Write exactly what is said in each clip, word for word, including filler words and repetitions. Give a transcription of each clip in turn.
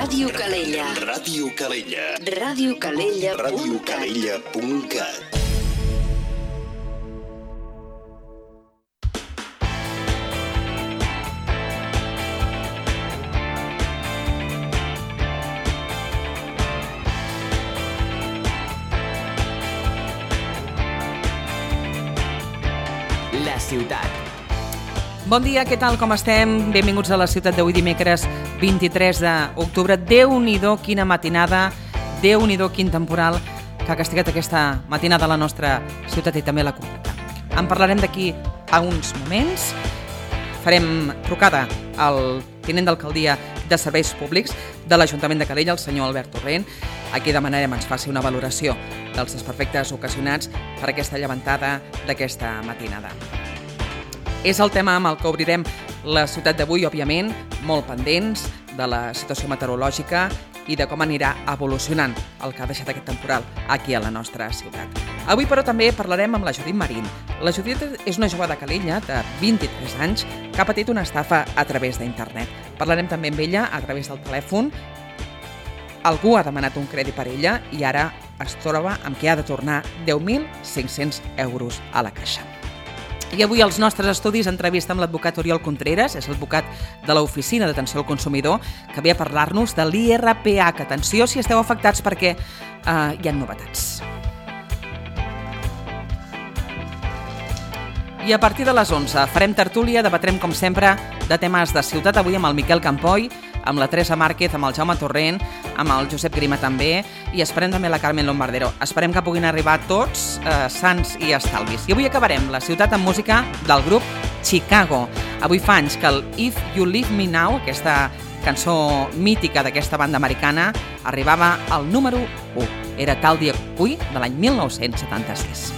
Ràdio Calella. Ràdio Calella. Ràdio Calella. Ràdio Calella punt cat. La ciutat. Bon dia, què tal, com estem? Benvinguts a la ciutat d'avui dimecres vint-i-tres d'octubre. Déu-n'hi-do, quina matinada, Déu-n'hi-do, quin temporal que ha castigat aquesta matinada a la nostra ciutat i també a la comarca. En parlarem d'aquí a uns moments. Farem trucada al tinent d'alcaldia de Serveis Públics de l'Ajuntament de Calella, el senyor Albert Torrent. Aquí demanarem ens faci una valoració dels desperfectes ocasionats per aquesta llevantada d'aquesta matinada. És el tema amb el que obrirem la ciutat d'avui, òbviament, molt pendents de la situació meteorològica i de com anirà evolucionant el que ha deixat aquest temporal aquí a la nostra ciutat. Avui, però, també parlarem amb la Judit Marín. La Judit és una jove de Calella de vint-i-tres anys que ha patit una estafa a través d'internet. Parlarem també amb ella a través del telèfon. Algú ha demanat un crèdit per ella i ara es troba amb que ha de tornar deu mil cinc-cents euros a la caixa. I avui als nostres estudis entrevista amb l'advocat Oriol Contreras, és l'advocat de l'Oficina d'Atenció al Consumidor, que ve a parlar-nos de l'I R P H. Atenció si esteu afectats perquè eh, hi ha novetats. I a partir de les onze farem tertúlia, debatrem com sempre de temes de ciutat, avui amb el Miquel Campoy, amb la Teresa Márquez, amb el Jaume Torrent, amb el Josep Grima també, i esperem també la Carmen Lombardero. Esperem que puguin arribar tots eh, sants i estalvis. I avui acabarem la ciutat amb música del grup Chicago. Avui fa anys que el If You Leave Me Now, aquesta cançó mítica d'aquesta banda americana, arribava al número u. Era Tal dia avui, de l'any mil nou-cents setanta-sis.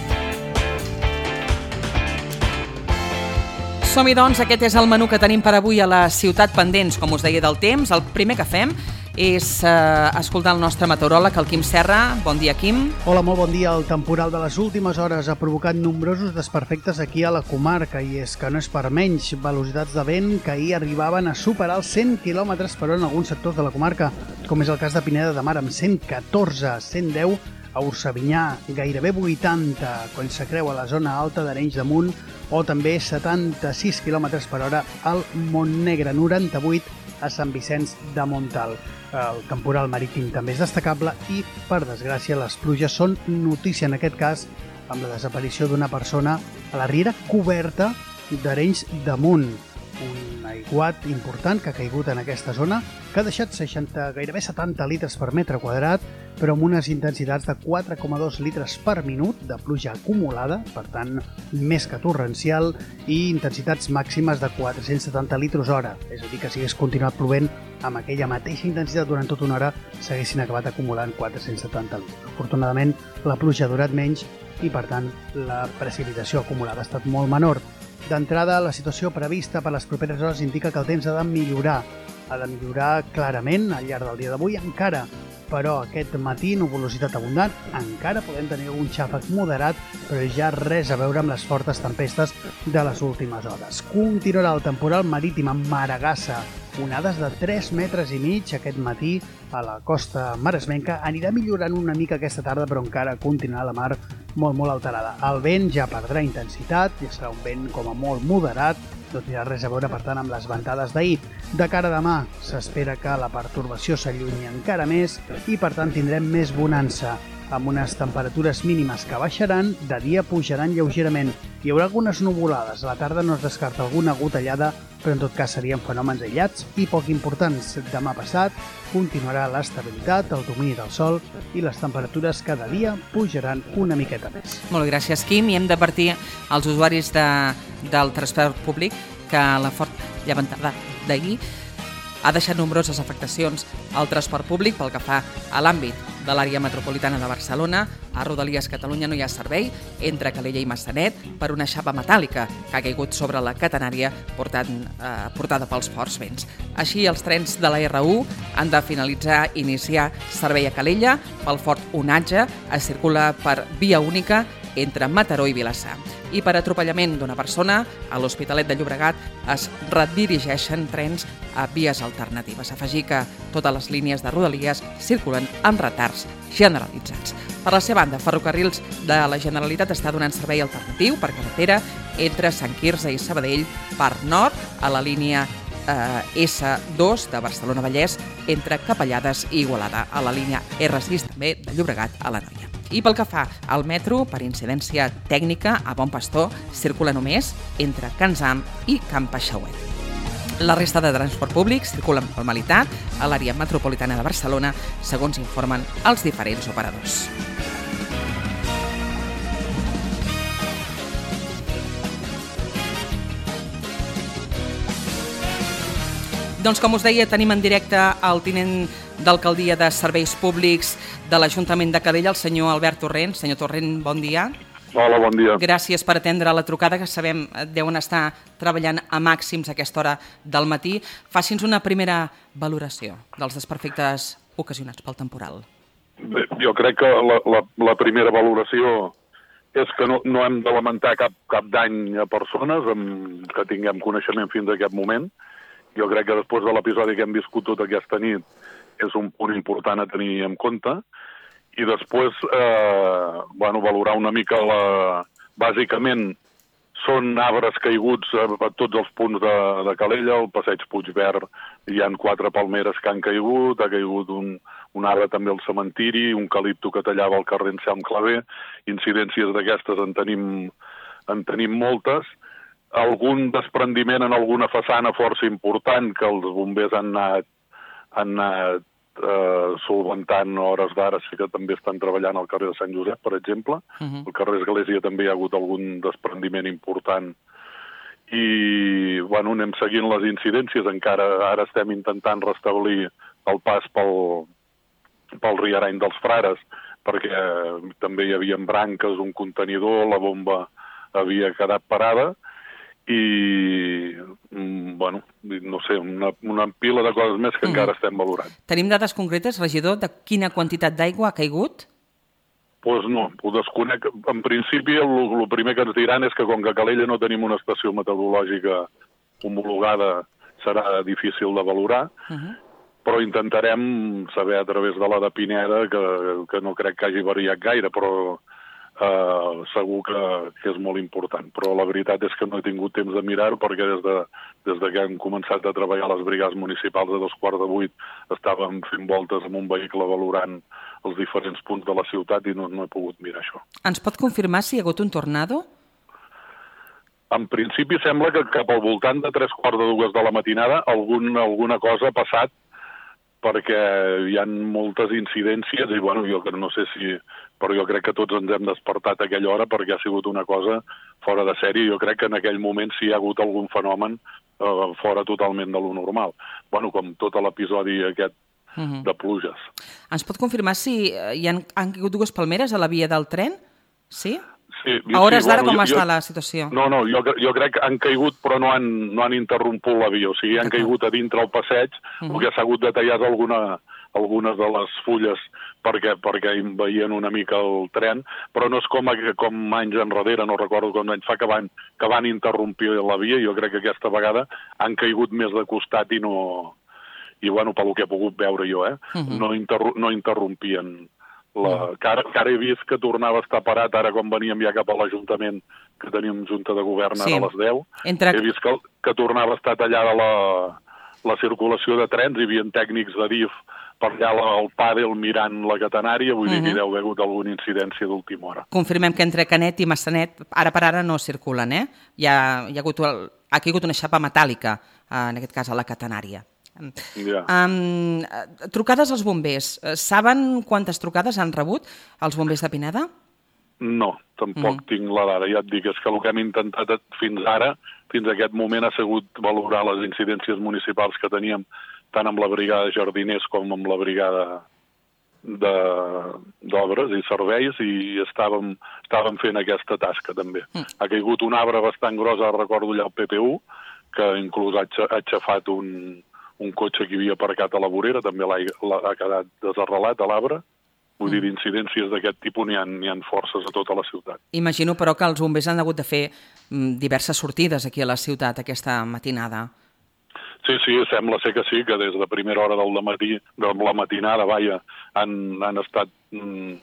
Som-hi, doncs, aquest és el menú que tenim per avui a la ciutat pendents, com us deia, del temps. El primer que fem és eh, escoltar el nostre meteoròleg, el Quim Serra. Bon dia, Quim. Hola, molt bon dia. El temporal de les últimes hores ha provocat nombrosos desperfectes aquí a la comarca i és que no és per menys. Velocitats de vent que ahir arribaven a superar els cent quilòmetres per hora en alguns sectors de la comarca, com és el cas de Pineda de Mar amb cent catorze, cent deu a Ursavinyà, gairebé vuitanta quan s'acreua la zona alta d'Arenys de Munt, o també setanta-sis quilòmetres per hora al Montnegre, noranta-vuit a Sant Vicenç de Montalt. El temporal marítim també és destacable i, per desgràcia, les pluges són notícia en aquest cas amb la desaparició d'una persona a la riera coberta d'Arenys de Munt. Un aiguat important que ha caigut en aquesta zona, que ha deixat seixanta, gairebé setanta litres per metre quadrat, però amb unes intensitats de quatre coma dos litres per minut de pluja acumulada, per tant, més que torrencial, i intensitats màximes de quatre-cents setanta litres hora. És a dir, que si hagués continuat plovent amb aquella mateixa intensitat durant tota una hora, s'haguessin acabat acumulant quatre-cents setanta litres. Afortunadament, la pluja ha durat menys i, per tant, la precipitació acumulada ha estat molt menor. D'entrada, la situació prevista per les properes hores indica que el temps ha de millorar. Ha de millorar clarament al llarg del dia d'avui encara, però aquest matí, nuvolositat abundant, encara podem tenir un xàfec moderat, però ja res a veure amb les fortes tempestes de les últimes hores. Continuarà el temporal marítim amb Maragassa, onades de tres metres i mig aquest matí a la costa maresmenca. Anirà millorant una mica aquesta tarda, però encara continuarà la mar molt, molt alterada. El vent ja perdrà intensitat, ja serà un vent com a molt moderat, no tindrà res a veure, per tant, amb les ventades d'ahir. De cara a demà, s'espera que la pertorbació s'allunyi encara més i, per tant, tindrem més bonança, amb unes temperatures mínimes que baixaran, de dia pujaran lleugerament. Hi haurà algunes nuvolades, a la tarda no es descarta alguna gotellada, però en tot cas serien fenòmens aïllats i poc importants. Demà passat continuarà l'estabilitat, el domini del sol i les temperatures cada dia pujaran una miqueta més. Molt bé, gràcies, Quim. I hem d'advertir als usuaris de, del transport públic que la forta llevantada d'ahir ha deixat nombroses afectacions al transport públic pel que fa a l'àmbit de l'àrea metropolitana de Barcelona. A Rodalies Catalunya no hi ha servei entre Calella i Massanet per una xapa metàl·lica que ha caigut sobre la catenària portant, eh, portada pels forts vents. Així, els trens de la R u han de finalitzar i iniciar servei a Calella pel fort onatge. Es circula per via única entre Mataró i Vilassar. I per atropellament d'una persona, a l'Hospitalet de Llobregat es redirigeixen trens a vies alternatives. Afegir que totes les línies de Rodalies circulen amb retards generalitzats. Per la seva banda, Ferrocarrils de la Generalitat està donant servei alternatiu per carretera entre Sant Quirze i Sabadell per nord a la línia eh, essa dos de Barcelona-Vallès entre Capellades i Igualada, a la línia erre sis també de Llobregat a l'Anoia. I pel que fa al metro, per incidència tècnica, a Bon Pastor circula només entre Can Zam i Can Paixauet. La resta de transport públic circula amb normalitat a l'àrea metropolitana de Barcelona, segons informen els diferents operadors. Doncs com us deia, tenim en directe el tinent d'alcaldia de Serveis Públics de l'Ajuntament de Calella, el senyor Albert Torrent. Senyor Torrent, bon dia. Hola, bon dia. Gràcies per atendre la trucada, que sabem deuen estar treballant a màxims a aquesta hora del matí. Faci'ns una primera valoració dels desperfectes ocasionats pel temporal. Bé, jo crec que la, la, la primera valoració és que no, no hem de lamentar cap, cap dany a persones amb, que tinguem coneixement fins a aquest moment. Jo crec que després de l'episodi que hem viscut tota aquesta nit és un punt important a tenir en compte. I després, eh, bueno, valorar una mica la... Bàsicament, són arbres caiguts a, a tots els punts de, de Calella, al passeig Puigverd hi ha quatre palmeres que han caigut, ha caigut un, un arbre també al cementiri, un calipto que tallava el carrer Anselm Clavé, incidències d'aquestes en tenim, en tenim moltes. Algun desprendiment en alguna façana força important que els bombers han anat, han anat eh, solventant a hores d'ara, sí que també estan treballant al carrer de Sant Josep, per exemple. Uh-huh. Al carrer Església també hi ha hagut algun desprendiment important. I, bueno, anem seguint les incidències. Encara ara estem intentant restablir el pas pel, pel Riarany dels Frares, perquè també hi havia branques, un contenidor, la bomba havia quedat parada, i, bueno, no sé, una, una pila de coses més que mm. encara estem valorant. Tenim dades concretes, regidor, de quina quantitat d'aigua ha caigut? Doncs pues no, ho desconec. En principi, el, el primer que ens diran és que com que a Calella no tenim una estació meteorològica homologada, serà difícil de valorar, uh-huh. però intentarem saber a través de la de Pineda, que, que no crec que hagi variat gaire, però Uh, segur que, que és molt important, però la veritat és que no he tingut temps de mirar-ho perquè des de, des de que hem començat a treballar a les brigades municipals a dos quarts de vuit estàvem fent voltes amb un vehicle valorant els diferents punts de la ciutat i no, no he pogut mirar això. Ens pot confirmar si hi ha hagut un tornado? En principi sembla que cap al voltant de tres quarts de dues de la matinada algun, alguna cosa ha passat perquè hi ha moltes incidències i bueno, jo no sé si... però jo crec que tots ens hem despertat a aquella hora perquè ha sigut una cosa fora de sèrie. Jo crec que en aquell moment sí hi ha hagut algun fenomen eh, fora totalment de lo normal. Bueno, com tot l'episodi aquest uh-huh. de pluges. Ens pot confirmar si hi han, han caigut dues palmeres a la via del tren? Sí? Sí, a hores sí, d'ara bueno, com jo, està jo, la situació? No, no, jo, jo crec que han caigut però no han, no han interromput la via, o sigui, han caigut a dintre el passeig, uh-huh. perquè s'ha hagut de tallar alguna, algunes de les fulles perquè, perquè veien una mica el tren, però no és com, com anys enrere, no recordo com anys fa que van, que van interrompir la via, jo crec que aquesta vegada han caigut més de costat i no... i bueno, pel que he pogut veure jo, eh? Uh-huh. no, interru no interrompien. La, que, ara, que ara he vist que tornava a estar parat, ara quan veníem ja cap a l'Ajuntament, que teníem Junta de Govern sí. a les deu, Entre... he vist que, que tornava a estar tallada la, la circulació de trens, hi havia tècnics de D I F per allà al pàdel mirant la catenària, vull uh-huh. dir que hi deu haver hagut alguna incidència d'última hora. Confirmem que entre Canet i Massanet, ara per ara no circulen, eh? Hi ha, hi ha, hagut, el, ha caigut una xapa metàl·lica, en aquest cas a la catenària. Yeah. Um, trucades als bombers. Saben quantes trucades han rebut els bombers de Pineda? No, tampoc mm. tinc la dada. Ja et dic, és que el que hem intentat fins ara, fins a aquest moment, ha sigut valorar les incidències municipals que teníem tant amb la brigada de jardiners com amb la brigada d'obres i serveis i estàvem, estàvem fent aquesta tasca també. Mm. Ha caigut un arbre bastant gros, ara recordo allà al P P U, que inclús ha aixafat un... un cotxe que havia aparcat a la vorera, també l'ha, ha quedat desarrelat a l'arbre, Vull dir, d'incidències d'aquest tipus n'hi ha, n'hi ha forces a tota la ciutat. Imagino, però, que els bombers han hagut de fer diverses sortides aquí a la ciutat aquesta matinada. Sí, sí, sembla ser que sí, que des de primera hora del matí, de la matinada, vaja, han, han estat mm,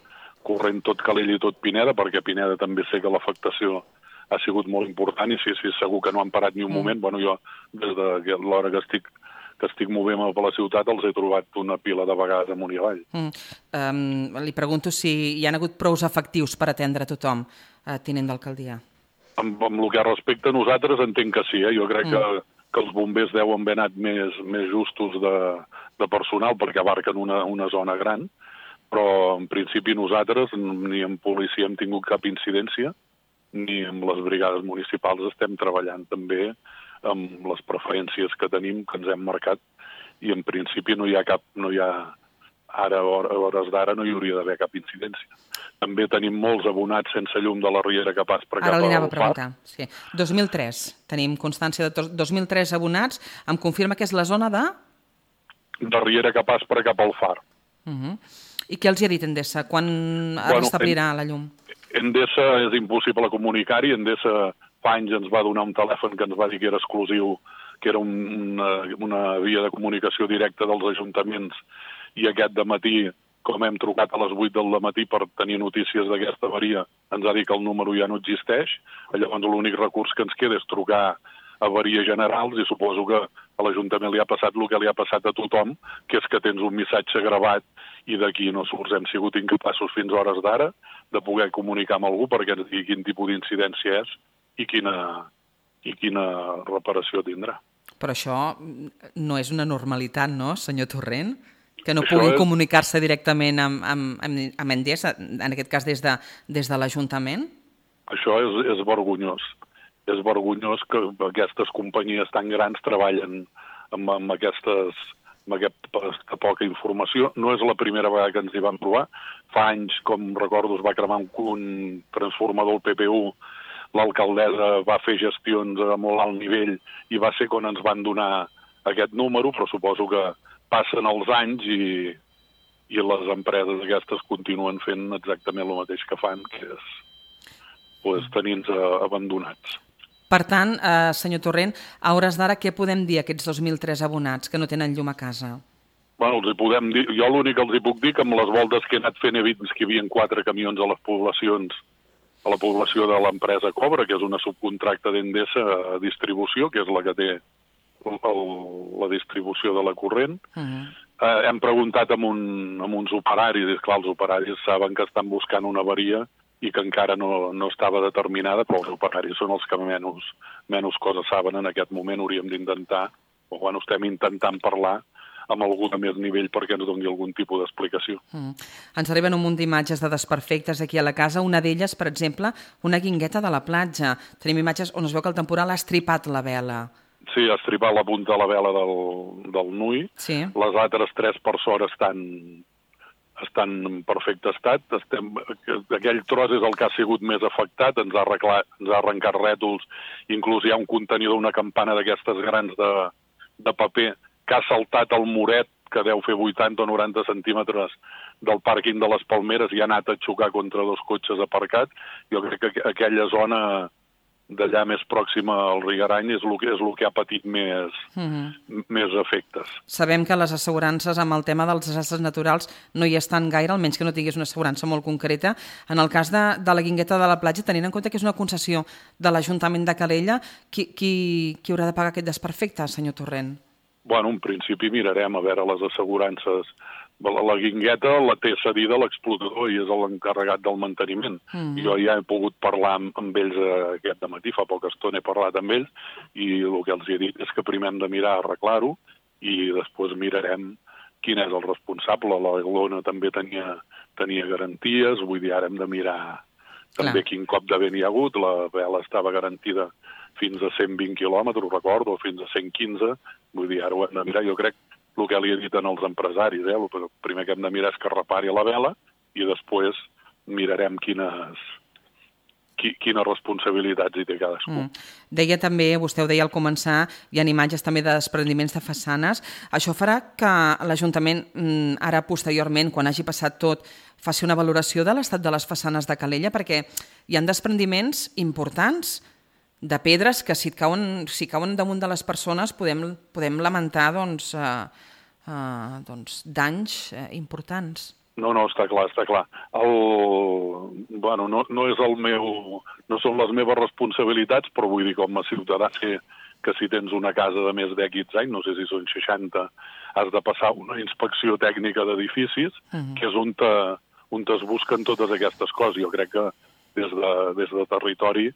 corrent tot Calella i tot Pineda, perquè a Pineda també sé que l'afectació ha sigut molt important i sí, sí, segur que no han parat ni un mm. moment. Bueno, jo, des de l'hora que estic que estic movent-me per la ciutat, els he trobat una pila de vegades amunt i avall. Mm. Um, li pregunto si hi ha hagut prous efectius per atendre tothom, eh, tinent d'alcaldia. Amb, amb el que respecta a nosaltres entenc que sí, eh? Jo crec mm. que, que els bombers deuen haver anat més, més justos de, de personal perquè abarquen una, una zona gran, però en principi nosaltres ni en policia hem tingut cap incidència, ni amb les brigades municipals estem treballant també amb les preferències que tenim, que ens hem marcat, i en principi no hi ha cap, no hi ha, ara, a hores d'ara, no hi hauria d'haver cap incidència. També tenim molts abonats sense llum de la Riera que pas per cap al Ara li anava a preguntar. Sí. dos mil tres, tenim constància de dos mil tres abonats. Em confirma que és la zona de? De Riera que pas per cap al Far. Uh -huh. I què els hi ha dit Endesa? Quan es bueno, restablirà en... la llum? Endesa és impossible comunicar-hi. Endesa fa anys ens va donar un telèfon que ens va dir que era exclusiu, que era un, una, una via de comunicació directa dels ajuntaments, i aquest dematí, com hem trucat a les vuit del dematí per tenir notícies d'aquesta avaria, ens ha dit que el número ja no existeix. Llavors l'únic recurs que ens queda és trucar a avaries generals, i suposo que a l'Ajuntament li ha passat el que li ha passat a tothom, que és que tens un missatge gravat i d'aquí no surts. Hem sigut incapaços fins a hores d'ara de poder comunicar amb algú perquè ens digui quin tipus d'incidència és i quina, i quina reparació tindrà. Però això no és una normalitat, no, senyor Torrent? Que no puguin és... comunicar-se directament amb, amb, amb Endesa, en aquest cas des de, des de l'Ajuntament? Això és, és vergonyós. És vergonyós que aquestes companyies tan grans treballen amb, amb, aquestes, amb aquesta poca informació. No és la primera vegada que ens hi vam trobar. Fa anys, com recordo, es va cremar un, un transformador al P P U, l'alcaldessa va fer gestions a molt alt nivell i va ser quan ens van donar aquest número, però suposo que passen els anys i, i les empreses aquestes continuen fent exactament el mateix que fan, que és pues, tenir-nos abandonats. Per tant, eh, senyor Torrent, a hores d'ara què podem dir a aquests dos mil tres abonats que no tenen llum a casa? Bueno, els hi podem dir, jo l'únic que els hi puc dir que amb les voltes que he anat fent he vist que hi havia quatre camions a les poblacions, a la població de l'empresa Cobra, que és una subcontracta d'Endesa a distribució, que és la que té el, el, la distribució de la corrent. Uh -huh. eh, hem preguntat amb, un, amb uns operaris, i clar, els operaris saben que estan buscant una avaria i que encara no, no estava determinada, però els operaris són els que menys, menys coses saben en aquest moment. Hauríem d'intentar, o bueno, estem intentant parlar amb algú de més nivell perquè ens doni algun tipus d'explicació. Mm. Ens arriben un munt d'imatges de desperfectes aquí a la casa. Una d'elles, per exemple, una guingueta de la platja. Tenim imatges on es veu que el temporal ha estripat la vela. Sí, ha estripat la punta de la vela del, del Nui. Sí. Les altres tres per sort estan, estan en perfecte estat. Estem, aquell tros és el que ha sigut més afectat. Ens ha, arreglat, ens ha arrencat rètols. Inclús hi ha un contenidor, una campana d'aquestes grans de, de paper que ha saltat el muret, que deu fer vuitanta o noranta centímetres del pàrquing de les Palmeres, i ha anat a xocar contra dos cotxes aparcats. Jo crec que aquella zona d'allà més pròxima al Rigarany és el que, és el que ha patit més, mm-hmm. més efectes. Sabem que les assegurances amb el tema dels desastres naturals no hi estan gaire, almenys que no tinguis una assegurança molt concreta. En el cas de, de la guingueta de la platja, tenint en compte que és una concessió de l'Ajuntament de Calella, qui, qui, qui haurà de pagar aquest desperfecte, senyor Torrent? Bueno, en principi mirarem a veure les assegurances. La, la guingueta la té cedida l'explotador i és l'encarregat del manteniment. Mm. Jo ja he pogut parlar amb, amb ells aquest dematí, fa poca estona he parlat amb ells, i el que els he dit és que primer hem de mirar a arreglar-ho i després mirarem quin és el responsable. La Glona també tenia, tenia garanties, vull dir, ara hem de mirar també Clar. Quin cop de vent hi ha hagut. La vela estava garantida fins a cent vint quilòmetres, recordo, o fins a cent quinze, vull dir, ara ho hem de mirar. Jo crec el que li he dit als empresaris, eh? El primer que hem de mirar és que repari la vela i després mirarem quines, qui, quines responsabilitats hi té cadascú. Mm. Deia també, vostè ho deia al començar, hi ha imatges també de desprendiments de façanes. Això farà que l'Ajuntament, ara posteriorment, quan hagi passat tot, faci una valoració de l'estat de les façanes de Calella, perquè hi ha desprendiments importants de pedres que si cauen, si cauen damunt de les persones podem, podem lamentar doncs, eh, eh, doncs, danys eh, importants. No, no, està clar, està clar. El... Bueno, no, no és el meu... No són les meves responsabilitats, però vull dir, com a ciutadà, sé que si tens una casa de més d'X anys, no sé si són seixanta, has de passar una inspecció tècnica d'edificis, uh-huh. que és on, te, on es busquen totes aquestes coses. Jo crec que des de, des de territori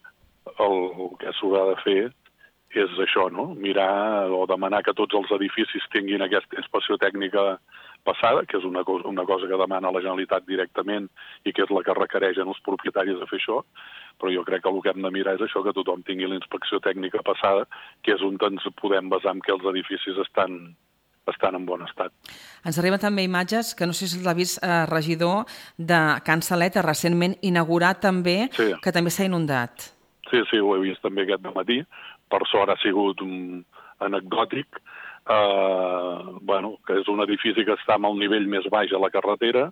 el, el que s'haurà de fer és això, no? Mirar o demanar que tots els edificis tinguin aquesta inspecció tècnica passada, que és una cosa, una cosa que demana la Generalitat directament i que és la que requereixen els propietaris de fer això, però jo crec que el que hem de mirar és això, que tothom tingui la inspecció tècnica passada, que és on ens podem basar en que els edificis estan, estan en bon estat. Ens arriben també imatges, que no sé si l'ha vist eh, regidor, de Can Saleta, recentment inaugurat també, sí. que també s'ha inundat. Sí, sí, ho he vist també aquest dematí. Per sort ha sigut un anecdòtic, eh, bueno, que és un edifici que està amb el nivell més baix a la carretera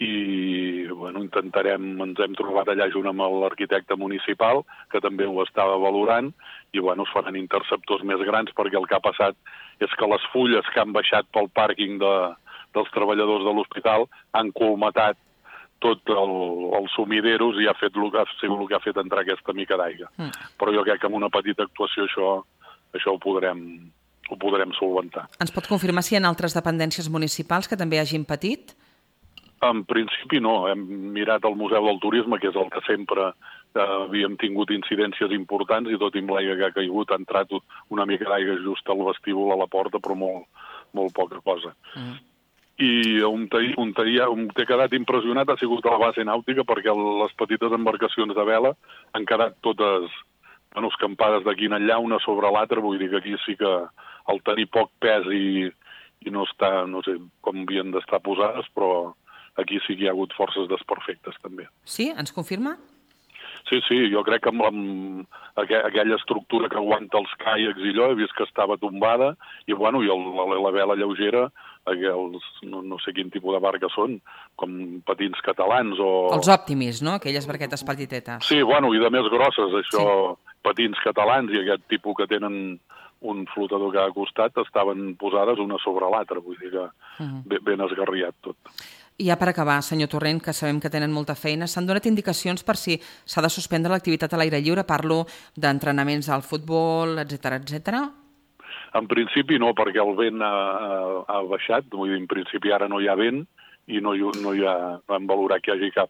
i bueno, intentarem, ens hem trobat allà junt amb l'arquitecte municipal, que també ho estava valorant, i bueno, es faran interceptors més grans perquè el que ha passat és que les fulles que han baixat pel pàrquing de, dels treballadors de l'hospital han colmatat tot el, els sumideros i ha fet el que ha sigut el que ha fet entrar aquesta mica d'aigua. Mm. Però jo crec que amb una petita actuació això, això ho podrem, ho podrem solventar. Ens pot confirmar si hi ha altres dependències municipals que també hagin patit? En principi no. Hem mirat el Museu del Turisme, que és el que sempre eh, havíem tingut incidències importants i tot i amb l'aigua que ha caigut ha entrat una mica d'aigua just al vestíbul, a la porta, però molt, molt poca cosa. Mm. I on t'he quedat impressionat ha sigut a la base nàutica perquè les petites embarcacions de vela han quedat totes bueno, escampades d'aquí en allà, una sobre l'altra, vull dir que aquí sí que el tenir poc pes i, i no està, no sé com havien d'estar posades, però aquí sí que hi ha hagut forces desperfectes també. Sí? Ens confirma? Sí, sí, jo crec que amb, amb aquella estructura que aguanta els caiacs i allò, he vist que estava tombada, i bueno, i el, la, la vela lleugera, aquells, no, no sé quin tipus de barca són, com patins catalans o... Els Optimis, no? Aquelles barquetes petitetes. Sí, bueno, i de més grosses, això, sí. Patins catalans i aquest tipus que tenen un flotador que ha costat, estaven posades una sobre l'altra, vull dir que uh-huh. ben, ben esgarriat tot. I ja per acabar, senyor Torrent, que sabem que tenen molta feina, s'han donat indicacions per si s'ha de suspendre l'activitat a l'aire lliure? Parlo d'entrenaments al futbol, etcètera, etcètera. En principi no, perquè el vent ha, ha baixat, vull dir, en principi ara no hi ha vent i no hi, no hi ha, vam valorar que hi hagi cap,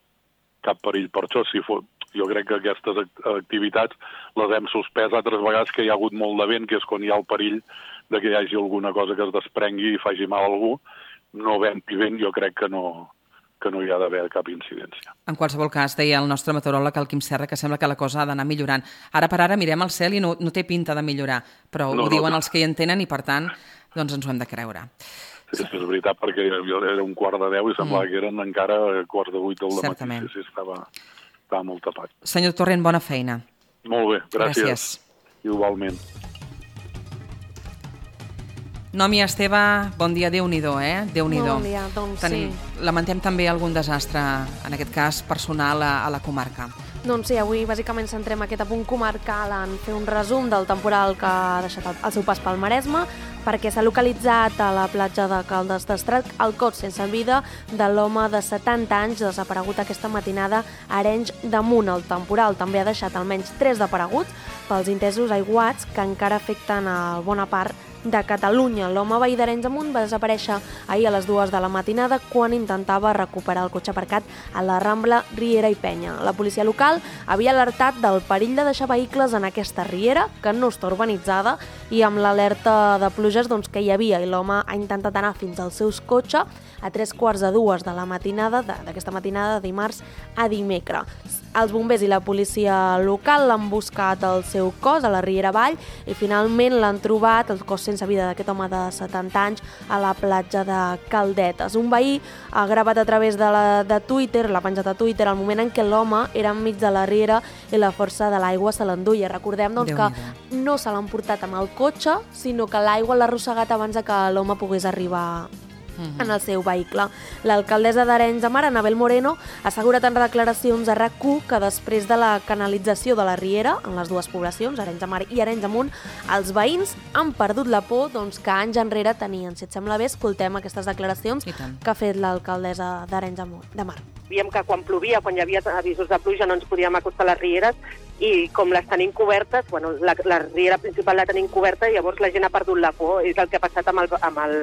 cap perill per això. Si fos, jo crec que aquestes activitats les hem suspès altres vegades que hi ha hagut molt de vent, que és quan hi ha el perill de que hi hagi alguna cosa que es desprengui i faci mal a algú. No vent i vent, jo crec que no, que no hi ha d'haver cap incidència. En qualsevol cas, deia el nostre meteoròleg, el Quim Serra, que sembla que la cosa ha d'anar millorant. Ara per ara mirem al cel i no, no té pinta de millorar, però no, ho no, diuen no. Els que hi entenen i, per tant, doncs ens ho hem de creure. Sí, és veritat, perquè era un quart de deu i semblava mm. que eren encara quarts de vuit del matí. Sí, sí, estava, estava molt tapat. Senyor Torrent, bona feina. Molt bé, gràcies. Gràcies. Igualment. Nomi Esteve, bon dia, Déu-n'hi-do, eh? Déu-n'hi-do. Bon dia, doncs Tenim, sí. Lamentem també algun desastre, en aquest cas personal, a, a la comarca. Doncs sí, avui bàsicament centrem aquest apunt comarcal en fer un resum del temporal que ha deixat el seu pas pel Maresme, perquè s'ha localitzat a la platja de Caldes d'Estrac el cos sense vida de l'home de setanta anys desaparegut aquesta matinada a Arenys de Munt. El temporal també ha deixat almenys tres desapareguts pels intensos aiguats que encara afecten a bona part de Catalunya. L'home veí d'Arenys de Munt va desaparèixer ahir a les dues de la matinada quan intentava recuperar el cotxe aparcat a la Rambla Riera i Penya. La policia local havia alertat del perill de deixar vehicles en aquesta riera, que no està urbanitzada, i amb l'alerta de pluges doncs, que hi havia, i l'home ha intentat anar fins al seu cotxe a tres quarts de dues de la matinada, d'aquesta matinada de dimarts a dimecres. Els bombers i la policia local l'han buscat el seu cos a la Riera Vall i finalment l'han trobat, el cos sense vida d'aquest home de setanta anys, a la platja de Caldetes. Un veí ha gravat a través de, la, de Twitter, l'ha penjat a Twitter, el moment en què l'home era enmig de la riera i la força de l'aigua se l'enduia. Recordem doncs, que no se l'han portat amb el cotxe, sinó que l'aigua l'ha arrossegat abans de que l'home pogués arribar en el seu vehicle. L'alcaldessa d'Arenys de Mar, Anabel Moreno, ha assegurat en declaracions a RAC u que després de la canalització de la riera en les dues poblacions, Arenys de Mar i Arenys de Munt, els veïns han perdut la por doncs, que anys enrere tenien. Si et sembla bé, escoltem aquestes declaracions que ha fet l'alcaldessa d'Arenys de Mar. Diem que quan plovia, quan hi havia avisos de pluja, no ens podíem acostar a les rieres i com les tenim cobertes, bueno, la, la riera principal la tenim coberta i llavors la gent ha perdut la por. És el que ha passat amb el, amb el,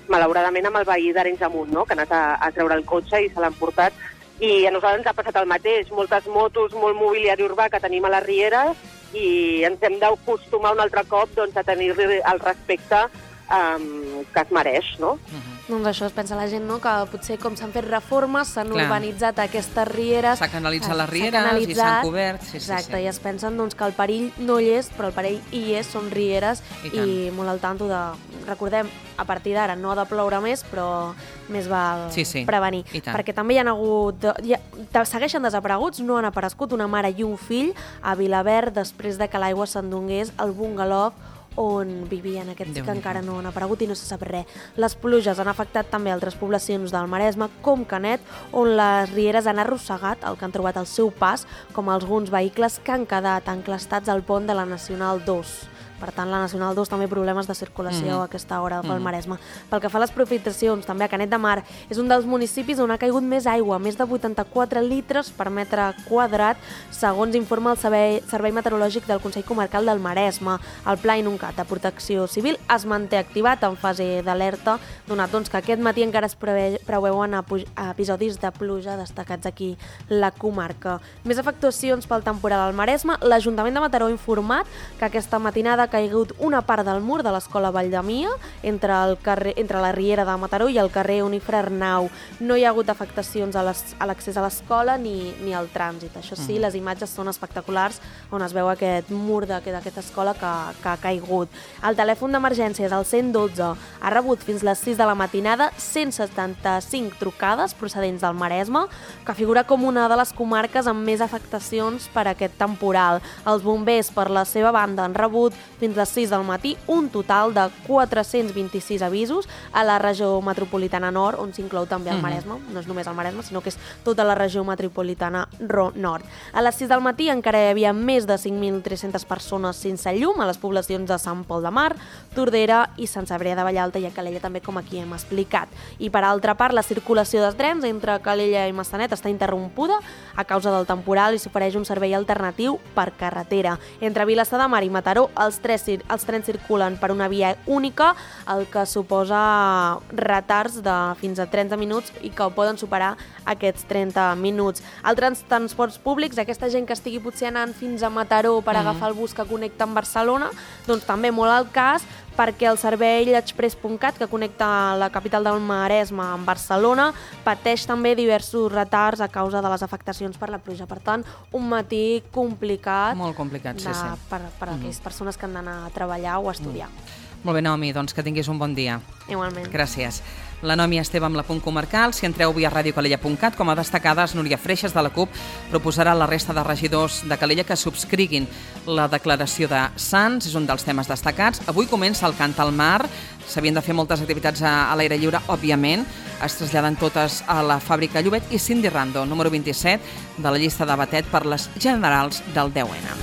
malauradament amb el veí d'Arenys de Munt, no? Que ha anat a, a treure el cotxe i se l'han portat. I a nosaltres ens ha passat el mateix, moltes motos, molt mobiliari urbà que tenim a les rieres i ens hem d'acostumar un altre cop doncs, a tenir-li el respecte um, que es mereix, no? Uh-huh. Doncs això es pensa la gent, no? Que potser com s'han fet reformes, s'han urbanitzat aquestes rieres. S'ha canalitzat les rieres i s'han cobert. Sí, exacte, sí, sí. I es pensen doncs, que el perill no hi és, però el perill hi és, són rieres i, i molt al tanto de... Recordem, a partir d'ara no ha de ploure més, però més val sí, sí. prevenir. Perquè també hi ha hagut... Hi ha, segueixen desapareguts, no han aparegut una mare i un fill a Vilaverd després de que l'aigua s'endongués al bungalou on vivien. Aquests que encara no han aparegut i no se sap res. Les pluges han afectat també altres poblacions del Maresme, com Canet, on les rieres han arrossegat el que han trobat al seu pas, com alguns vehicles que han quedat enclastats al pont de la Nacional dos. Per tant, la Nacional dos també problemes de circulació mm. a aquesta hora pel mm. Maresme. Pel que fa a les precipitacions, també a Canet de Mar, és un dels municipis on ha caigut més aigua, més de vuitanta-quatre litres per metre quadrat, segons informa el Servei, Servei Meteorològic del Consell Comarcal del Maresme. El Pla Inuncat de Protecció Civil es manté activat en fase d'alerta, donat doncs, que aquest matí encara es preve, preveuen episodis de pluja destacats aquí la comarca. Més afectacions pel temporal al Maresme. L'Ajuntament de Mataró ha informat que aquesta matinada ha caigut una part del mur de l'escola Valldemia entre, el carrer, entre la Riera de Mataró i el carrer Unifre Arnau. No hi ha hagut afectacions a l'accés a l'escola ni, ni al trànsit. Això sí, les imatges són espectaculars on es veu aquest mur d'aquesta escola que, que ha caigut. El telèfon d'emergències, el cent dotze, ha rebut fins les sis de la matinada cent setanta-cinc trucades procedents del Maresme, que figura com una de les comarques amb més afectacions per aquest temporal. Els bombers, per la seva banda, han rebut fins les sis del matí un total de quatre-cents vint-i-sis avisos a la regió metropolitana nord, on s'inclou també el Maresme. No és només el Maresme, sinó que és tota la regió metropolitana nord. A les sis del matí encara hi havia més de cinc mil tres-centes persones sense llum a les poblacions de Sant Pol de Mar, Tordera i Sant Cebrià de Vallalta i a Calella, també, com aquí hem explicat. I per altra part, la circulació dels trens entre Calella i Massanet està interrompuda a causa del temporal i s'ofereix un servei alternatiu per carretera. Entre Vilassar de Mar i Mataró, els Tres, els trens circulen per una via única, el que suposa retards de fins a trenta minuts i que poden superar aquests trenta minuts. Altres transports públics, aquesta gent que estigui potser anant fins a Mataró per mm. agafar el bus que connecta amb Barcelona, doncs també molt al cas, perquè el servei express punt cat, que connecta la capital del Maresme amb Barcelona, pateix també diversos retards a causa de les afectacions per la pluja. Per tant, un matí complicat, molt complicat de, sí, sí. per, per mm. aquelles persones que han d'anar a treballar o a estudiar. Mm. Molt bé, Naomi, doncs que tinguis un bon dia. Igualment. Gràcies. La Naomi Esteve amb la Punt Comarcal. Si entreu via ràdio calella punt cat, com a destacades, Núria Freixas de la CUP proposarà a la resta de regidors de Calella que subscriguin la declaració de Sants, és un dels temes destacats. Avui comença el Cant al Mar, s'havien de fer moltes activitats a, a l'aire lliure, òbviament, es traslladen totes a la fàbrica Llobet, i Cindy Rando, número vint-i-set de la llista de Batet per les generals del deu ena.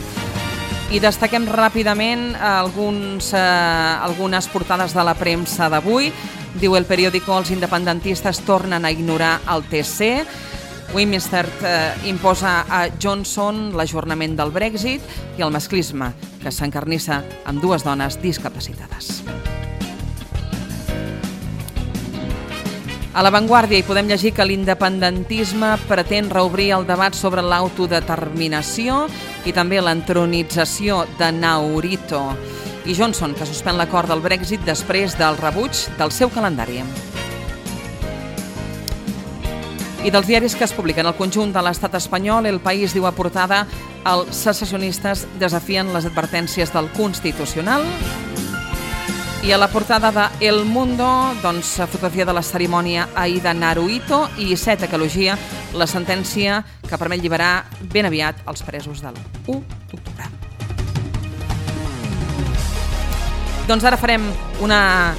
I destaquem ràpidament alguns, eh, algunes portades de la premsa d'avui. Diu el periòdico: els independentistes tornen a ignorar el T C. Westminster eh, imposa a Johnson l'ajornament del Brexit, i el masclisme, que s'encarnissa amb dues dones discapacitades. A La Vanguardia hi podem llegir que l'independentisme pretén reobrir el debat sobre l'autodeterminació i també l'entronització de Naurito. I Johnson, que suspèn l'acord del Brexit després del rebuig del seu calendari. I dels diaris que es publiquen al conjunt de l'estat espanyol, El País diu a portada: els secessionistes desafien les advertències del Constitucional. I a la portada de El Mundo, doncs, fotografia de la cerimònia ahir de Naruhito i Iceta, que elogia la sentència que permet alliberar ben aviat els presos de l'u d'octubre. Doncs ara farem una,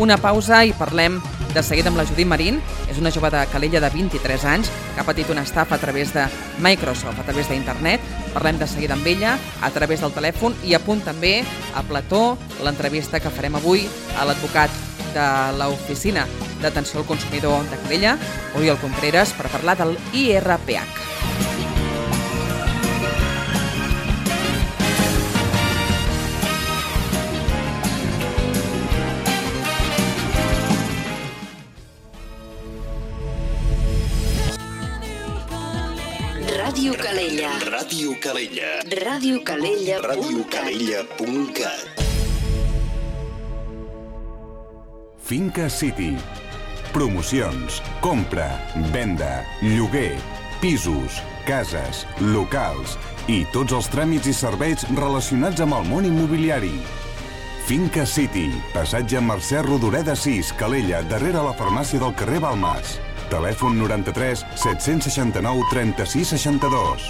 una pausa i parlem de seguida amb la Judit Marín. És una jove de Calella de vint-i-tres anys que ha patit una estafa a través de Microsoft, a través d'internet. Parlem de seguida amb ella a través del telèfon i a punt també a plató l'entrevista que farem avui a l'advocat de l'Oficina d'Atenció al Consumidor de Calella, Oriol Contreras, per parlar del I R P H. Ràdio Calella. Ràdio Calella. Ràdio Calella. Ràdio Calella punt cat. Finca City. Promocions, compra, venda, lloguer, pisos, cases, locals i tots els tràmits i serveis relacionats amb el món immobiliari. Finca City, passatge Mercè Rodoreda sis, Calella, darrere la farmàcia del carrer Balmas. Telèfon noranta-tres set-cents seixanta-nou trenta-sis seixanta-dos.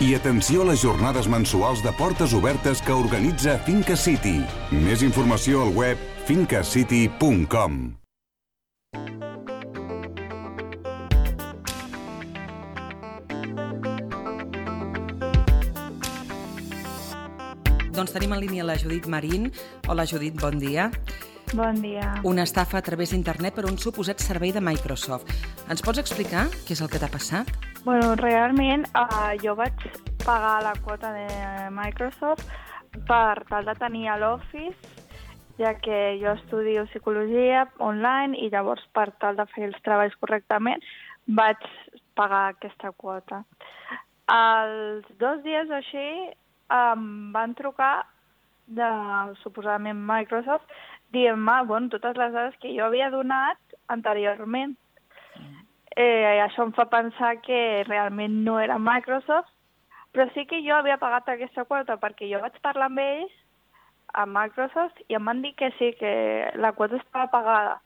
I atenció a les jornades mensuals de portes obertes que organitza Finca City. Més informació al web finca city punt com. Doncs tenim en línia la Judit Marín. Hola, Judit, bon dia. Bon dia. Una estafa a través d'internet per un suposat servei de Microsoft. Ens pots explicar què és el que t'ha passat? Bueno, realment uh, jo vaig pagar la quota de Microsoft per tal de tenir a l'Office, ja que jo estudio psicologia online i llavors per tal de fer els treballs correctament vaig pagar aquesta quota. Els dos dies o així em van trucar de, suposadament, Microsoft dient-me, bueno, totes les dades que jo havia donat anteriorment. Eh, això em fa pensar que realment no era Microsoft, però sí que jo havia pagat aquesta quota perquè jo vaig parlar amb ells, a Microsoft, i em van dir que sí, que la quota estava pagada.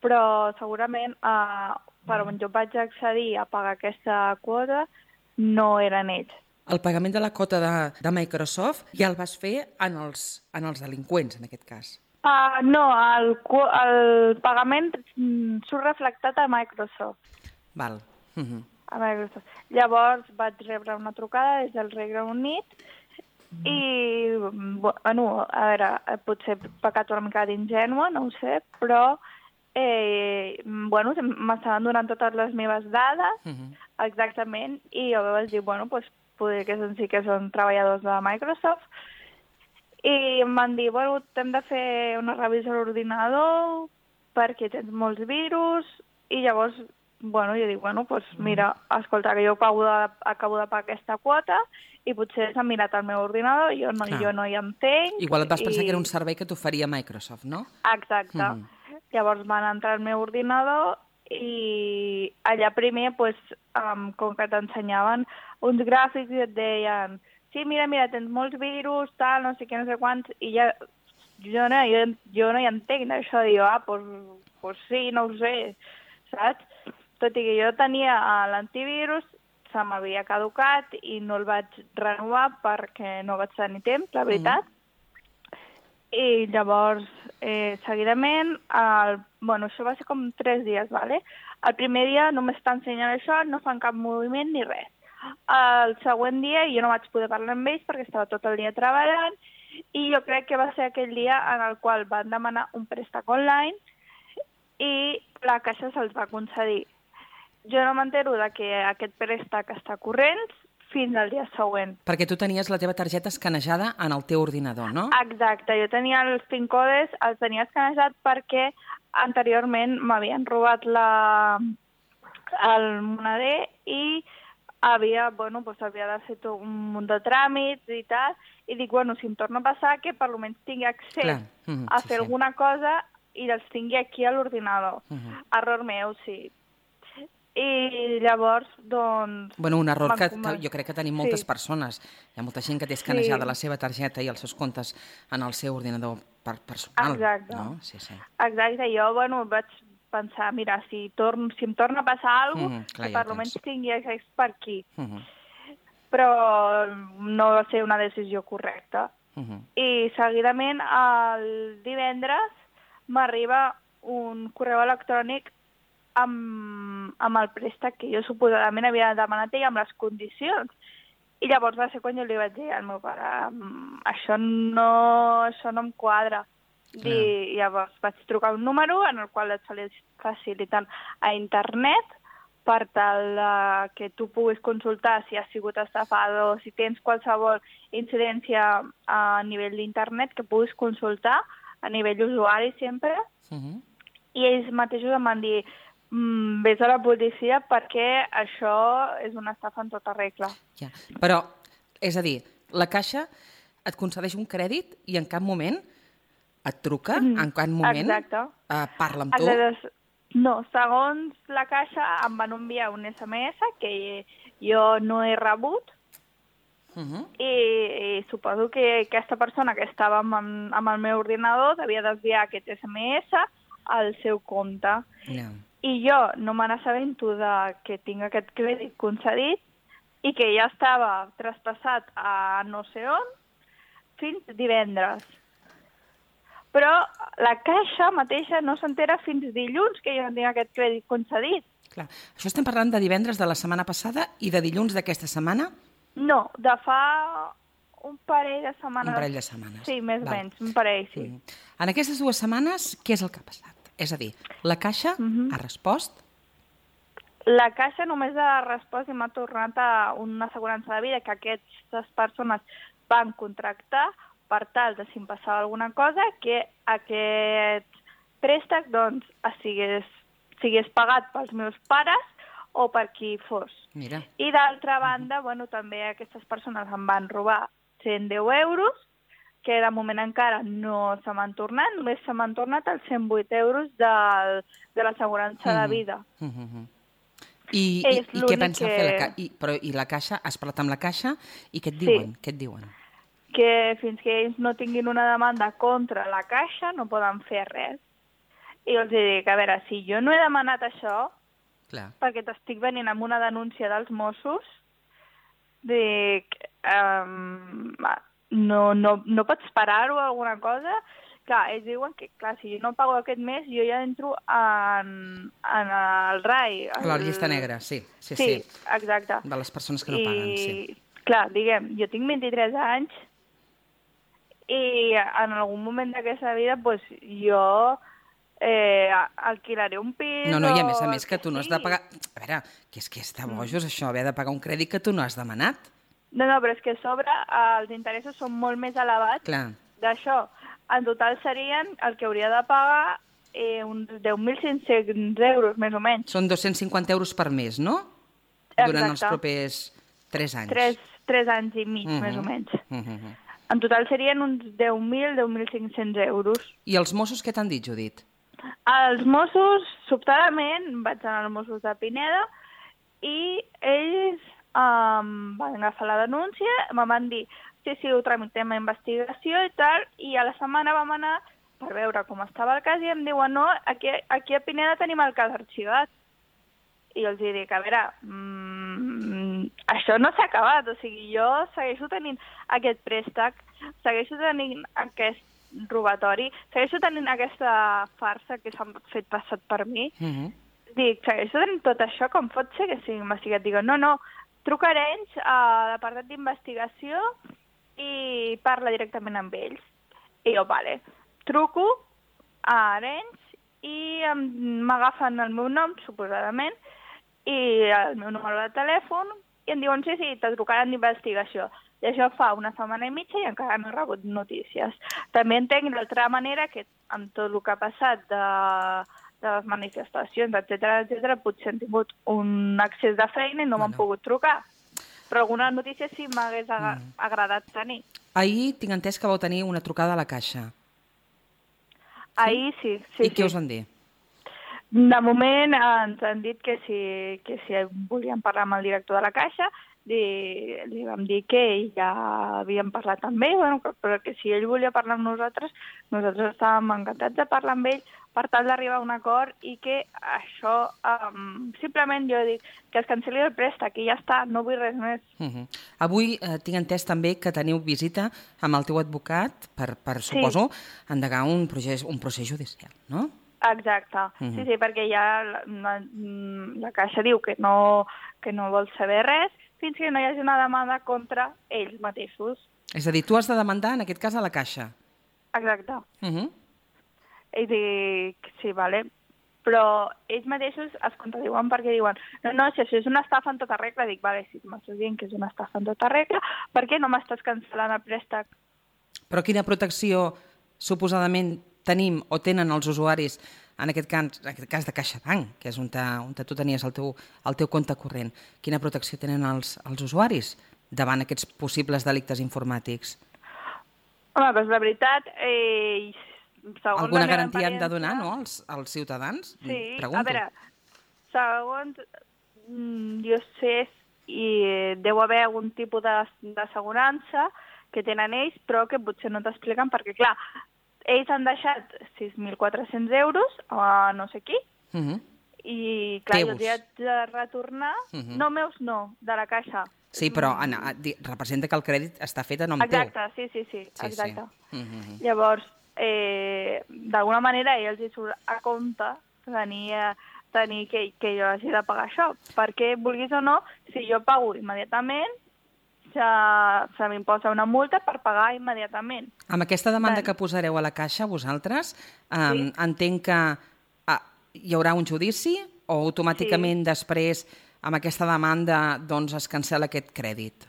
Però segurament eh, per on jo vaig accedir a pagar aquesta quota no eren ells. El pagament de la quota de, de Microsoft ja el vas fer en els, en els delinqüents, en aquest cas. Uh, no, el, el pagament mm, surt reflectat a Microsoft. Val. Uh-huh. A Microsoft. Llavors vaig rebre una trucada des del Regne Unit uh-huh. i, bueno, a veure, potser he pecat una mica d'ingènua, no ho sé, però eh, bueno, m'estaven donant totes les meves dades, uh-huh. exactament, i jo vaig dir, bueno, doncs poder que són, sí que són treballadors de Microsoft, i em van dir, bueno, t'hem de fer una revisió a l'ordinador perquè tens molts virus, i llavors, bueno, jo dic, bueno, doncs mira, escolta, que jo acabo de, acabo de pagar aquesta quota i potser s'ha mirat el meu ordinador, jo no, jo no hi entenc. Igual et vas pensar i... que era un servei que t'oferia Microsoft, no? Exacte. Mm. Llavors van entrar al meu ordinador i allà primer, pues, um, com que t'ensenyaven uns gràfics i et deien sí, mira, mira, tens molts virus, tal, no sé què, no sé quants, i ja jo no, jo, jo no hi entenc això, dic, ah, pues, pues sí, no ho sé, saps? Tot i que jo tenia l'antivirus, se m'havia caducat i no el vaig renovar perquè no vaig tenir temps, la veritat. Mm. I llavors, eh, seguidament, el, bueno, això va ser com tres dies, ¿vale? El primer dia només t'ensenyen això, no fan cap moviment ni res. El següent dia jo no vaig poder parlar amb ells perquè estava tot el dia treballant i jo crec que va ser aquell dia en el qual van demanar un préstec online i la caixa se'ls va concedir. Jo no m'entero de que aquest préstec està corrent fins al dia següent. Perquè tu tenies la teva targeta escanejada en el teu ordinador, no? Exacte, jo tenia els PIN codes, els tenia escanejat perquè anteriorment m'havien robat la... el moneder i havia, bueno, pues havia de fer tot un munt de tràmits i tal, i dic, bueno, si em torna a passar, que per almenys tingui accés Clar. Mm, a sí, fer sí. alguna cosa i els tingui aquí a l'ordinador. Uh-huh. Error meu, sí. I llavors, doncs... Bueno, un error que, m'encomano. que jo crec que tenim moltes Sí. persones. Hi ha molta gent que té escanejada Sí. la seva targeta i els seus comptes en el seu ordinador per personal. Exacte. No? Sí, sí. Exacte, jo, bueno, vaig pensar, mira, si, torn, si em torna a passar alguna cosa, Mhm, clar, que ja per ho almenys tens. tingui accés per aquí. Mhm, Però no va ser una decisió correcta. mhm. I seguidament, el divendres, m'arriba un correu electrònic amb, amb el préstec que jo suposadament havia demanat ell amb les condicions. I llavors va ser quan jo li vaig dir al meu pare, "Mm, això no, això no em quadra. I llavors vaig trucar un número en el qual et faciliten a internet per tal de que tu puguis consultar si has sigut estafado, si tens qualsevol incidència a nivell d'internet que puguis consultar a nivell usuari sempre. Mhm. I ells mateixos em van dir, mm, vés a la policia perquè això és una estafa en tota regla. Ja. Però, és a dir, la Caixa et concedeix un crèdit i en cap moment et truca, Mm, en cap moment exacte. eh, parla amb tu. Aleshores, no, segons la Caixa em van enviar un essa eme essa que jo no he rebut Mhm. i, i suposo que aquesta persona que estava amb, amb el meu ordinador devia desviar aquest essa eme essa al seu compte. Ja. I jo no me n'assabento de que tinc aquest crèdit concedit i que ja estava traspassat a no sé on fins divendres. Però la Caixa mateixa no s'entera fins dilluns que jo no tinc aquest crèdit concedit. Clar. Això estem parlant de divendres de la setmana passada i de dilluns d'aquesta setmana? No, de fa un parell de setmanes. Un parell de setmanes. Sí, més o Val. menys, un parell, sí. Mm. En aquestes dues setmanes, què és el que ha passat? És a dir, la Caixa Mhm. ha respost? La Caixa només ha respost i m'ha tornat a una assegurança de vida que aquestes persones van contractar per tal de, si em passava alguna cosa, que aquest préstec doncs, sigués, sigués pagat pels meus pares o per qui fos. Mira. I d'altra banda, bueno, també aquestes persones em van robar cent deu euros, que de moment encara no se m'han tornat, només se m'han tornat els cent vuit euros del, de l'assegurança de Mhm. vida. Mhm. I, i, És i què l'únic pensa que- fer la Caixa? I, però, I la Caixa? Has parlat amb la Caixa? I què et Sí. diuen? Què et diuen? Que fins que ells no tinguin una demanda contra la Caixa no poden fer res. I els dic, a veure, si jo no he demanat això, Clar. perquè t'estic venint amb una denúncia dels Mossos, dic, um, no, no, no pots parar-ho o alguna cosa? Clar, ells diuen que, clar, si jo no pago aquest mes, jo ja entro en, en el R A I. A la llista negra, sí. Sí, sí. Sí, exacte. De les persones que no I, paguen, sí. clar, diguem, jo tinc vint-i-tres anys i en algun moment d'aquesta vida pues, jo eh, alquilaré un pis... No, no, i a més a o més que tu no has de pagar... A veure, que és que és de bojos això, haver de pagar un crèdit que tu no has demanat. No, no, però és que a sobre els interessos són molt més elevats Clar. d'això. En total serien el que hauria de pagar eh, uns deu mil cinc-cents euros, més o menys. Són dos-cents cinquanta euros per mes, no? Durant els Exacte. propers tres anys. Tres, tres anys i mig, Mhm. més o menys. Mhm. En total serien uns deu mil, deu mil cinc-cents euros. I els Mossos què t'han dit, Judit? Els Mossos, sobtadament, vaig anar als Mossos de Pineda i ells um, van agafar la denúncia, me van dir sí, sí, ho tramitem a investigació i tal, i a la setmana vam anar per veure com estava el cas i em diuen no, aquí, aquí a Pineda tenim el cas arxivat. I jo els dic, a veure, mmm, això no s'ha acabat, o sigui, jo segueixo tenint aquest préstec, segueixo tenint aquest robatori, segueixo tenint aquesta farsa que s'han fet passat per mi, Mhm. dic, segueixo tenint tot això, com pot ser que sigui investigat? Dic, no, no, trucaré ells a l'apartat d'investigació i parla directament amb ells. I jo, vale, truco a Arenys i em- m'agafen el meu nom, suposadament, i el meu número de telèfon, i em diuen, sí, sí, te trucaran d'investigació. I això fa una setmana i mitja i encara no he rebut notícies. També entenc d'altra manera que amb tot el que ha passat de, de les manifestacions, etcètera, etcètera, potser han tingut un accés de feina i no m'han Bueno. pogut trucar. Però alguna notícia sí m'hagués aga- agradat tenir. Ahir tinc entès que vau tenir una trucada a la Caixa. Ahir sí, sí. I què sí. us van dir? De moment ens han dit que si, que si volíem parlar amb el director de la Caixa, li, li vam dir que ja havíem parlat amb ell, bueno, però que si ell volia parlar amb nosaltres, nosaltres estàvem encantats de parlar amb ell per tal d'arribar a un acord i que això, um, simplement jo dic que es cancel·li el préstec i ja està, no vull res més. Uh -huh. Avui eh, tinc entès també que teniu visita amb el teu advocat per, per Sí. suposo, endegar un procés, un procés judicial, no? Exacte, Mhm. sí, sí, perquè ja la, la, la Caixa diu que no, que no vol saber res fins que no hi hagi una demanda contra ells mateixos. És a dir, tu has de demandar, en aquest cas, a la Caixa. Exacte. Uh -huh. I dic, sí, vale. Però ells mateixos es contradiuen perquè diuen no, no, si això és una estafa en tota regla, dic, vale, si m'estàs dient que és una estafa en tota regla, per què no m'estàs cancel·lant el préstec? Però quina protecció suposadament tenim o tenen els usuaris, en aquest cas, en aquest cas de CaixaBank, que és on, te, on te tu tenies el teu, el teu compte corrent, quina protecció tenen els, els usuaris davant aquests possibles delictes informàtics? Home, doncs la veritat, eh, segons Alguna la meva garantia han de donar, experiència- no?, als, als ciutadans? Sí, Pregunto. a veure, segons mm, jo sé, i deu haver algun tipus de- d'assegurança que tenen ells, però que potser no t'expliquen perquè, clar, ells han deixat sis mil quatre-cents euros a no sé qui, Uh -huh. i clar, jo Teus. els hi haig de retornar, Uh -huh. no meus no, de la Caixa. Sí, però en, a, di- representa que el crèdit està fet a nom teu. Exacte, sí, sí, sí, Sí, exacte. sí. Uh -huh. Llavors, eh, d'alguna manera a ells els hi surt a compte tenir, eh, tenir que, que jo hagi de pagar això, perquè, vulguis o no, si jo pago immediatament, se, se m'imposa una multa per pagar immediatament. Amb aquesta demanda Val. que posareu a la Caixa, vosaltres, eh, Sí. entenc que ah, hi haurà un judici o automàticament després, amb aquesta demanda, doncs es cancel·la aquest crèdit?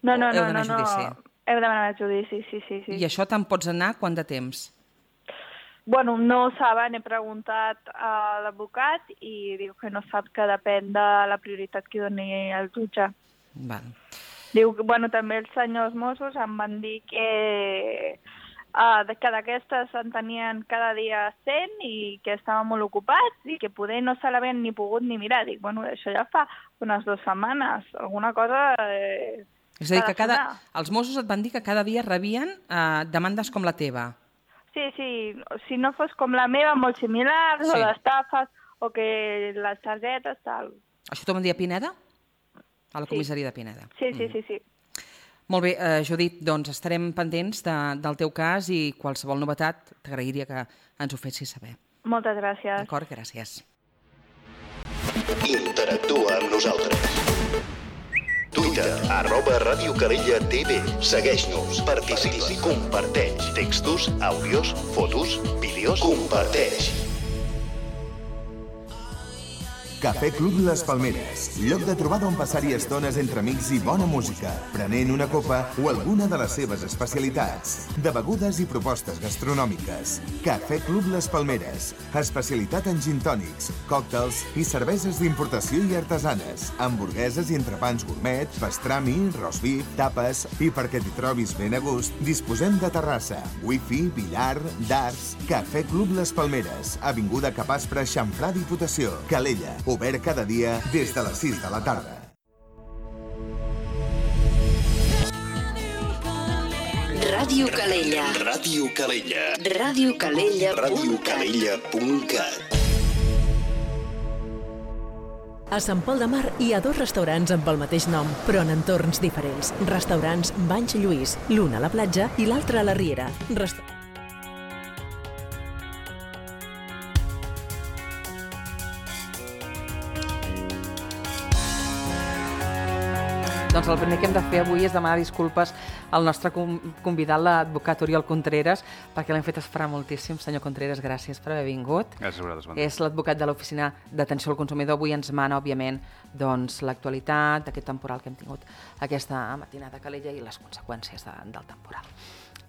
No, no, Heu no, no, d'anar a no. judici. Heu d'anar a judici, sí, sí, sí. I això te'n pots anar quant de temps? Bueno, no ho saben, he preguntat a l'advocat i diu que no sap, que depèn de la prioritat que doni el jutge. Val. Diu que, bueno, també els senyors Mossos em van dir que, uh, que d'aquestes en tenien cada dia cent i que estaven molt ocupats i que poder no se l'havien ni pogut ni mirar. Dic, bueno, això ja fa unes dues setmanes, alguna cosa... Eh, És a dir, ha que de cada, sonar. els Mossos et van dir que cada dia rebien eh, demandes com la teva. Sí, sí, si no fos com la meva, molt similars, Sí. o d'estafes, o que les targetes, tal. Això t'ho van dir a Pineda? A la Sí. comissaria de Pineda. Sí, sí, sí, sí. Molt bé, eh, Judit, doncs estarem pendents de, del teu cas i qualsevol novetat t'agrairia que ens ho fessis saber. Moltes gràcies. D'acord? Gràcies. Interactua amb nosaltres. Twitter, arroba Ràdio Calella T V. Segueix-nos, participa, comparteix. Textos, àudios, fotos, vídeos, comparteix. Cafè Club Les Palmeres, lloc de trobada on passar-hi estones entre amics i bona música, prenent una copa o alguna de les seves especialitats, de begudes i propostes gastronòmiques. Cafè Club Les Palmeres, especialitat en gin tònics, còctels i cerveses d'importació i artesanes, hamburgueses i entrepans gourmet, pastrami, rosbif, tapes i perquè t'hi trobis ben a gust, disposem de terrassa, wifi, billar, darts. Cafè Club Les Palmeres, avinguda Capaspre, Xamfrà, Diputació, Calella. Obert cada dia des de les sis de la tarda. Ràdio Calella. Ràdio Calella. Ràdio Calella. Ràdio Calella punt cat. A Sant Pol de Mar hi ha dos restaurants amb el mateix nom, però en entorns diferents. Restaurants Banys Lluís, l'un a la platja i l'altre a la Riera. Resta Doncs el primer que hem de fer avui és demanar disculpes al nostre convidat, l'advocat Oriol Contreras, perquè l'hem fet esperar moltíssim. Senyor Contreras, gràcies per haver vingut. Gràcies a vosaltres, bon dia. És l'advocat de l'Oficina d'Atenció al Consumidor. Avui ens mana, òbviament, doncs, l'actualitat d'aquest temporal que hem tingut aquesta matinada a Calella i les conseqüències de, del temporal.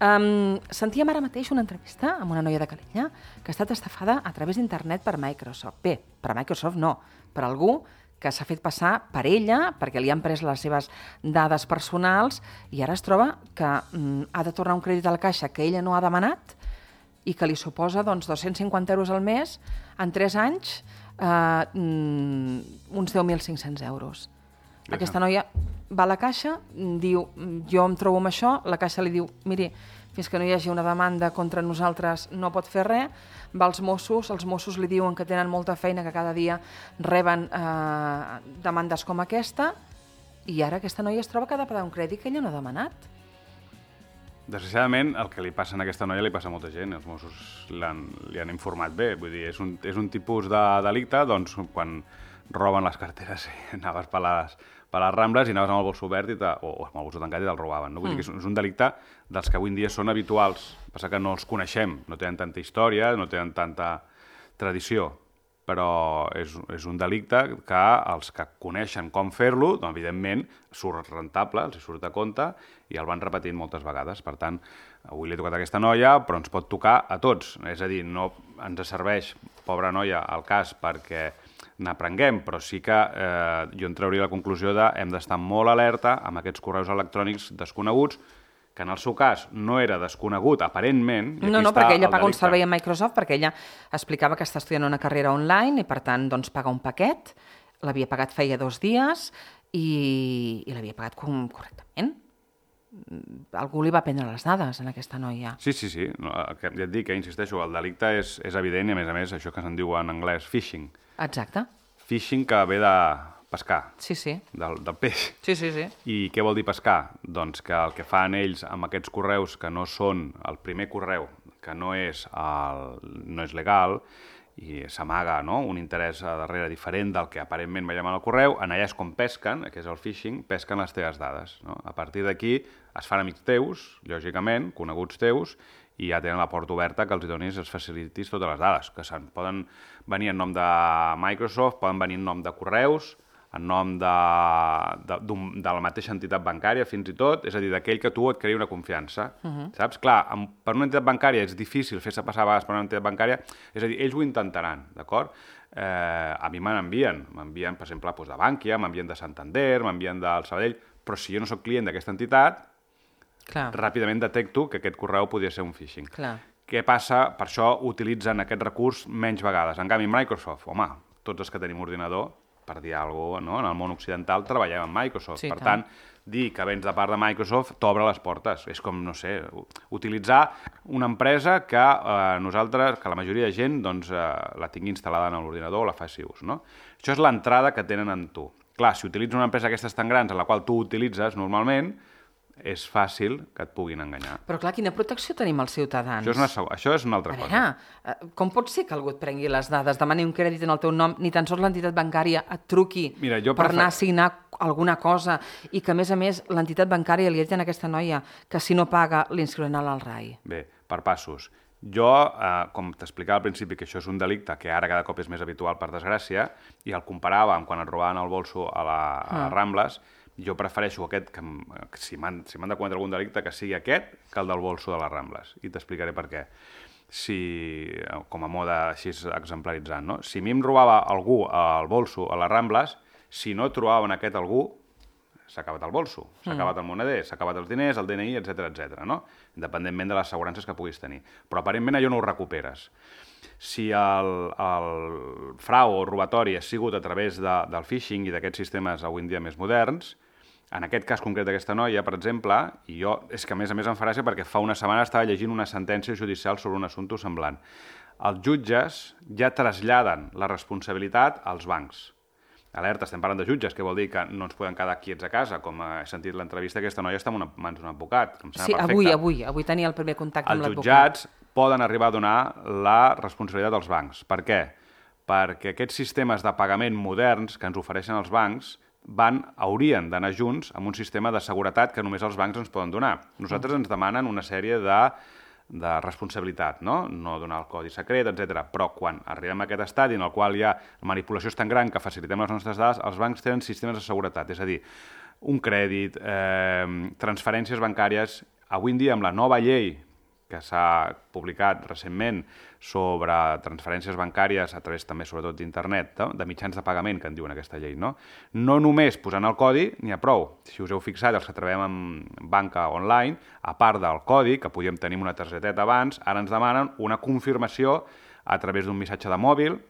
Um, sentíem ara mateix una entrevista amb una noia de Calella que ha estat estafada a través d'internet per Microsoft. Bé, per Microsoft no, per algú que s'ha fet passar per ella, perquè li han pres les seves dades personals i ara es troba que mm, ha de tornar un crèdit a la Caixa que ella no ha demanat i que li suposa doncs, dos-cents cinquanta euros al mes, en tres anys, eh, uns deu mil cinc-cents euros. Aquesta noia va a la caixa, diu, jo em trobo amb això, la caixa li diu, miri, fins que no hi hagi una demanda contra nosaltres no pot fer res, va als Mossos, els Mossos li diuen que tenen molta feina, que cada dia reben eh, demandes com aquesta, i ara aquesta noia es troba que ha de pagar un crèdit que ella no ha demanat. Desgraciadament, el que li passa a aquesta noia li passa a molta gent. Els Mossos li han informat bé. Vull dir, és un, és un tipus de delicte, doncs, quan roben les carteres i anaves per les, per les Rambles i anaves amb el bolso obert i te, o, o amb el bolso tancat i te'l robaven. No? Vull mm. dir que és, és un delicte dels que avui en dia són habituals. Passa que no els coneixem, no tenen tanta història, no tenen tanta tradició, però és, és un delicte que els que coneixen com fer-lo, doncs, evidentment, surt rentable, els surt a compte, i el van repetint moltes vegades. Per tant, avui li he tocat a aquesta noia, però ens pot tocar a tots. És a dir, no ens serveix, pobra noia, el cas perquè n'aprenguem, però sí que eh, jo en trauria la conclusió de hem d'estar molt alerta amb aquests correus electrònics desconeguts, que en el seu cas no era desconegut, aparentment... No, no, perquè ella paga un servei a Microsoft, perquè ella explicava que està estudiant una carrera online i, per tant, doncs, paga un paquet, l'havia pagat feia dos dies i, i l'havia pagat com, correctament. Algú li va prendre les dades a aquesta noia. Sí, sí, sí. No, ja et dic, eh, insisteixo, el delicte és, és evident i, a més a més, això que se'n diu en anglès phishing. Exacte. Phishing que ve de pescar, sí, sí. Del, del peix. Sí, sí, sí. I què vol dir pescar? Doncs que el que fan ells amb aquests correus que no són el primer correu, que no és, el, no és legal, i s'amaga, no?, un interès a darrere diferent del que aparentment veiem en el correu, en allà és com pesquen, que és el phishing, pesquen les teves dades. No? A partir d'aquí es fan amics teus, lògicament, coneguts teus, i ja tenen la porta oberta que els donis, els facilitis totes les dades, que se'n poden venir en nom de Microsoft, poden venir en nom de correus, en nom de, de, de la mateixa entitat bancària, fins i tot, és a dir, d'aquell que tu et creï una confiança. Uh-huh. Saps? Clar, amb, per una entitat bancària és difícil fer-se passar a vegades per una entitat bancària, és a dir, ells ho intentaran, d'acord? Eh, a mi me n'envien, m'envien, per exemple, doncs, de Bankia, m'envien de Santander, m'envien del Sabadell, però si jo no soc client d'aquesta entitat, clar, ràpidament detecto que aquest correu podria ser un phishing. Clar. Què passa? Per això utilitzen aquest recurs menys vegades. En canvi, Microsoft, home, tots els que tenim ordinador, per dir alguna cosa, no? En el món occidental treballem amb Microsoft. Sí, per tant, dir que vens de part de Microsoft t'obre les portes. És com, no sé, utilitzar una empresa que eh, nosaltres, que la majoria de gent, doncs, eh, la tingui instal·lada en l'ordinador o la faci ús, no? Això és l'entrada que tenen en tu. Clar, si utilitzes una empresa d'aquestes tan grans, en la qual tu utilitzes normalment, és fàcil que et puguin enganyar. Però clar, quina protecció tenim els ciutadans? Això és una, això és una altra a cosa. Veure, com pot ser que algú et prengui les dades, demani un crèdit en el teu nom, ni tan sols l'entitat bancària et truqui Mira, per prefer... anar a signar alguna cosa i que, a més a més, l'entitat bancària li ha dit a aquesta noia que si no paga l'inscriuran al R A I? Bé, per passos. Jo, eh, com t'explicava al principi, que això és un delicte que ara cada cop és més habitual, per desgràcia, i el comparava amb quan et robaven el bolso a, la, a les Rambles, jo prefereixo aquest, que, que si m'han si m'han de cometre algun delicte, que sigui aquest que el del bolso de les Rambles. I t'explicaré per què. Si, com a mode així exemplaritzant, no? Si a mi em robava algú el bolso a les Rambles, si no trobaven aquest algú, s'ha acabat el bolso, s'ha mm. acabat el moneder, s'ha acabat els diners, el D N I, etcètera, etcètera, no? Independentment de les assegurances que puguis tenir. Però aparentment allò no ho recuperes. Si el, el frau o robatori ha sigut a través de, del phishing i d'aquests sistemes avui en dia més moderns, en aquest cas concret d'aquesta noia, per exemple, i jo, és que a més a més em fa gràcia perquè fa una setmana estava llegint una sentència judicial sobre un assumpte semblant. Els jutges ja traslladen la responsabilitat als bancs. Alerta, estem parlant de jutges, que vol dir que no ens podem quedar quiets a casa, com he sentit l'entrevista, aquesta noia està en una, mans d'un advocat, que em sembla sí, perfecte. avui, avui, avui tenia el primer contacte amb l'advocat. Els jutjats poden arribar a donar la responsabilitat als bancs. Per què? Perquè aquests sistemes de pagament moderns que ens ofereixen els bancs van, haurien d'anar junts amb un sistema de seguretat que només els bancs ens poden donar. Nosaltres ens demanen una sèrie de, de responsabilitat, no? No donar el codi secret, etcètera. Però quan arribem a aquest estadi en el qual hi ha la manipulació és tan gran que facilitem les nostres dades, els bancs tenen sistemes de seguretat, és a dir, un crèdit, eh, transferències bancàries. Avui en dia, amb la nova llei que s'ha publicat recentment sobre transferències bancàries a través també, sobretot, d'internet, no? De mitjans de pagament, que en diuen aquesta llei, no? No només posant el codi n'hi ha prou. Si us heu fixat, els que treballem en banca online, a part del codi, que podíem tenir una targeteta abans, ara ens demanen una confirmació a través d'un missatge de mòbil,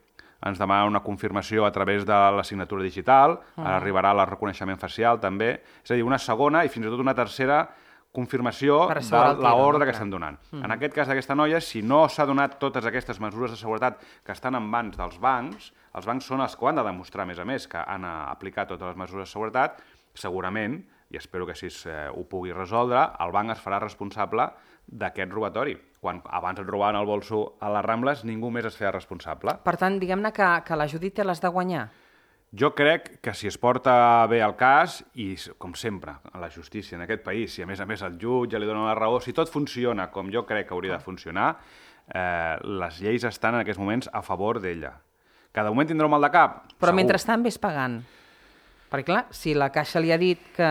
ens demanen una confirmació a través de la signatura digital, ara arribarà el reconeixement facial també, és a dir, una segona i fins i tot una tercera confirmació de l'ordre que estem donant. Mm. En aquest cas d'aquesta noia, si no s'ha donat totes aquestes mesures de seguretat que estan en mans dels bancs, els bancs són els que ho han de demostrar, a més a més, que han aplicat totes les mesures de seguretat, segurament, i espero que així eh, ho pugui resoldre, el banc es farà responsable d'aquest robatori. Quan abans et robaven el bolso a les Rambles, ningú més es feia responsable. Per tant, diguem-ne que, que la Judit té les de guanyar. Jo crec que si es porta bé el cas, i com sempre, a la justícia en aquest país, si a més a més el jutge li dona la raó, si tot funciona com jo crec que hauria de funcionar, eh, les lleis estan en aquests moments a favor d'ella. Cada moment tindrà un mal de cap? Però segur. Mentrestant ves pagant. Perquè, clar, si la Caixa li ha dit que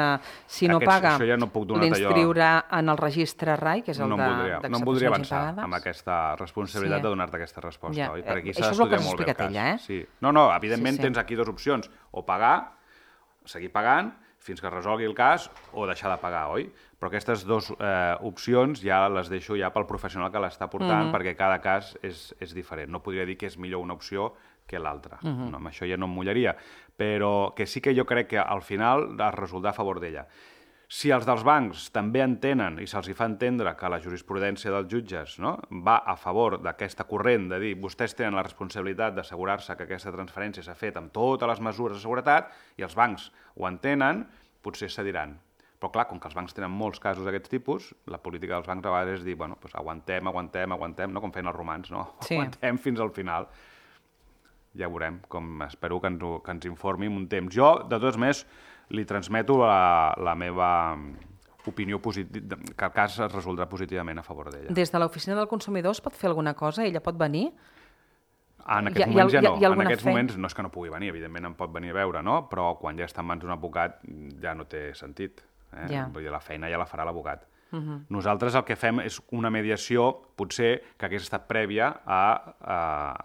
si no Aquests, paga ja no l'inscriurà en el registre R A I, que és el no de voldria, no em voldria avançar impagades. Amb aquesta responsabilitat sí. de donar-te aquesta resposta. Ja. Oi? Per aquí Això és el que has explicat ella, eh? Sí. No, no, evidentment sí, sí. tens aquí dues opcions. O pagar, seguir pagant, fins que es resolgui el cas, o deixar de pagar, oi? Però aquestes dues eh, opcions ja les deixo ja pel professional que l'està portant, mm-hmm. perquè cada cas és, és diferent. No podria dir que és millor una opció que l'altra. Mm-hmm. No, amb això ja no em mullaria. Però que sí que jo crec que al final es resoldrà a favor d'ella. Si els dels bancs també entenen i se'ls fa entendre que la jurisprudència dels jutges, no, va a favor d'aquesta corrent de dir vostès tenen la responsabilitat d'assegurar-se que aquesta transferència s'ha fet amb totes les mesures de seguretat i els bancs ho entenen, potser cediran. Però clar, com que els bancs tenen molts casos d'aquests tipus, la política dels bancs a vegades és dir, bueno, doncs aguantem, aguantem, aguantem, no? Com feien els romans, no? Sí. Aguantem fins al final. Ja veurem, com espero que ens, que ens informi en un temps. Jo, de totes més, li transmeto la, la meva opinió positiva, que el cas es resoldrà positivament a favor d'ella. Des de l'oficina del consumidor es pot fer alguna cosa? Ella pot venir? En aquests moments ja no. En aquests moments no és que no pugui venir, evidentment em pot venir a veure, no? Però quan ja està en mans d'un advocat ja no té sentit. Eh? Ja. Vull dir, la feina ja la farà l'advocat. Uh-huh. Nosaltres el que fem és una mediació, potser, que hagués estat prèvia a, a,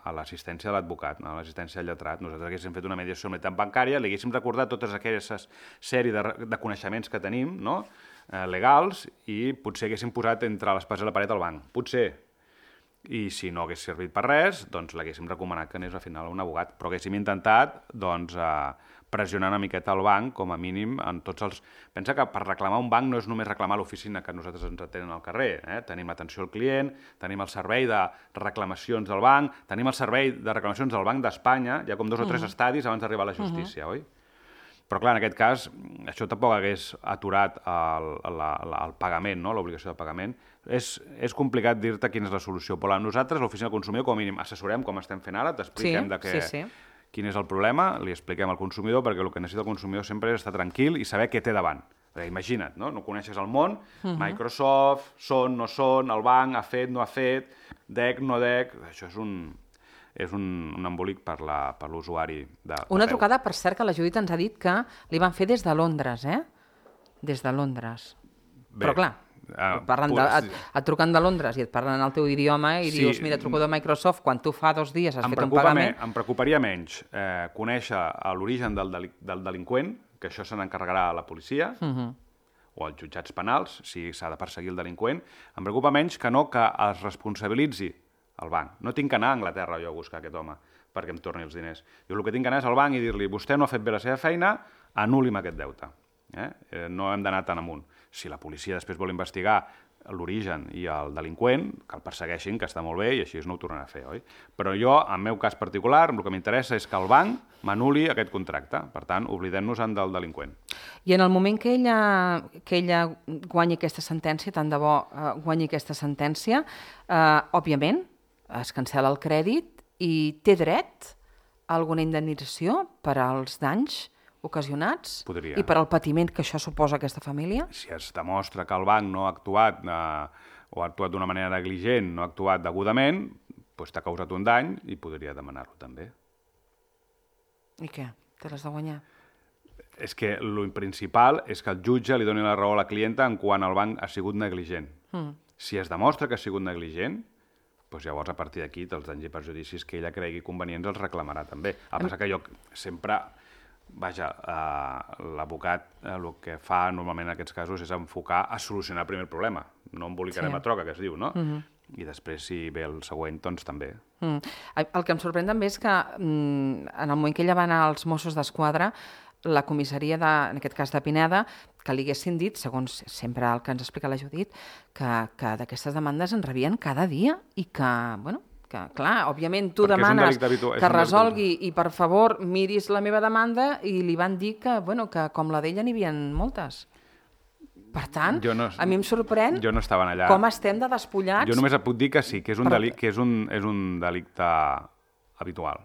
a l'assistència de l'advocat, no? A l'assistència del lletrat. Nosaltres haguéssim fet una mediació en l'entitat bancària, li haguéssim recordat totes aquelles sèrie de, de coneixements que tenim, no? eh, legals, i potser haguéssim posat entre l'espasa i la paret al banc. Potser. I si no hagués servit per res, doncs l'haguéssim recomanat que anés al final a un abogat. Però haguéssim intentat, doncs, eh, pressionar una miqueta al banc, com a mínim, en tots els... Pensa que per reclamar un banc no és només reclamar l'oficina que nosaltres ens atenen al carrer. Eh? Tenim l'atenció al client, tenim el servei de reclamacions del banc, tenim el servei de reclamacions del Banc d'Espanya, hi ha com dos o tres uh-huh. estadis abans d'arribar a la justícia, uh-huh. oi? Però clar, en aquest cas, això tampoc hagués aturat el, la, la, el pagament, no? L'obligació de pagament. És, és complicat dir-te quina és la solució, però nosaltres, l'oficina del consumidor, com a mínim, assessorem com estem fent ara, t'expliquem sí, de què... Sí, sí. Quin és el problema, li expliquem al consumidor, perquè el que necessita el consumidor sempre és estar tranquil i saber què té davant. Perquè imagina't, no? No coneixes el món, uh-huh. Microsoft, són, no són, el banc, ha fet, no ha fet, D E C, no D E C... Això és un, és un, un embolic per l'usuari de, de Una peu. trucada, per cert, que la Judit ens ha dit que li van fer des de Londres, eh? Des de Londres. Bé. Però clar... Uh, parlen de, et, et truquen de Londres i et parlen en el teu idioma i sí, dius, mira, truco de Microsoft quan tu fa dos dies has fet un pagament... Me, em preocuparia menys eh, conèixer l'origen del, deli del delinqüent, que això se n'encarregarà la policia, uh-huh. o els jutjats penals, si s'ha de perseguir el delinqüent. Em preocupa menys que no que es responsabilitzi el banc. No tinc que anar a Anglaterra jo a buscar aquest home perquè em torni els diners. Jo el que tinc que anar és al banc i dir-li, vostè no ha fet bé la seva feina, anul·li'm aquest deute. Eh? Eh, no hem d'anar tan amunt. Si la policia després vol investigar l'origen i el delinqüent, que el persegueixin, que està molt bé, i així no ho tornarà a fer, oi? Però jo, en meu cas particular, el que m'interessa és que el banc m'anul·li aquest contracte. Per tant, oblidem-nos-en del delinqüent. I en el moment que ella, que ella guanyi aquesta sentència, tant de bo eh, guanyi aquesta sentència, eh, òbviament, es cancel·la el crèdit i té dret a alguna indemnització per als danys ocasionats? Podria. I per al patiment que això suposa aquesta família? Si es demostra que el banc no ha actuat eh, o ha actuat d'una manera negligent, no ha actuat degudament, doncs t'ha causat un dany i podria demanar-lo també. I què? Te l'has de guanyar? És que el principal és que el jutge li doni la raó a la clienta en quan el banc ha sigut negligent. Mm. Si es demostra que ha sigut negligent, doncs llavors a partir d'aquí els danys i perjudicis que ella cregui convenients els reclamarà també. El que passa que jo sempre... Vaja, eh, l'abocat eh, el que fa normalment en aquests casos és enfocar a solucionar primer el problema. No embolicarem sí. a troca, que es diu, no? Uh-huh. I després, si ve el següent, doncs també. Mm. El que em sorprèn també és que mm, en el moment que ella va anar als Mossos d'Esquadra, la comissaria, de, en aquest cas de Pineda, que li haguessin dit, segons sempre el que ens explica la Judit, que, que d'aquestes demandes en rebien cada dia i que, bueno, que, clar, òbviament tu Perquè demanes habitu... que resolgui i, per favor, miris la meva demanda i li van dir que, bueno, que com la d'ella n'hi havia moltes. Per tant, no, a mi em sorprèn jo no estava allà. Com estem de despullats. Jo només et puc dir que sí, que és un, Però... delic, que és un, és un delicte habitual.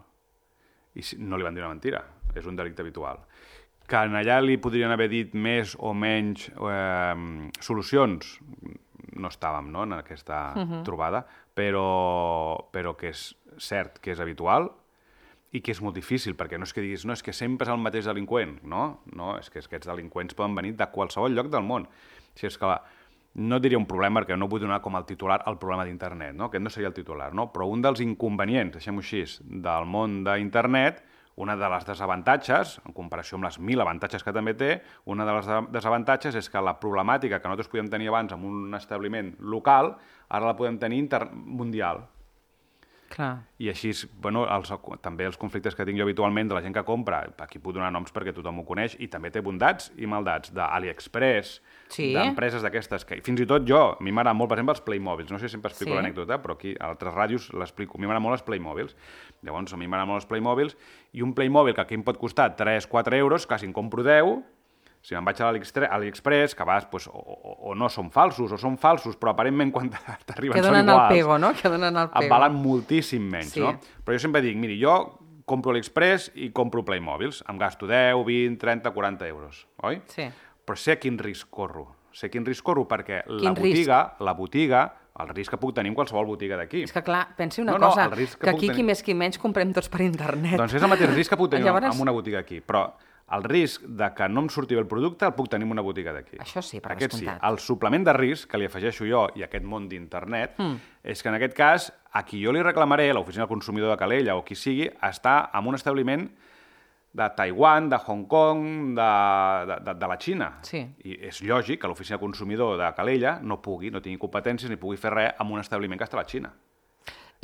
I no li van dir una mentira, és un delicte habitual. Que allà li podrien haver dit més o menys eh, solucions, no estàvem no, en aquesta uh-huh. trobada, però, però que és cert que és habitual i que és molt difícil, perquè no és que diguis no, és que sempre és el mateix delinqüent, no, no és que aquests delinqüents poden venir de qualsevol lloc del món. Si és que la, no diria un problema, perquè no vull donar com el titular el problema d'internet, no? Aquest no seria el titular, no? Però un dels inconvenients, deixem-ho així, del món d'internet, una de les desavantatges, en comparació amb les mil avantatges que també té, una de les desavantatges és que la problemàtica que nosaltres podíem tenir abans en un establiment local, ara la podem tenir inter... mundial. Clar. I així, bueno, els, també els conflictes que tinc jo habitualment de la gent que compra, aquí puc donar noms perquè tothom ho coneix, i també té bondats i maldats, d'AliExpress, sí. d'empreses d'aquestes, que fins i tot jo, a mi m'agrada molt, per exemple, els Playmobils, no sé si sempre explico sí. l'anècdota, però aquí a altres ràdios l'explico, a mi m'agrada molt els Playmobils, llavors a mi m'agrada molt els Playmobils, i un Playmobil que aquí em pot costar tres a quatre euros, quasi en compro deu, si me'n vaig a l'AliExpress, que a vegades pues, o, o, o no són falsos, o són falsos, però aparentment quan t'arriben són iguals. Que donen el pego, no? Que donen el pego. Et valen moltíssim menys, sí. no? Però jo sempre dic, miri, jo compro l'Aliexpress i compro Playmobils, em gasto deu, vint, trenta, quaranta euros, oi? Sí. Però sé quin risc corro. Sé quin risc corro perquè quin la botiga, risc? la botiga, el risc que puc tenir en qualsevol botiga d'aquí. És que clar, pensi una no, cosa, no, que, que aquí tenir... qui més qui menys comprem tots per internet. Doncs és el mateix risc que puc tenir Llavors... en una botiga aquí, però el risc de que no em surti bé el producte el puc tenir en una botiga d'aquí. Això sí, per aquest descomptat. Sí. El suplement de risc que li afegeixo jo i aquest món d'internet mm. és que en aquest cas a qui jo li reclamaré, l'oficina del consumidor de Calella o qui sigui, està en un establiment de Taiwan, de Hong Kong, de, de, de, de la Xina. Sí. I és lògic que l'oficina del consumidor de Calella no pugui, no tingui competències ni pugui fer res amb un establiment que està a la Xina.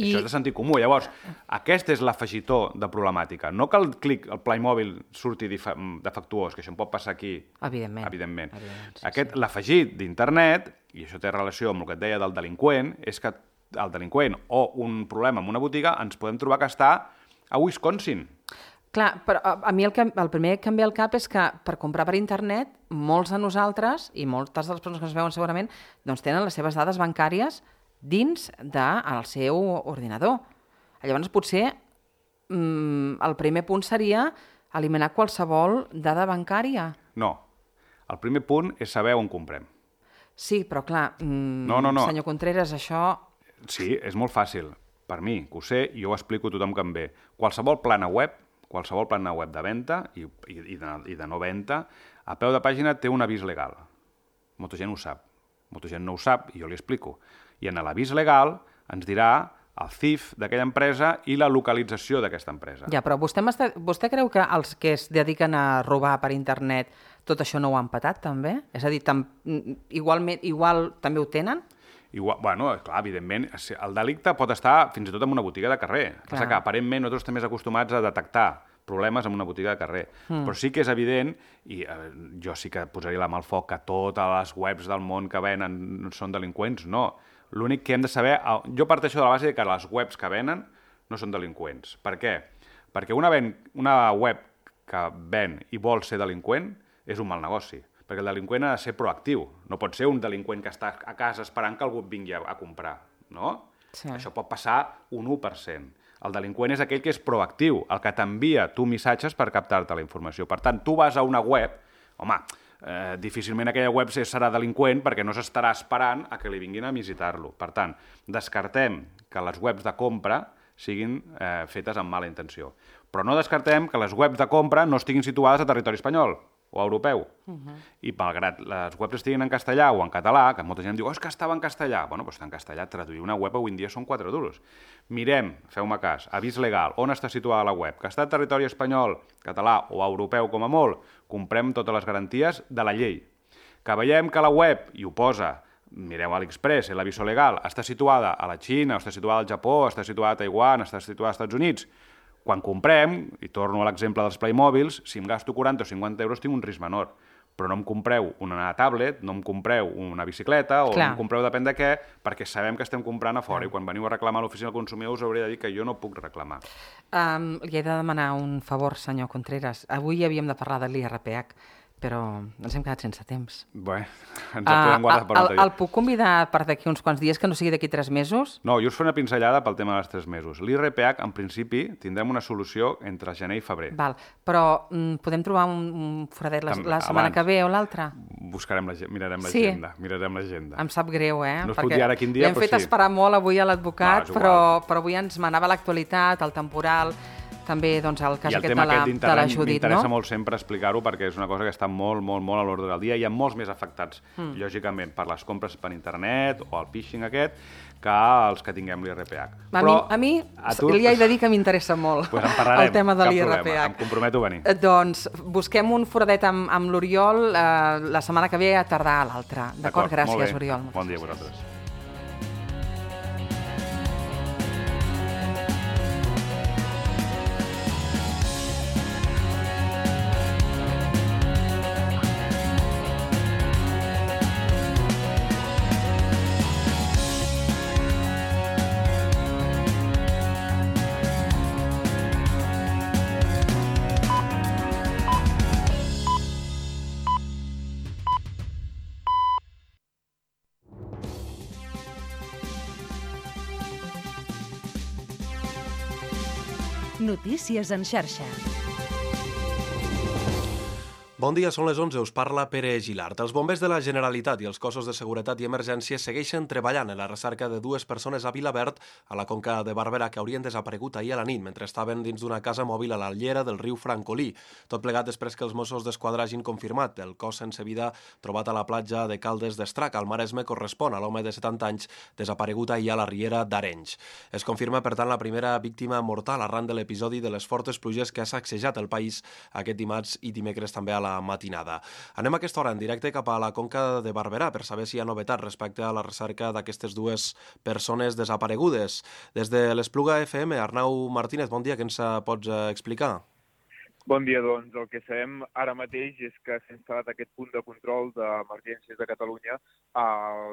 I... Això és de sentit comú. Llavors, aquest és l'afegitó de problemàtica. No que el clic, el Playmobil surti defectuós, que això em pot passar aquí. Evidentment. Evidentment. Evidentment sí, aquest, sí. L'afegit d'internet, i això té relació amb el que et deia del delinqüent, és que el delinqüent o un problema en una botiga ens podem trobar que està a Wisconsin. Clar, però a mi el, que, el primer que em ve al cap és que per comprar per internet, molts de nosaltres, i moltes de les persones que ens veuen segurament, doncs tenen les seves dades bancàries dins del seu ordinador. Llavors, potser mm, el primer punt seria eliminar qualsevol dada bancària. No. El primer punt és saber on comprem. Sí, però clar, mm, no, no, no. senyor Contreras, això... Sí, és molt fàcil. Per mi, que ho sé, i jo ho explico a tothom que em ve. Qualsevol plana web, qualsevol plana web de venda i, i, i, de, i de no venda, a peu de pàgina té un avís legal. Molta gent ho sap. Molta gent no ho sap i jo li explico. I en l'avís legal ens dirà el C I F d'aquella empresa i la localització d'aquesta empresa. Ja, però vostè, vostè creu que els que es dediquen a robar per internet tot això no ho han patat, també? És a dir, tam, igualment, igual també ho tenen? Igual, bueno, clar, evidentment, el delicte pot estar fins i tot en una botiga de carrer. Passa que aparentment nosaltres estem més acostumats a detectar problemes en una botiga de carrer. Mm. Però sí que és evident, i eh, jo sí que posaria la mà al foc que totes les webs del món que venen són delinqüents, no. L'únic que hem de saber... Jo parteixo de la base que les webs que venen no són delinqüents. Per què? Perquè una, ven, una web que ven i vol ser delinqüent és un mal negoci. Perquè el delinqüent ha de ser proactiu. No pot ser un delinqüent que està a casa esperant que algú et vingui a, a comprar. No? Sí. Això pot passar un u per cent. El delinqüent és aquell que és proactiu, el que t'envia tu missatges per captar-te la informació. Per tant, tu vas a una web... Home, eh, difícilment aquella web serà delinqüent perquè no s'estarà esperant a que li vinguin a visitar-lo. Per tant, descartem que les webs de compra siguin eh, fetes amb mala intenció. Però no descartem que les webs de compra no estiguin situades a territori espanyol. o europeu. Uh-huh. I malgrat les webs estiguin en castellà o en català, que molta gent diu, oh, és que estava en castellà. Bueno, doncs està en castellà, traduir una web avui en dia són quatre duros. Mirem, feu-me cas, avís legal, on està situada la web, que està en territori espanyol, català o europeu com a molt, comprem totes les garanties de la llei. Que veiem que la web, i ho posa, mireu a l'Express, l'aviso legal, està situada a la Xina, està situada al Japó, està situada a Taiwan, està situada als Estats Units. Quan comprem, i torno a l'exemple dels Playmobils, si em gasto quaranta o cinquanta euros tinc un risc menor, però no em compreu una tablet, no em compreu una bicicleta o Clar. no em compreu depèn de què, perquè sabem que estem comprant a fora Clar. i quan veniu a reclamar a l'oficina del consumidor us hauré de dir que jo no puc reclamar. Um, li he de demanar un favor, senyor Contreras. Avui havíem de parlar de l'I R P H, però ens hem quedat sense temps. Bé, ens el podem guardar per un altre dia. El puc convidar per d'aquí uns quants dies, que no sigui d'aquí tres mesos? No, jo us faré una pinzellada pel tema dels tres mesos. L'I R P H, en principi, tindrem una solució entre gener i febrer. Val, però mm, podem trobar un, un foradet la, la setmana Abans, que ve o l'altra? Buscarem la, mirarem l'agenda. Sí. Mirarem l'agenda. Em sap greu, eh? No es puc dir ara quin dia, l'hem fet sí. esperar molt avui a l'advocat, no, però, però avui ens manava l'actualitat, el temporal... també doncs, el cas I el aquest tema de la, aquest de la Judit, m'interessa no? molt sempre explicar-ho perquè és una cosa que està molt, molt, molt a l'ordre del dia. Hi ha molts més afectats, mm. lògicament, per les compres per internet o el phishing aquest, que els que tinguem l'I R P H. A Però, mi, a mi a tu... li he de dir que m'interessa molt pues en parlarem, el tema de l'I R P H. Em comprometo a venir. Doncs busquem un foradet amb, amb l'Oriol eh, la setmana que ve a tardar a l'altra. D'acord? Gràcies, Oriol. Bon dia a vosaltres. Notícies en xarxa. Bon dia, són les onze, us parla Pere Gilart. Els bombers de la Generalitat i els cossos de seguretat i emergència segueixen treballant en la recerca de dues persones a Vilaverd, a la Conca de Barberà, que haurien desaparegut ahir a la nit mentre estaven dins d'una casa mòbil a la llera del riu Francolí. Tot plegat després que els Mossos d'Esquadra hagin confirmat el cos sense vida trobat a la platja de Caldes d'Estrac, al Maresme, correspon a l'home de setanta anys desaparegut ahir a la riera d'Arenys. Es confirma, per tant, la primera víctima mortal arran de l'episodi de les fortes pluges que ha sacsejat el país aquest dimarts i dimecres també a la matinada. Anem a aquesta hora en directe cap a la Conca de Barberà per saber si hi ha novetat respecte a la recerca d'aquestes dues persones desaparegudes. Des de l'Espluga F M, Arnau Martínez, bon dia, què ens pots explicar? Bon dia, doncs. El que sabem ara mateix és que s'ha instal·lat aquest punt de control d'emergències de Catalunya a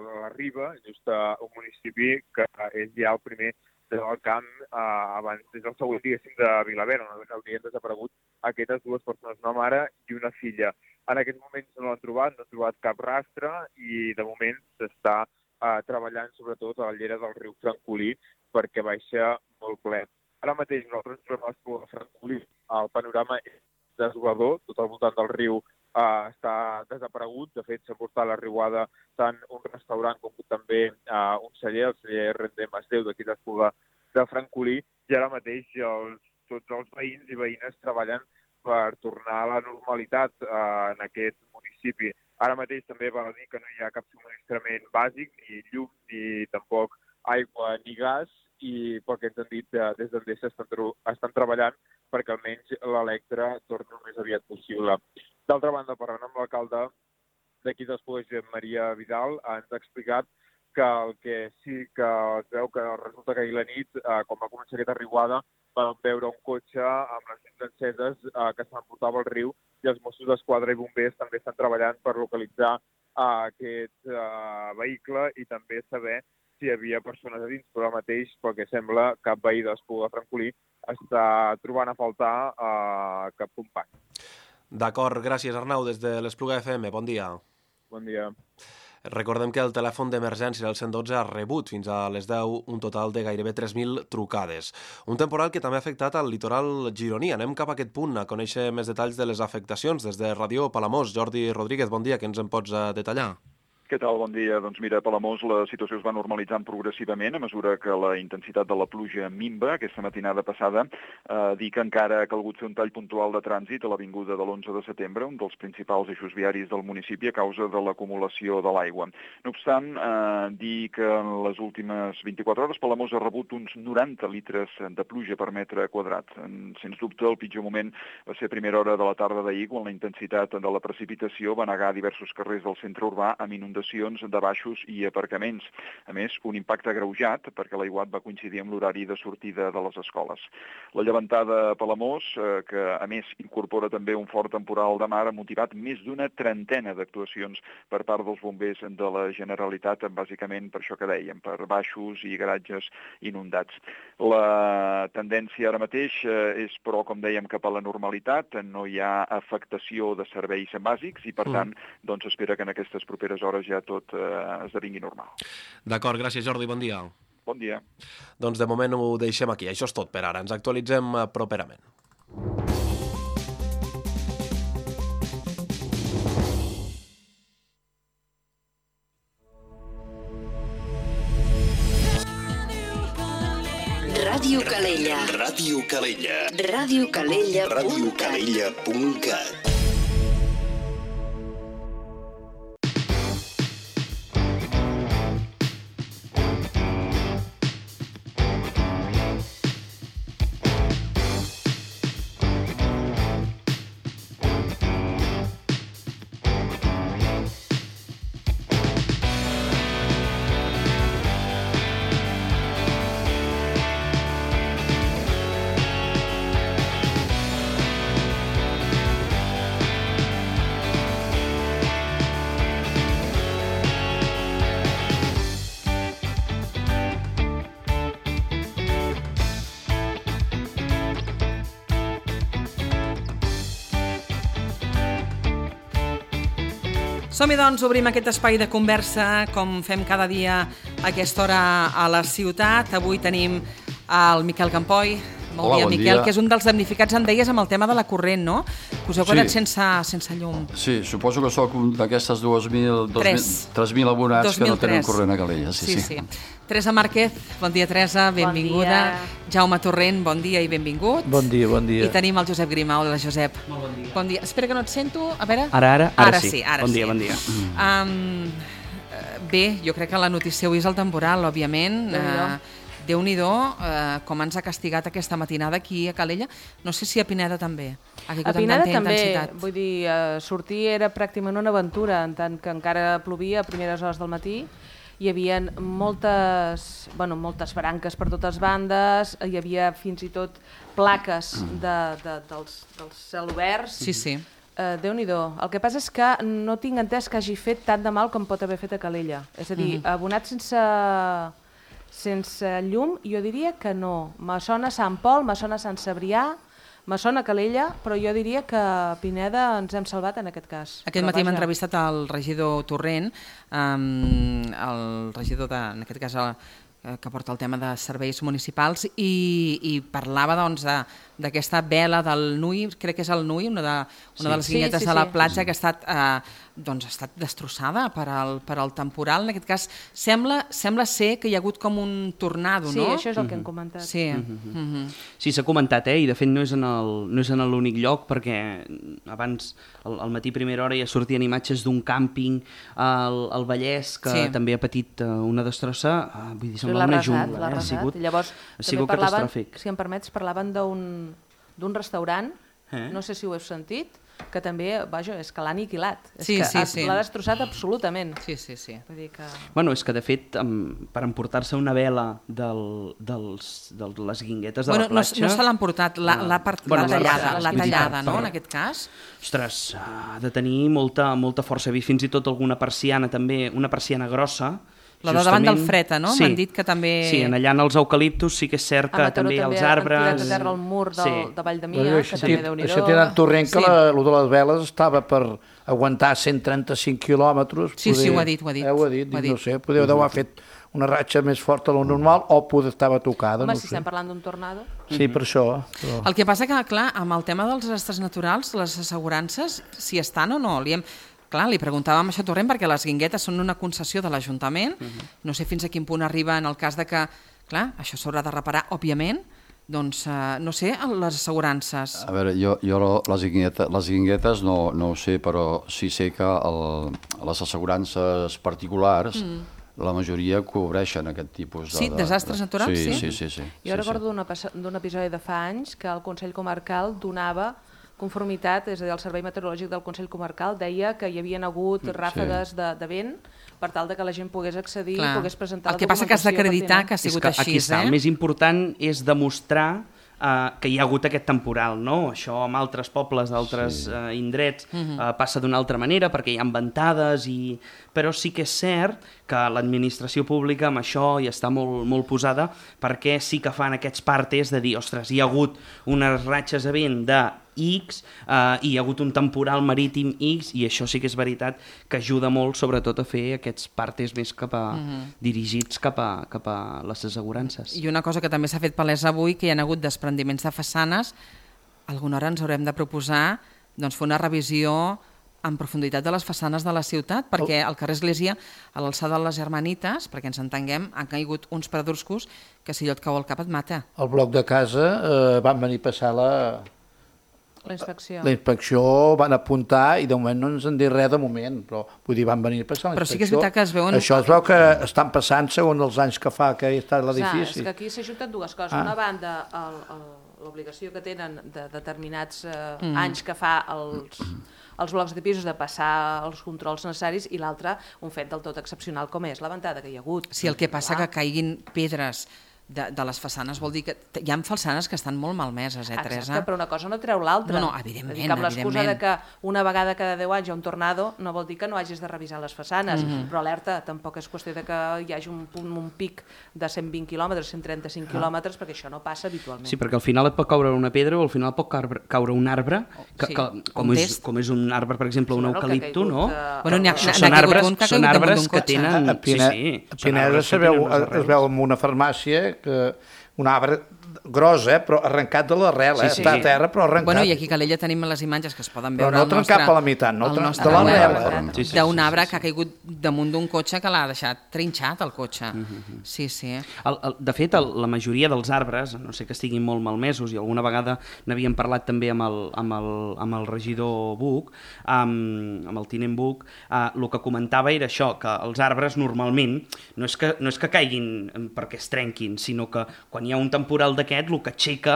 la Riba, just a un municipi que és ja el primer del camp eh, abans, des del següent, diguéssim, de Vilaverd, on haurien desaparegut aquestes dues persones, una mare i una filla. En aquests moments no l'han trobat, no han trobat cap rastre i de moment s'està eh, treballant sobretot a la llera del riu Francolí perquè baixa molt ple. Ara mateix nosaltres ens trobem a l'Espluga de Francolí. El panorama és desolador, tot al voltant del riu Uh, està desaparegut. De fet, s'ha portat la riuada tant un restaurant com també uh, un celler, el celler Rendem Masdeu d'aquí d'Espluga de Francolí, i ara mateix els, tots els veïns i veïnes treballen per tornar a la normalitat uh, en aquest municipi. Ara mateix també val a dir que no hi ha cap subministrament bàsic, ni llum, ni tampoc aigua ni gas, i pel que ens han dit uh, des d'Endesa estan, estan treballant perquè almenys l'Electra torni el més aviat possible. D'altra banda, parlant amb l'alcalde d'aquí d'Espluga, Josep Maria Vidal, ens ha explicat que el que sí que es veu que resulta que ahir la nit, eh, quan va començar aquesta riuada, vam veure un cotxe amb les llums enceses eh, que s'emportava al riu i els Mossos d'Esquadra i bombers també estan treballant per localitzar eh, aquest eh, vehicle i també saber si hi havia persones a dins, però ara mateix, pel que sembla, cap veí d'Espluga de Francolí està trobant a faltar eh, cap company. D'acord, gràcies Arnau, des de l'Espluga F M, bon dia. Bon dia. Recordem que el telèfon d'emergència del cent dotze ha rebut fins a les deu un total de gairebé tres mil trucades. Un temporal que també ha afectat al litoral gironí. Anem cap a aquest punt a conèixer més detalls de les afectacions. Des de Ràdio Palamós, Jordi Rodríguez, bon dia, que ens en pots detallar? Què tal? Bon dia. Doncs mira, a Palamós la situació es va normalitzant progressivament a mesura que la intensitat de la pluja minva. Aquesta matinada passada eh, dir que encara ha calgut fer un tall puntual de trànsit a l'avinguda de l'onze de setembre, un dels principals eixos viaris del municipi, a causa de l'acumulació de l'aigua. No obstant, eh, dir que en les últimes vint-i-quatre hores Palamós ha rebut uns noranta litres de pluja per metre quadrat. Sens dubte, el pitjor moment va ser a primera hora de la tarda d'ahir, quan la intensitat de la precipitació va negar diversos carrers del centre urbà amb inundacions de baixos i aparcaments. A més, un impacte agreujat perquè l'aiguat va coincidir amb l'horari de sortida de les escoles. La llevantada a Palamós, eh, que a més incorpora també un fort temporal de mar, ha motivat més d'una trentena d'actuacions per part dels bombers de la Generalitat, bàsicament per això que dèiem, per baixos i garatges inundats. La tendència ara mateix eh, és, però, com dèiem, cap a la normalitat. No hi ha afectació de serveis bàsics i, per tant, doncs espera que en aquestes properes hores ja tot eh, esdevingui normal. D'acord, gràcies Jordi, bon dia. Bon dia. Doncs de moment ho deixem aquí, això és tot per ara, ens actualitzem properament. Ràdio Calella. Ràdio Calella. Ràdio Calella. Ràdio Calella punt cat. Som-hi, doncs, obrim aquest espai de conversa, com fem cada dia a aquesta hora a la ciutat. Avui tenim el Miquel Campoy. Bon Hola, dia, bon Miquel, dia. que és un dels damnificats, em deies, amb el tema de la corrent, no? Que us heu quedat Sí. sense, sense llum. Sí, suposo que sóc un d'aquestes dos mil, Tres. tres mil abonats dos que mil no tenen tres. corrent a Calella. Sí, sí, sí. sí. Teresa Márquez, bon dia, Teresa, benvinguda. dia. Jaume Torrent, bon dia i benvingut. Bon dia, bon dia. I tenim el Josep Grima. Hola, Josep. Molt bon dia. Bon dia. Espera que no et sento. A veure... Ara, ara, ara, ara sí. sí. Ara bon sí. dia, bon dia. Um, bé, jo crec que la notícia avui és el temporal, òbviament. Uh, Déu-n'hi-do, uh, com ens ha castigat aquesta matinada aquí a Calella. No sé si a Pineda també. Ha caigut A Pineda amb tanta també, intensitat. vull dir, uh, sortir era pràcticament una aventura, en tant que encara plovia a primeres hores del matí. Hi havia moltes, bueno, moltes branques per totes bandes, hi havia fins i tot plaques de, de, dels, dels cel oberts. Sí, sí. Uh, Déu-n'hi-do. El que passa és que no tinc entès que hagi fet tant de mal com pot haver fet a Calella. És a dir, Mhm. abonat sense, sense llum, jo diria que no. Me sona Sant Pol, me sona Sant Cebrià, me sona Calella, però jo diria que a Pineda ens hem salvat en aquest cas. Aquest Però matí hem vaja. entrevistat el regidor Torrent, um, el regidor, de, en aquest cas, el, eh, que porta el tema de serveis municipals, i, i parlava doncs, de, d'aquesta vela del Nui, crec que és el Nui, una de, una Sí. de les Sí, guinyetes sí, de la sí. platja que ha estat, eh, doncs, ha estat destrossada per al, per al temporal. En aquest cas, sembla, sembla ser que hi ha hagut com un tornado, Sí, no? això és el que hem comentat. Sí. Mhm. Mhm. Sí, s'ha comentat, eh? I de fet no és en el- no és en l'únic lloc, perquè abans, al, al matí primera hora, ja sortien imatges d'un càmping al, al Vallès, que Sí. també ha patit eh, una destrossa, eh, vull dir, Sí, sembla l'ha una arrasat, jungla. l'ha eh? Ha arrasat. sigut, I llavors, ha també sigut parlaven, catastròfic. si em permets, parlaven d'un d'un restaurant, Eh? no sé si ho heu sentit, que també, vaja, és que l'ha aniquilat. Sí, és que sí, ha- sí. l'ha destrossat absolutament. Sí, sí, sí. Vull dir que... Bueno, és que de fet, em, per emportar-se una vela del, dels, de les guinguetes de Bueno, la no, platja... no se l'ha emportat, l'ha eh, l'ha part- bueno, l'ha tallada, arrasat, l'ha vull dir, tallada, per- no, per- en aquest cas? Ostres, ha de tenir molta, molta força. He vist fins i tot alguna persiana també, una persiana grossa. La de davant justament- del Freta, no? Sí. M'han dit que també... Sí, en allà en els eucaliptus sí que és cert que A Mataró també també els han arbres... tirat a terra el mur del- de Valldemia, Bueno, que això també té- Déu-n'hi-do. Això té tant torrent que Sí. la, lo de les veles estava per aguantar cent trenta-cinc quilòmetres. Sí, sí, ho ha dit, ho ha dit. Eh, ho ha dit, Ho ha dic, no dit. sé, podeu haver fet una ratxa més forta de lo normal o poder estava tocada, Home, no si sé. estem parlant d'un tornado... Sí, per això. Però... El que passa que, clar, amb el tema dels desastres naturals, les assegurances, si estan o no, li hem... clar, li preguntàvem això a Torrent perquè les guinguetes són una concessió de l'Ajuntament, uh-huh. no sé fins a quin punt arriba en el cas de que, clar, això s'haurà de reparar, òbviament, doncs, uh, no sé, les assegurances. A veure, jo, jo les, guinguetes, les guinguetes no, no ho sé, però sí sé que el, les assegurances particulars, mm. la majoria cobreixen aquest tipus de... Sí, desastres naturals, sí? Sí, sí, sí. sí jo sí, recordo sí. d'un episodi de fa anys que el Consell Comarcal donava conformitat, és a dir, el Servei Meteorològic del Consell Comarcal deia que hi havien hagut ràfegues sí. de, de vent per tal de que la gent pogués accedir i pogués presentar el que passa que has d'acreditar que ha sigut que així. Aquí està, eh? el més important és demostrar Uh, que hi ha hagut aquest temporal, no? Això amb altres pobles d'altres sí. uh, indrets uh, passa d'una altra manera perquè hi ha ventades, i... però sí que és cert que l'administració pública amb això hi està molt, molt posada perquè sí que fan aquests partes de dir, ostres, hi ha hagut unes ratxes de vent de X, uh, hi ha hagut un temporal marítim X, i això sí que és veritat que ajuda molt, sobretot, a fer aquests partes més cap a, uh-huh. dirigits cap a, cap a les assegurances. I una cosa que també s'ha fet palès avui, que hi ha hagut desprendiments de façanes, alguna hora ens haurem de proposar doncs, fer una revisió en profunditat de les façanes de la ciutat, perquè al carrer Església, a l'alçada de les Germanites, perquè ens entenguem, han caigut uns pedruscos que si allò et cau al cap et mata. Al bloc de casa eh, van venir a passar la... La inspecció. La inspecció van apuntar i de moment no ens han dit res de moment, però vull dir, van venir a passar la inspecció. Però sí que és veritat que es veuen... Això es veu que estan passant segons els anys que fa que hi està l'edifici. És que aquí s'ajunten dues coses. Ah. Una banda, l'obligació que tenen de determinats eh, mm. anys que fa els, els blocs de pisos de passar els controls necessaris, i l'altra, un fet del tot excepcional com és la ventada que hi ha hagut. Si el que passa que caiguin pedres de, de les façanes vol dir que hi ha façanes que estan molt malmeses, eh, Teresa? Exacte, però una cosa no treu l'altra. No, no, evidentment, dir, amb l'excusa de que una vegada cada deu anys hi ha un tornado, no vol dir que no hagis de revisar les façanes, mm-hmm. però alerta, tampoc és qüestió de que hi hagi un, punt, un pic de cent vint quilòmetres, cent trenta-cinc ah. quilòmetres, perquè això no passa habitualment. Sí, perquè al final et pot caure una pedra o al final pot caure un arbre, que, sí. que, com, és, com és un arbre, per exemple, un eucalipto, no? De... Bueno, n'hi ha, són són arbres, que són arbres que tenen... A Pineda es veu en una farmàcia que un arbre gros, eh, però arrencat de l'arrel, eh? Sí, sí. Està a terra, però arrencat. Bueno, i aquí a Calella tenim les imatges que es poden veure però no trencat per la meitat, no de l'arrel. Sí, sí, d'un arbre que ha caigut damunt d'un cotxe que l'ha deixat trinxat, el cotxe. Uh-huh. Sí, sí. El, el, de fet, el, la majoria dels arbres, no sé que estiguin molt malmesos, i alguna vegada n'havíem parlat també amb el, amb el, amb el regidor Buch, amb, amb el tinent Buch, uh, el que comentava era això, que els arbres normalment no és que, no és que caiguin perquè es trenquin, sinó que quan hi ha un temporal d'aquest, el que aixeca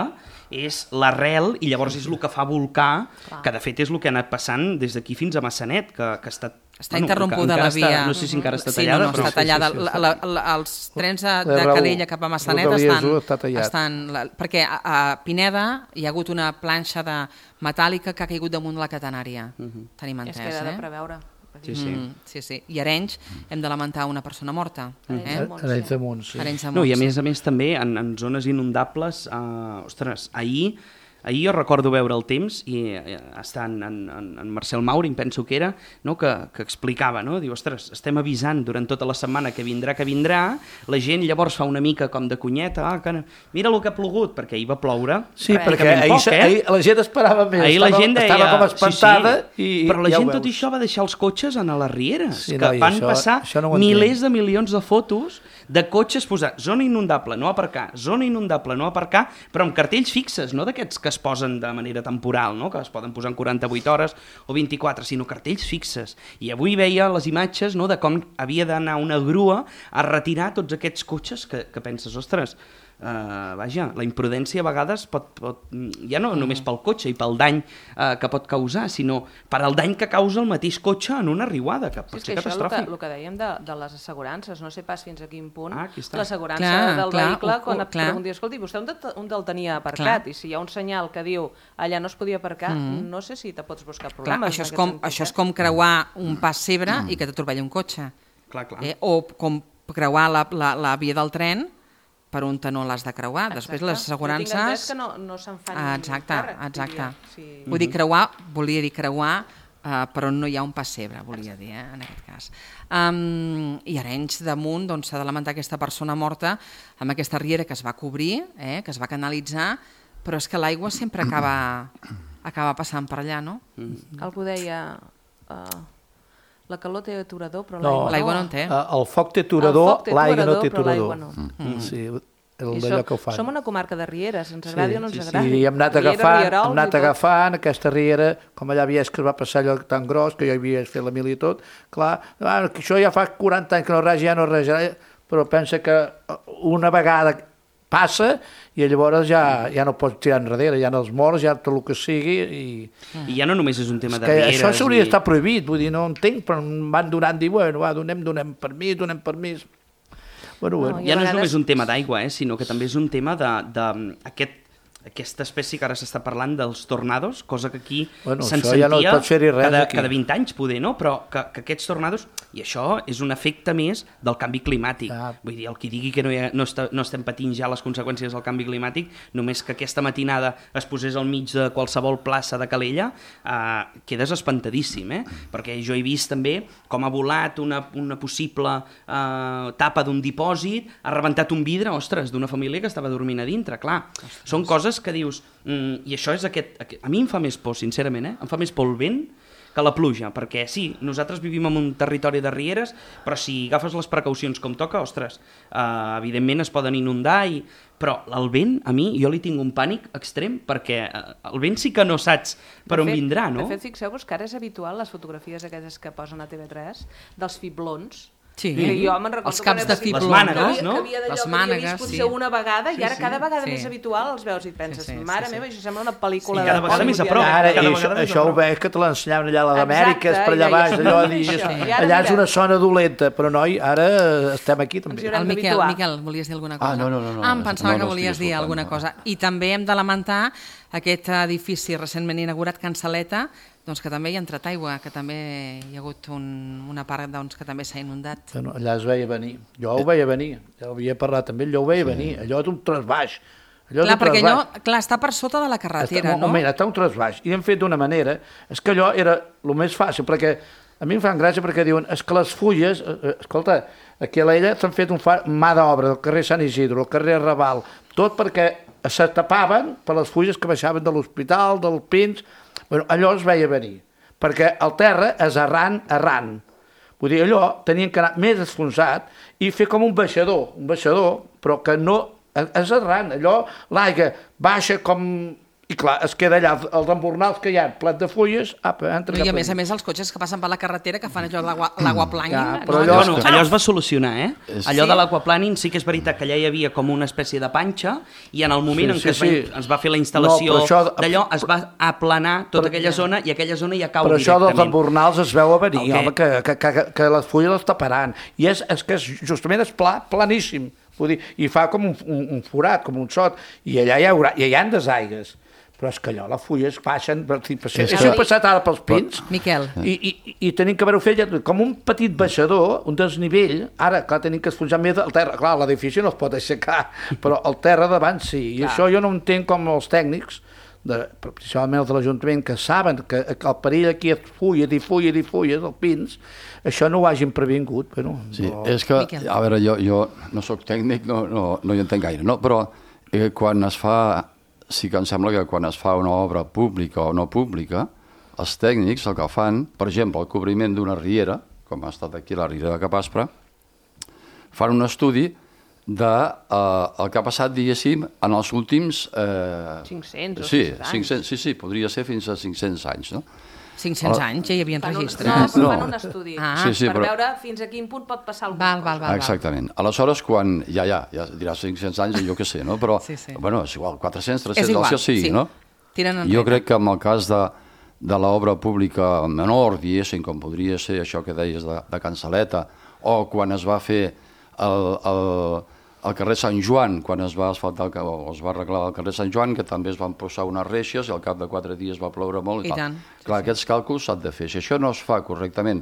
és l'arrel i llavors és el que fa volcar, clar. Que de fet és el que ha anat passant des d'aquí fins a Massanet, que, que està... Està bueno, interrompuda la via. Està, no sé si encara està sí, tallada. No, no, però... està tallada. Sí, sí, sí. La, la, la, els trens de, de Calella cap a Massanet estan... estan la, perquè a, a Pineda hi ha hagut una planxa de metàl·lica que ha caigut damunt de la catenària. Uh-huh. Tenim entès, és que era eh? de preveure. Sí, sí. Mm, sí, sí. I a Arenys hem de lamentar una persona morta. Eh? Arenys de Munt, sí. Arenys de Munt, no, i a sí. més a més també en, en zones inundables, eh, ostres, ahir Ahir jo recordo veure el Temps i eh, està en, en, en Marcel Mauri, em penso que era, no? que, que explicava, no? Diu, ostres, estem avisant durant tota la setmana que vindrà, que vindrà, la gent llavors fa una mica com de cunyeta, ah, que mira el que ha plogut, perquè ahir va ploure. Sí, perquè ahir, poc, eh? ahir la gent esperava més, ahir estava, la gent deia, estava com espantada. Sí, sí. I, però la ja gent tot això va deixar els cotxes a les rieres, sí, que no, van això, passar això no milers de milions de fotos de cotxes posar zona inundable, no aparcar, zona inundable, no aparcar, però amb cartells fixes, no d'aquests que es posen de manera temporal, no? Que es poden posar en quaranta-vuit hores o vint-i-quatre, sinó cartells fixes. I avui veia les imatges, no?, de com havia d'anar una grua a retirar tots aquests cotxes que, que penses, ostres, Uh, vaja, la imprudència a vegades pot, pot ja no només pel cotxe i pel dany uh, que pot causar, sinó per al dany que causa el mateix cotxe en una riuada, que pot sí, ser que catastròfic. Això el que, el que dèiem de, de les assegurances, no sé pas fins a quin punt ah, l'assegurança clar, del clar, vehicle, o, quan o, et pregunti, escolti, vostè on, de, on el tenia aparcat? Clar. I si hi ha un senyal que diu allà no es podia aparcar, mm. no sé si te pots buscar problemes. Clar, això, és com, sentit, això és com creuar un pas cebre mm. i que t'atropelli un cotxe. Clar, clar. Eh? O com creuar la, la, la via del tren per on no l'has de creuar. Exacte. Després les assegurances... Jo tinc entès que no, no se'n fan ah, exacte, càrrec. Exacte. Sí. Vull mm-hmm. dir, creuar, volia dir creuar uh, per on no hi ha un pessebre, volia dir, eh, en aquest cas. Um, I a Arenys de Munt doncs, s'ha de lamentar aquesta persona morta amb aquesta riera que es va cobrir, eh, que es va canalitzar, però és que l'aigua sempre acaba, acaba passant per allà, no? Mm. Algú deia... Uh... La calor té aturador, però No, l'aigua no en té. El foc té aturador, l'aigua no té però aturador. l'aigua no. Mm. Sí, I d'allò som, que ho fan. som una comarca de rieres, ens agradi Sí, o no ens sí, agradi. sí, i hem anat Riera, agafant, rierols hem anat i tot. agafant aquesta riera, com allà a Viesca va passar allò tan gros, que jo havia fet la mili i tot, clar, ah, que això ja fa quaranta anys que no res, ja no res, però pensa que una vegada passa i llavors ja, ja no pots tirar enrere, ja no els morts, ja tot el que sigui. I, I ja no només és un tema de que rieres. això s'hauria i... d'estar prohibit, vull dir, no entenc, però em van donant, dir, bueno, va, donem, donem permís, donem permís. Bueno, bueno. Ja no és només un tema d'aigua, eh, sinó que també és un tema de, de aquest, aquesta espècie que ara s'està parlant dels tornados, cosa que aquí bueno, se'n sentia ja no pot cada, aquí. cada vint anys, poder, no? Però que, que aquests tornados, i això és un efecte més del canvi climàtic. Ah. Vull dir, el qui digui que no, ha, no, està, no estem patint ja les conseqüències del canvi climàtic, només que aquesta matinada es posés al mig de qualsevol plaça de Calella, eh, quedes espantadíssim, eh? Perquè jo he vist també com ha volat una, una possible eh, tapa d'un dipòsit, ha rebentat un vidre, ostres, d'una família que estava dormint a dintre, clar. Ostres. Són coses que dius, mm, i això és aquest, aquest... A mi em fa més por, sincerament, eh? Em fa més por el vent que la pluja, perquè sí, nosaltres vivim en un territori de rieres, però si agafes les precaucions com toca, ostres, eh, evidentment es poden inundar, i... però el vent, a mi, jo li tinc un pànic extrem, perquè el vent sí que no saps per on vindrà, no? De fet, fixeu-vos que ara és habitual les fotografies aquestes que posen a T V tres dels fiblons. Sí. Que jo me'n recordo els caps de fibló, les mànegues, no? no? Que havia Les d'allò que mànegues, havia vist potser sí. una vegada, Sí, i ara sí. cada vegada Sí. més habitual els veus i penses, Sí, sí, mare sí, meva, sí. això sembla una pel·lícula Sí, cada de vegada més a prop. Ara, Cada i vegada això, més això a ho prop. veig que te l'ensenyaven allà a les Amèriques, per allà ja, baix, ja allò, som dius, això. I ara, allà és mira. una zona dolenta, però noi, ara estem aquí també. haurem El Miquel, d'habituar. Miquel, volies dir alguna cosa? Ah, no, no, no, no. Ah, em pensava No, que no volies estic dir escoltant, alguna no. cosa. I també hem de lamentar aquest edifici recentment inaugurat, Can Saleta, doncs que també hi ha entrat aigua, que també hi ha hagut un, una part doncs, que també s'ha inundat. Bueno, allà es veia venir. Jo ho veia venir. Ja ho havia parlat també, allò ho veia sí. venir. Allò és un trasbaix. Allò Clar, és un perquè allò, trasbaix. clar, està per sota de la carretera, està, no? Un moment, està un trasbaix. I hem fet d'una manera... És que allò era el més fàcil, perquè a mi em fan gràcia perquè diuen és que les fulles... Eh, escolta, aquí a l'Ella s'han fet un fa, mà d'obra del carrer Sant Isidro, el carrer Raval, tot perquè se tapaven per les fulles que baixaven de l'hospital, del Pins... Bueno, allò es veia venir, perquè el terra és arran, arran. Vull dir, allò tenien que anar més esfonsat i fer com un baixador, un baixador, però que no... És arran, allò, l'aigua baixa com... I clar, es queda allà, els embornals que hi ha, plat de fulles, apa, entra I cap a més a allà. més els cotxes que passen per la carretera que fan allò de l'aquaplaning. Ja, no? però Allò, allò- bueno, allò es va solucionar, eh? És- Allò Sí. de l'aquaplaning sí que és veritat que allà hi havia com una espècie de panxa i en el moment Sí, en sí, què es va, sí. es va fer la instal·lació No, però això- d'allò, es va aplanar tota Però- aquella zona i aquella zona ja cau Però això dels directament. embornals es veu a venir, El què? home, que, que, que, que les fulles les taparan. I és, és que és, justament és pla, planíssim. Vull dir, i fa com un, un, un forat, com un sot, i allà hi haurà, i hi ha desaigues. Però és que allò, les fulles baixen... Per, per, per, És és que- que... passat ara pels pins, Miquel. i, i, i tenim que haver-ho fet com un petit baixador, un desnivell. Ara, clar, tenim que esfonjar més el terra. Clar, l'edifici no es pot aixecar, però el terra davant sí. I Clar. això jo no entenc com els tècnics, de, principalment els de l'Ajuntament, que saben que, que el perill aquí és fulles i fulles i fulles, els pins, això no ho hagin previngut. Bueno, Sí, no... és que, Miquel. a veure, jo, jo no sóc tècnic, no, no, no hi entenc gaire, no? Però eh, quan es fa, sí que em sembla que quan es fa una obra pública o no pública, els tècnics el que fan, per exemple, el cobriment d'una riera, com ha estat aquí la riera de Capaspra, fan un estudi de eh, el que ha passat, diguéssim, en els últims... Eh, cinc-cents o sí, sis-cents anys. cinc-cents, sí, sí, podria ser fins a cinc-cents anys, no? cinc-cents Ah. anys ja hi havia Fan un, registres. no, però No. fan un estudi Ah. Sí, sí, per però- veure fins a quin punt pot passar alguna Val, val, cosa. val. Exactament. Aleshores, quan... Ja, ja, ja diràs cinc-cents anys, jo què sé, no? Però, Sí, sí. bueno, és igual, quatre-cents, És tres-cents, igual, el que sigui, sí. no? Tiren enrere. Jo crec que en el cas de, de l'obra pública menor, diguéssim, com podria ser això que deies de, de Can Saleta, o quan es va fer el, el, el carrer Sant Joan, quan es va asfaltar el, ca- o es va arreglar el carrer Sant Joan, que també es van posar unes reixes i al cap de quatre dies va ploure molt. I tal. tant, sí, Clar, aquests càlculs s'han de fer. Si això no es fa correctament,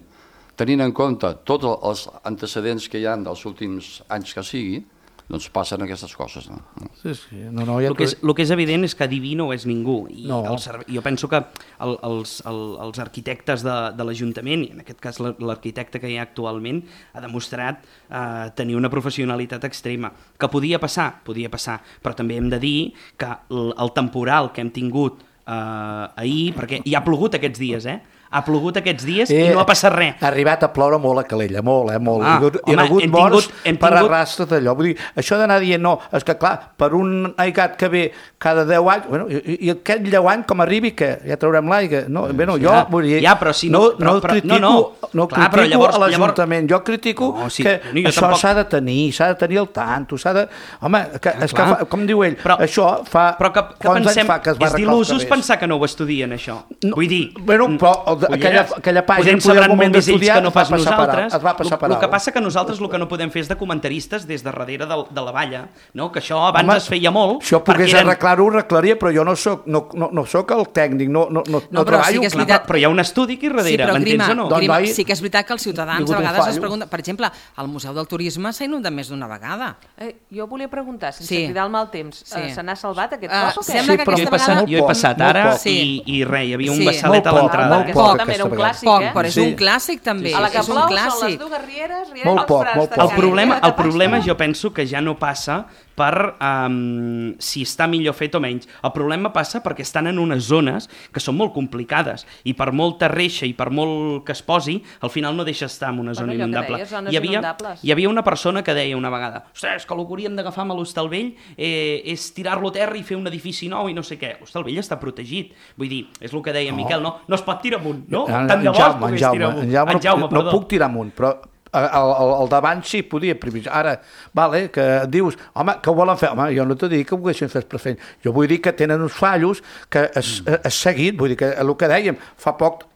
tenint en compte tots els antecedents que hi ha dels últims anys que sigui, doncs passen aquestes coses. No? Sí, sí. No, no, ja El que, és, el que és evident és que adiví no és ningú. I No. el serve... Jo penso que el, els, el, els arquitectes de, de l'Ajuntament, i en aquest cas la- l'arquitecte que hi ha actualment, ha demostrat eh, tenir una professionalitat extrema. Que podia passar? Podia passar. Però també hem de dir que el, el temporal que hem tingut eh, ahir, perquè hi ha plogut aquests dies, eh? Ha plogut aquests dies i no ha passat res. Ha arribat a ploure molt a Calella, molt, eh, molt. Ah, Hi ha hagut morts per tingut... arrastre d'allò. Vull dir, això d'anar dient, no, és que clar, per un aigat que ve cada deu anys, bueno, i, i aquest lleuant com arribi, que ja traurem l'aigua. No, bé, no, jo, ja, vull dir, ja, però si no, no, però, no però, critico, no, no. no Clar, critico llavors, a l'Ajuntament, llavors... jo critico no, sí, que no, això tampoc... s'ha de tenir, s'ha de tenir al tanto, s'ha de... Home, que, és que fa, com diu ell, però, això fa... Però que, que pensem, fa que es va és d'il·lusos pensar que no ho estudien, això. No, Vull dir... Bueno, però aquella, aquella pàgina en poder moment d'estudiar que no pas es va passar nosaltres. es va passar per El que passa que nosaltres el que no podem fer és de comentaristes des de darrere de, de la valla, no? Que això abans Home, es feia molt... Si jo pogués eren... arreglar-ho, ho arreglaria, però jo no soc, no, no, no soc el tècnic, no, no, no, no però treballo. Sí que veritat... Però hi ha un estudi aquí darrere, sí, m'entens o no? Grima, sí que és veritat que els ciutadans a vegades es pregunten... Per exemple, el Museu del Turisme s'ha inundat més d'una vegada. Eh, jo volia preguntar, sense sí. cridar el mal temps, sí. eh, se n'ha salvat aquest uh, cos o què? Sembla sí, que aquesta jo he passat, vegada... Jo he passat ara sí. i, i res, hi havia un sí. bassalet a l'entrada. Molt poc, també era un clàssic, poc, eh? però és sí. un clàssic també. A la que és un plou clàssic. són les dues rieres, rieres molt poc, molt poc. El problema, el problema jo penso que ja no passa per um, si està millor fet o menys. El problema passa perquè estan en unes zones que són molt complicades i per molta reixa i per molt que es posi, al final no deixa estar en una zona bueno, inundable. Deies, hi, havia, hi havia una persona que deia una vegada ostres, que el que hauríem d'agafar amb l'Hostalvell eh, és tirar-lo a terra i fer un edifici nou i no sé què. L'Hostalvell està protegit. Vull dir, és el que deia no. Miquel, no, no es pot tirar amunt, no? En, Tant de bo es pogués tirar amunt. En Jaume, en Jaume, no, no puc tirar amunt, però el, el, el davant sí podia previsar. Ara, vale, que dius, home, que ho volen fer? Home, jo no t'ho dic que ho haguessin fet per fer. Jo vull dir que tenen uns fallos que és, mm. és seguit, vull dir que el que dèiem, fa poc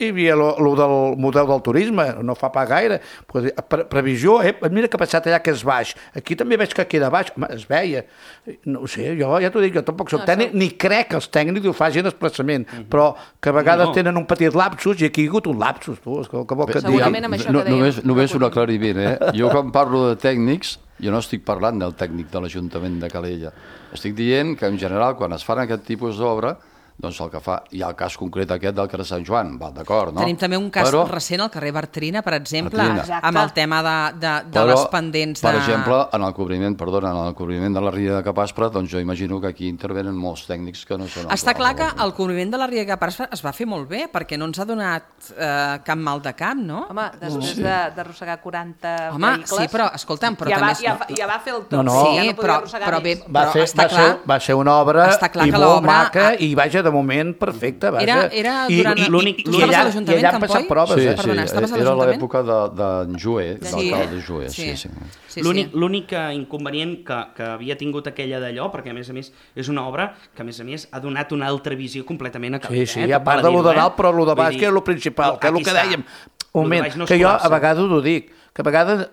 hi havia el del model del turisme, no fa pas gaire, pre previsió, eh? Mira que ha passat allà que és baix, aquí també veig que queda baix, home, es veia, no ho sé, jo ja t'ho dic, jo tampoc soc no, tècnic, ni crec que els tècnics ho facin expressament, mm -hmm. però que a vegades no. tenen un petit lapsus i aquí hi ha hagut un lapsus, tu, és que, que vol que et digui. Segurament amb això no, que dèiem. Només, només un aclariment, eh? Jo quan parlo de tècnics, jo no estic parlant del tècnic de l'Ajuntament de Calella, estic dient que en general quan es fan aquest tipus d'obra doncs el que fa, hi ha el cas concret aquest del carrer Sant Joan, va, d'acord, no? Tenim també un cas però, recent al carrer Bartrina, per exemple, Bartrina. amb el tema de, de, de però, les pendents de... Per exemple, en el cobriment, perdona, en el cobriment de la Ria de Capaspre, doncs jo imagino que aquí intervenen molts tècnics que no són... Està clar que el cobriment de la Ria de Capaspre es va fer molt bé, perquè no ens ha donat eh, cap mal de cap, no? Home, després sí. d'arrossegar quaranta Home, vehicles... sí, però, escolta'm, però ja també... Va, ja, va, ja va fer el tot, no, no. sí, ja no però, però, bé, va, però ser, està va, clar... ser, va ser una obra i molt maca a... i vaja, de moment perfecte. Vaja. Era, era durant... I, l'únic... I, i, allà, i allà han passat proves. Sí, eh? sí, Perdona, estaves a era l'Ajuntament? l'època d'en de, de Joé, sí. l'alcalde Joé. Sí, sí. sí. L'únic inconvenient que, que havia tingut aquella d'allò, perquè a més a més és una obra que a més a més ha donat una altra visió completament a Calella. Sí, sí, eh? a part de lo de dalt, però lo de baix, que és el principal, que és el que dèiem. Un moment, no que jo a vegades ho dic, que a vegades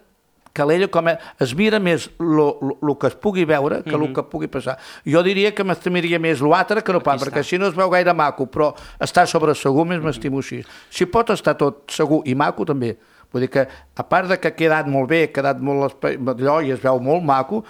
Calella com a, es mira més el que es pugui veure que el mm -hmm. que pugui passar. Jo diria que m'estimiria més l'altre que no pas, perquè així no es veu gaire maco, però està sobre segur més m'estimo així. Si pot estar tot segur i maco també. Vull dir que, a part de que ha quedat molt bé, ha quedat molt allò i es veu molt maco,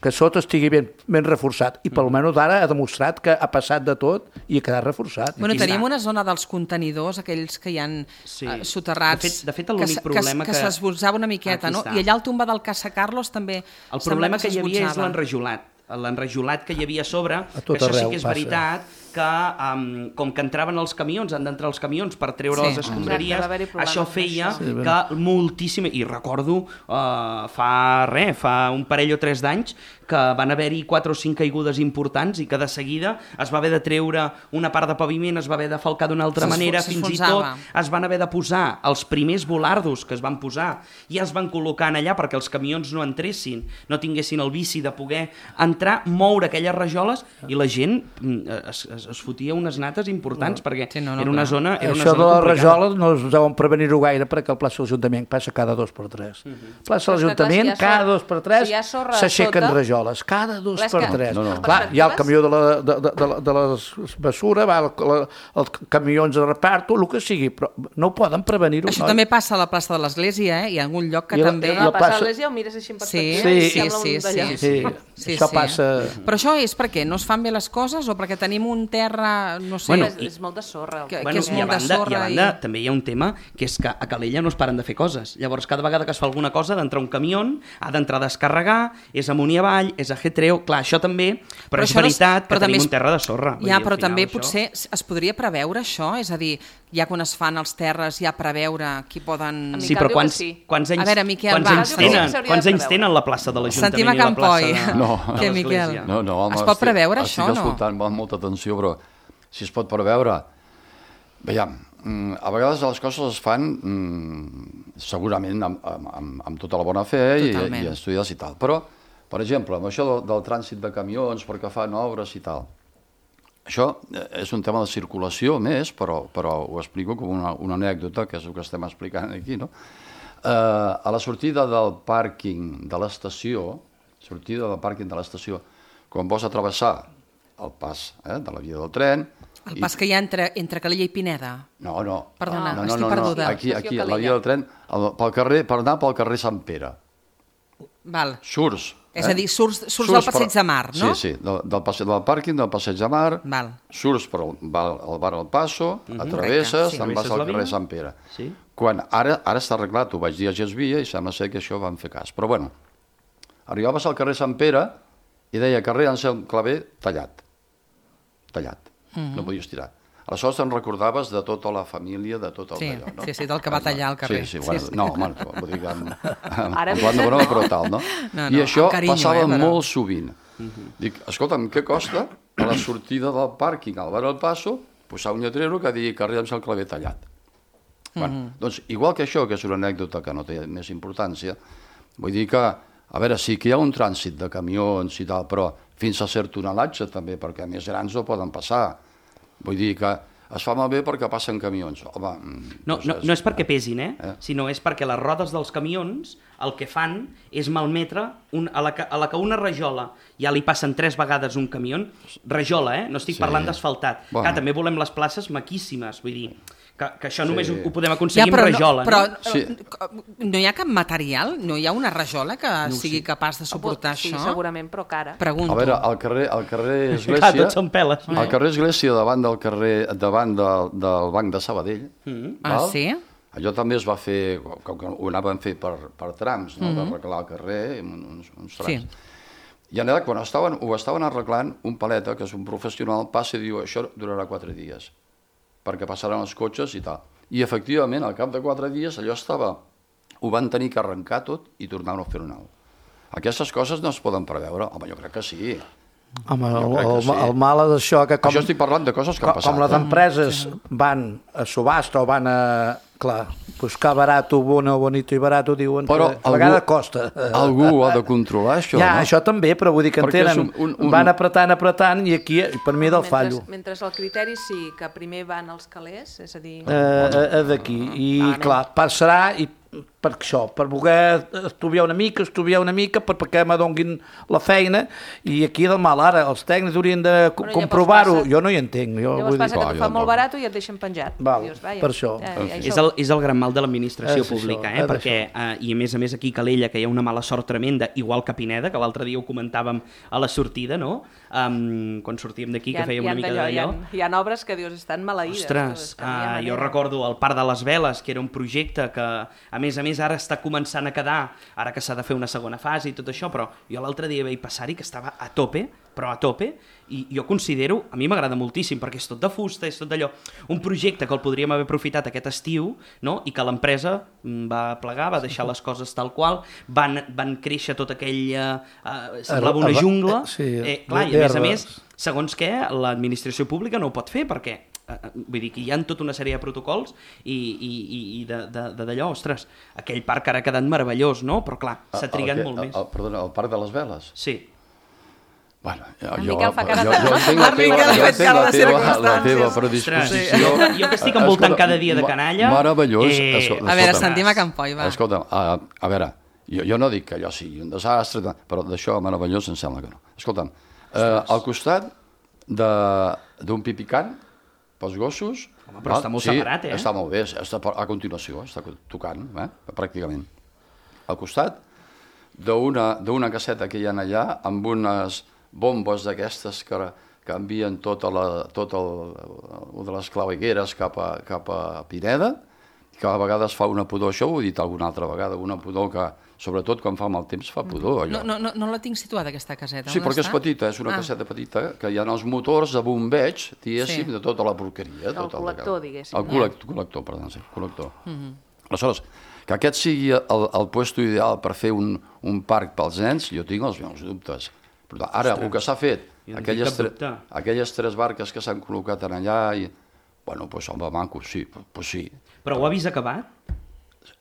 que sota estigui ben, ben reforçat. I pel menys ara ha demostrat que ha passat de tot i ha quedat reforçat. Bueno, tenim una zona dels contenidors, aquells que hi ha sí. uh, soterrats, de fet, de fet l'únic problema que, que... que s'esbotzava una miqueta, no? I allà al tomba del Casa Carlos també el problema que, que hi havia és l'enrajolat. L'enrajolat que hi havia a sobre, a que això sí que és passa. veritat, que um, com que entraven els camions, han d'entrar els camions per treure sí. les escombraries, Exacte, això feia sí, que moltíssim... I recordo, uh, fa res, fa un parell o tres d'anys, que van haver-hi quatre o cinc caigudes importants i que de seguida es va haver de treure una part de paviment, es va haver de falcar d'una altra manera, fins i tot es van haver de posar els primers volardos que es van posar i es van col·locar allà perquè els camions no entressin, no tinguessin el vici de poder entrar, moure aquelles rajoles i la gent es, es, es fotia unes nates importants no. perquè sí, no, no, era una zona era una Això zona de les complicada. rajoles no es deuen prevenir-ho gaire perquè el plaça de l'Ajuntament passa cada dos per tres. Uh -huh. Plaça de l'Ajuntament, si cada dos per tres s'aixequen si rajoles. Cada dos Clar, per tres. No, no. Clar, hi ha el camió de la, de, de, de, de la bessura, va, el, el, els camions de reparto, el que sigui, però no ho poden prevenir-ho. Això no? també passa a la plaça de l'Església, eh? Hi ha algun lloc que I també... La, la, la plaça de l'Església ho mires així en perspectiva sí, i sí, sembla sí, un sí, sí, sí, sí. Això sí. passa... Però això és perquè no es fan bé les coses o perquè tenim un terra, no sé... Bueno, és, és molt de sorra. Que, bueno, que és i, molt a de banda, sorra i a banda i... també hi ha un tema que és que a Calella no es paren de fer coses. Llavors, cada vegada que es fa alguna cosa ha d'entrar un camió, ha d'entrar a descarregar, és amunt i avall, és a getreu... Clar, això també, però, però és veritat no és... que tenim és... un terra de sorra. Ja, dir, però també això... potser es podria preveure això, és a dir, ja quan es fan els terres, ja preveure qui poden... Sí, però quants, quants anys, a veure, Miquel, quants va. anys tenen, quants anys tenen la plaça de l'Ajuntament Sentim a i la Can plaça Poi. de, No. de Què, l'Església? Miquel? No, no, home, Es pot estic- preveure això, estic no? escoltant amb molta atenció, però si es pot preveure... Veiem, mm, a vegades les coses es fan mm, segurament amb, amb, amb tota la bona fe i, Totalment. i estudiades i tal, però, per exemple, amb això del, del trànsit de camions perquè fan obres i tal, això és un tema de circulació més, però, però ho explico com una, una anècdota, que és el que estem explicant aquí, no? Eh, a la sortida del pàrquing de l'estació, sortida del pàrquing de l'estació, quan vols atravessar el pas eh, de la via del tren... El pas que hi ha entre, entre Calella i Pineda. No, no. Perdona, no, no, estic no, perduda. No. Aquí, aquí, a la via del tren, el, pel carrer, per anar pel carrer Sant Pere. Val. Surts. És a dir, surts, surts, surts del Passeig per... de Mar, no? Sí, sí, del, del, passe... del pàrquing del Passeig de Mar, Val. surts per el, bar, el bar al Passo, uh -huh. atravesses, sí. te'n vas al carrer Sant Pere. Sí. Quan ara, ara està arreglat, ho vaig dir a Gesvia i sembla ser que això van fer cas. Però bueno, arribaves al carrer Sant Pere i deia carrer Anselm Clavé tallat. Tallat. Uh -huh. No podies tirar. Aleshores te'n recordaves de tota la família, de tot el Sí, d'allò, no? sí, sí, del que va tallar al carrer. Sí, sí, bueno, Sí, sí. no, home, vull dir que amb, amb, Ara amb Joan de Bonhome, però tal, no? No, I no, això amb carinyo, passava eh, però- molt sovint. Dic, escolta'm, què costa a la sortida del pàrquing al bar al Passo posar un lletrero que digui carrer amb el claver tallat? Bueno, doncs, igual que això, que és una anècdota que no té més importància, vull dir que, a veure, sí que hi ha un trànsit de camions i tal, però fins a cert tonelatge també, perquè més grans no poden passar. Vull dir que es fa malbé perquè passen camions. Home, No, no, no és perquè pesin, eh? Eh? Sinó és perquè les rodes dels camions el que fan és malmetre un, a, la que, a la que una rajola ja li passen tres vegades un camió, rajola, eh? No estic Sí. parlant d'asfaltat. Bueno. Clar, també volem les places maquíssimes, vull dir, que, que això Sí. només ho, ho podem aconseguir Ja, però amb rajola, no, però no? Sí. no hi ha cap material? No hi ha una rajola que No ho sigui sé. capaç de suportar Sí, això? segurament, però cara. Pregunto. A veure, al carrer, al carrer Clar, Església... tots són peles. Al carrer Església, davant del carrer, davant del, del Banc de Sabadell, Mm. Ah, sí? allò també es va fer, com que ho anaven fer per, per trams, no? Mhm. d'arreglar el carrer, uns, uns trams. Sí. I en allà, quan estaven, ho estaven arreglant, un paleta, que és un professional, passa i diu, això durarà quatre dies, perquè passaran els cotxes i tal. I efectivament, al cap de quatre dies, allò estava, ho van tenir que arrencar tot i tornar-ho a fer nou. Aquestes coses no es poden preveure? Home, jo crec que sí. Home, el, Jo crec que el, sí. el mal és això, que com, Això estic parlant de coses que han com, passat. com les eh? empreses van a subhasta o van a, clar, buscar barato, bueno, bonito i barato, diuen Però que a vegades costa. Algú ho ha de controlar, això, ja, no? això també, però vull dir que en Perquè és tenen, un- un- un- van apretant, apretant, i aquí, per mi, del fallo. Mentre, mentre el criteri sí que primer van els calés, és a dir... Eh, eh, d'aquí, i clar, passarà i per això, per voler estudiar una mica, estudiar una mica, per, perquè m'adonguin la feina, i aquí del mal, ara, els tècnics haurien de co- Bueno, llavors comprovar-ho, passa- jo no hi entenc. Jo Llavors vull dir, passa que Ah, t'ho jo fan molt tampoc. barat i et deixen penjat. Val, Dius, vaja, per això. Ja, ja, És el, és el gran mal de l'administració És això, pública, és eh? perquè, eh, i a més a més aquí a Calella, que hi ha una mala sort tremenda, igual que a Pineda, que l'altre dia ho comentàvem a la sortida, no? Um, quan sortíem d'aquí, que fèiem una mica d'allò, d'allò. Hi, ha, hi ha obres que dius, estan maleïdes. Ostres, tu, és que no hi ha uh, jo manera. recordo el Parc de les Veles, que era un projecte que, a més a més, ara està començant a quedar, ara que s'ha de fer una segona fase i tot això, però jo l'altre dia vaig passar-hi que estava a tope, però a tope, i jo considero, a mi m'agrada moltíssim, perquè és tot de fusta, és tot d'allò, un projecte que el podríem haver aprofitat aquest estiu, no? I que l'empresa mm, va plegar, va deixar les coses tal qual, van, van créixer tot aquell... Uh, semblava una jungla, Sí, eh, clar, i a més a d'herba. més, segons què, l'administració pública no ho pot fer, perquè eh, vull dir que hi ha tota una sèrie de protocols i, i, i- i de- de- de- d'allò, ostres, aquell parc ara ha quedat meravellós, no? Però clar, s'ha El- trigat el que- molt més. El, perdona, el Parc de les Veles? Sí. Bueno, jo, En jo, Miquel fa cara jo, de- jo entenc la En teva, Miquel ha jo fet entenc cara la de teva, la circumstàncies. teva Ostres, predisposició. jo, jo que estic envoltant Escolta, cada dia de ma- canalla... Meravellós. eh, escolta, A veure, escolta'm. sentim a Can Poi, va. Escolta'm, a, a veure, jo, jo no dic que allò sigui un desastre, però d'això meravellós em sembla que no. Escolta'm, eh, al costat de- d'un pipicant pels gossos... Home, però està molt separat, eh? Està molt bé, està per- a continuació, està tocant, eh, pràcticament. Al costat d'una d'una caseta que hi ha allà, amb unes bombes d'aquestes que, que envien tota la, tot el, el de les clavegueres cap a, cap a Pineda, que a vegades fa una pudor, això ho he dit alguna altra vegada, una pudor que, sobretot quan fa mal temps, fa pudor. Allò. No, no, no la tinc situada, aquesta caseta. Sí, perquè és petita, és una ah. caseta petita, que hi ha els motors de bombeig, diguéssim, sí. de tota la porqueria. El tota col·lector, la... diguéssim. El col·lector, col·lector, perdó, sí, col·lector. Mm -hmm. Aleshores, que aquest sigui el, el puesto ideal per fer un, un parc pels nens, jo tinc els meus dubtes. Però ara, Ostres. el que s'ha fet, aquelles, tre... aquelles tres barques que s'han col·locat en allà, i... bueno, doncs, home, maco, sí, pues sí. Però ho ha vist acabat?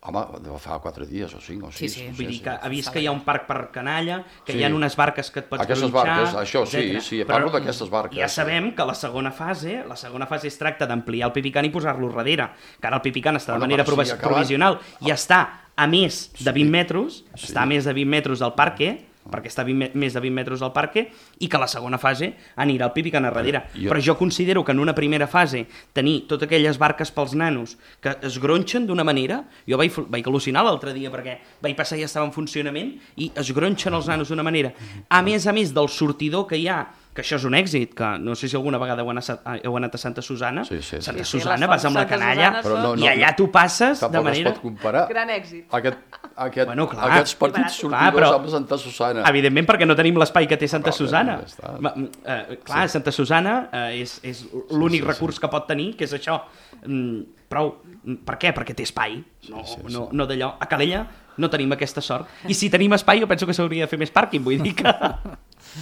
Home, fa quatre dies o cinc o sis. Sí, sí. Vull dir que ha vist que hi ha un parc per canalla, que sí. hi ha unes barques que et pots aquestes gronxar... Barques, això, sí, sí, parlo d'aquestes barques. Ja sabem que la segona fase, la segona fase es tracta d'ampliar el Pipicant i posar-lo darrere, que ara el Pipicant està de bueno, manera provis provisional i està a més de vint metres, sí. està a més de vint metres del parque, perquè està vint, més de vint metres del parque, i que la segona fase anirà al Pipicant a darrere. Jo... Però jo considero que en una primera fase tenir totes aquelles barques pels nanos que es gronxen d'una manera... Jo vaig, vaig al·lucinar l'altre dia perquè vaig passar i ja estava en funcionament i es gronxen els nanos d'una manera. A més a més del sortidor que hi ha, que això és un èxit, que no sé si alguna vegada heu anat, heu anat a Santa Susana. Sí, sí, sí. Santa sí, Susana, sí, vas amb la canalla no, no, i allà tu passes de manera... Tampoc es pot comparar. Gran èxit. Aquest, aquest, bueno, clar, aquests partits sortidors clar, amb Santa Susana. Evidentment, perquè no tenim l'espai que té Santa però, Susana. Ja eh, clar, sí. Santa Susana eh, és, és l'únic sí, sí, recurs sí. que pot tenir, que és això. Mm, prou. Per què? Perquè té espai. No, sí, sí, sí. no, no d'allò. A Calella no tenim aquesta sort. I si tenim espai, jo penso que s'hauria de fer més pàrquing, vull dir que...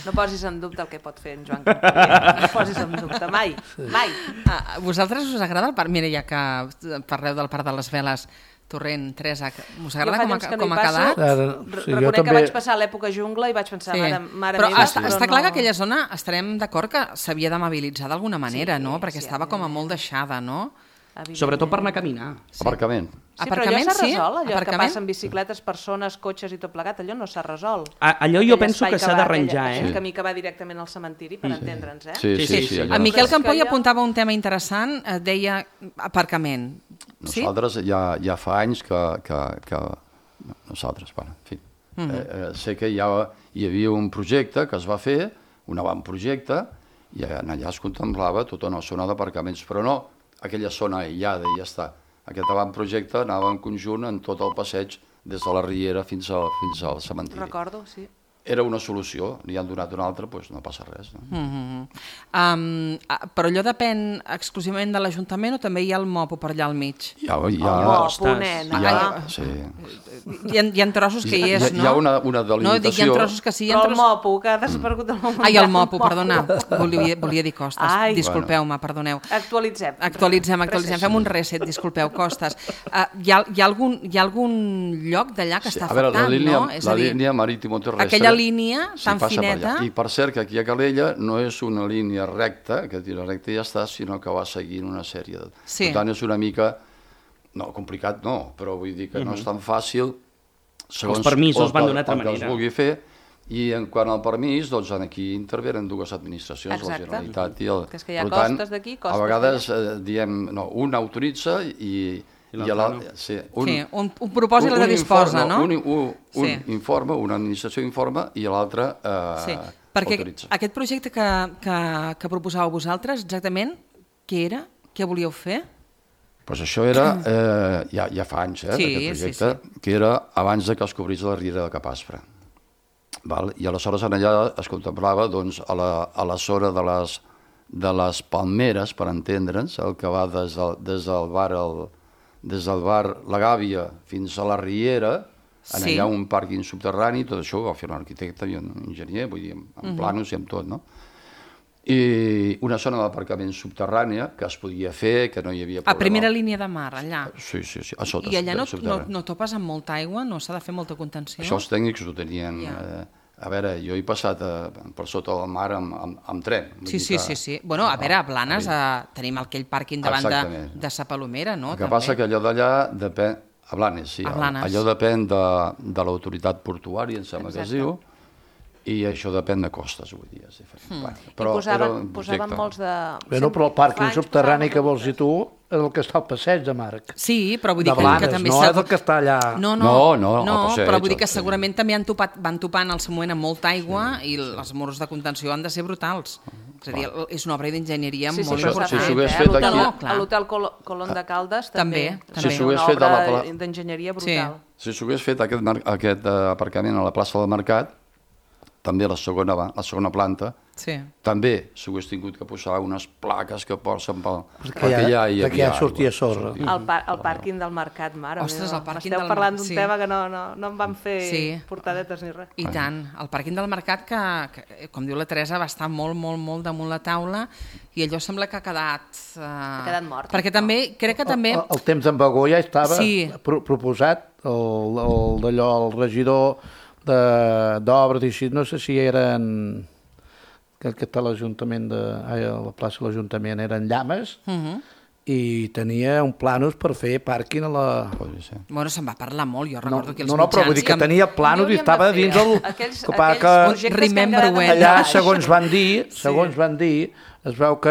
No posis en dubte el que pot fer en Joan Campier. No posis en dubte, mai, mai. A vosaltres us agrada el parc? Mira, ja que parleu del Parc de les Veles, Torrent, Teresa, us agrada com, a, com ha quedat? Sí, Reconec també... que vaig passar l'època jungla i vaig pensar, sí. mare, mare però meva... Està, però està no... clar que aquella zona estarem d'acord que s'havia d'amabilitzar d'alguna manera, sí, no? Perquè sí, estava com a molt deixada, no? Sobretot per anar a caminar. Sí. Aparcament. Sí, però allò s'ha resolt, allò Aparcament? que passen bicicletes, persones, cotxes i tot plegat, allò no s'ha resolt. A, allò jo penso que s'ha d'arranjar, eh? Aquell camí que va directament al cementiri, per sí. entendre'ns, eh? Sí, sí, sí. sí, sí en Miquel Campoy apuntava un tema interessant, deia aparcament. Nosaltres sí? ja, ja fa anys que... que, que... Nosaltres, bueno, en fi. Mm -hmm. eh, sé que ja hi havia un projecte que es va fer, un avantprojecte, i allà es contemplava tota una zona d'aparcaments, però no aquella zona aïllada i ja està. Aquest avantprojecte anava en conjunt en tot el passeig des de la Riera fins al, fins al cementiri. Recordo, sí. Era una solució, li han donat una altra, doncs no passa res. No? Mm-hmm. um, però allò depèn exclusivament de l'Ajuntament o també hi ha el Mopo per allà al mig? Hi ha, hi ha, el Mopo, nena. Hi ha, sí. hi, ha, hi ha trossos que hi és, no? Hi ha una, una delimitació... No, dic, hi ha trossos que sí. Però tros... el Mopo, que ha desaparegut el Mopo. Ai, el Mopo, perdona. Volia, volia dir Costes. Ai. Disculpeu-me, perdoneu. Actualitzem. Actualitzem, actualitzem. Fem un reset, disculpeu, Costes. Uh, hi, ha, hi, ha algun, hi ha algun lloc d'allà que sí, està a veure, afectant, la línia, no? És la a dir, línia marítimo-terrestre... Aquella línia sí, tan fineta... Per I per cert que aquí a Calella no és una línia recta, que tira recta i ja està, sinó que va seguint una sèrie de... Sí. Per tant, és una mica... No, complicat no, però vull dir que uh-huh. no és tan fàcil... Segons els permisos van d'una altra manera. El que es vulgui fer, i en quant al permís, doncs aquí intervenen dues administracions, exacte. La Generalitat i el... Que és que hi ha per costes tant, d'aquí, costes a vegades eh, diem, no, un autoritza i... I la, no. sí, un, sí, un, un propòsit un, un disposa, informe, no? Un, un, un sí. informe, una administració informa i l'altra eh, sí. Perquè autoritza. Aquest projecte que, que, que proposàveu vosaltres, exactament, què era? Què volíeu fer? Pues això era, eh, ja, ja fa anys, eh, sí, aquest projecte, sí, sí. que era abans de que es cobrís la riera de Capaspre. Val? I aleshores en allà es contemplava doncs, a, la, a la zona de les, de les Palmeres, per entendre'ns, el que va des del, des del bar el, des del bar La Gàbia fins a la Riera, en sí. allà un pàrquing subterrani, tot això ho va fer un arquitecte i un enginyer, vull dir, amb, amb uh-huh. planos i amb tot, no? I una zona d'aparcament subterrània que es podia fer, que no hi havia problema. A primera línia de mar, allà? Sí, sí, sí, a sota. I allà no, no, no topes amb molta aigua? No s'ha de fer molta contenció? Això els tècnics ho tenien... Ja. Eh, a veure, jo he passat a, per sota del mar amb, amb, amb tren. Sí, sí, que, sí, sí. Bueno, a veure, a Blanes a, tenim aquell pàrquing davant de, de Sa Palomera, no? El que també. passa que allò d'allà depèn... A Blanes, sí. A Blanes. Allò depèn de, de l'autoritat portuària, em sembla que es diu, i això depèn de costes, vull dir, és diferent. Mm. Bueno, però I posaven, posaven molts de... Bueno, però el pàrquing subterrani que vols dir tu és el que està al passeig de Marc. Sí, però vull dir de Blanes, que, que també... no és el que està allà... No, no, no, no, no passeig, però vull dir que segurament també han topat, van topant al seu moment amb molta aigua sí, i sí. els murs de contenció han de ser brutals. És a dir, és una obra d'enginyeria Sí, sí, molt però important. s'ha Si fet, s'hagués eh? fet A l'hotel- aquí- A l'hotel Col- Colón de Caldes També, també. també. Si s'hagués Una fet a la obra pla- d'enginyeria brutal. Si s'hagués fet aquest, mar- aquest eh, aparcament a la plaça del Mercat, també a la segona, va- la segona planta, Sí. també s'hagués tingut que posar unes plaques que porten pel... Perquè ja- perquè ja sortia sorra. El, par el pàrquing del mercat, mare Ostres, meva. el pàrquing Esteu del parlant d'un sí. tema que no, no, no em van fer Sí. portadetes ni res. I tant. El pàrquing del mercat, que, que, com diu la Teresa, va estar molt, molt, molt damunt la taula i allò sembla que ha quedat... Uh... Ha quedat mort. Perquè també, crec que també... El, el temps d'en Bagó ja estava Sí. pro proposat, el, el d'allò, el regidor d'obres i així, no sé si eren... que, que està l'Ajuntament de... Ai, a la plaça de l'Ajuntament eren Llames, Uh -huh. i tenia un planos per fer pàrquing a la... Bueno, se'n va parlar molt, jo recordo que els No, no, però vull dir que tenia planos i estava dins el... Aquells, que, pa- aquells que projectes que han Remember quedat when. en allà, baix. segons van dir, segons van dir, es veu que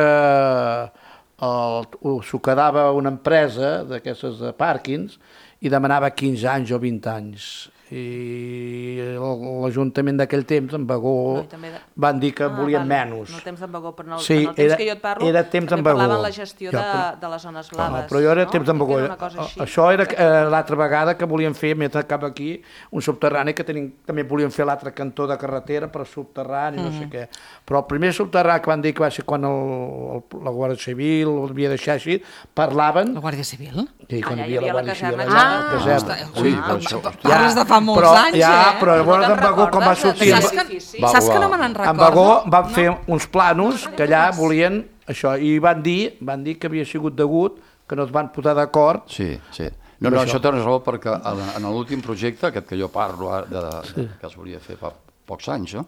el- s'ho quedava una empresa d'aquestes de pàrquings i demanava quinze anys o vint anys. I l'Ajuntament d'aquell temps, en Bagó, No, i també de- van dir que Ah, volien vale. menys. No temps d'en Bagó, però en el, Sí, en el temps era- que jo et parlo era temps també d'en Bagó. parlaven la gestió Jo, de, però- de les zones No, blaves. però jo era no? temps d'en Crec que Bagó. era una cosa així. Això era eh, l'altra vegada que volien fer, mentre cap aquí, un subterrani que tenim, també volien fer l'altre cantó de carretera per subterrani, no sé Mhm. què. Però el primer subterrani que van dir que va ser quan el, el, la Guàrdia Civil ho havia deixat així, parlaven... La Guàrdia Civil? Sí, quan Allà hi hi havia la havia la Guàrdia Civil. caserna. allà, Ah, la caserna. ostres, Sí, ah, això- parles de fa molts però, anys, ja, eh? però llavors No en te'n Bagó, com va recordes? sortir... Saps que, saps que no me n'en En recordo? Bagó van fer uns planos que allà volien això, i van dir, van dir que havia sigut degut, que no es van posar d'acord. Sí, sí. No, no, això tens raó, perquè en, en l'últim projecte, aquest que jo parlo ara, de, de, Sí. que es volia fer fa pocs anys, no?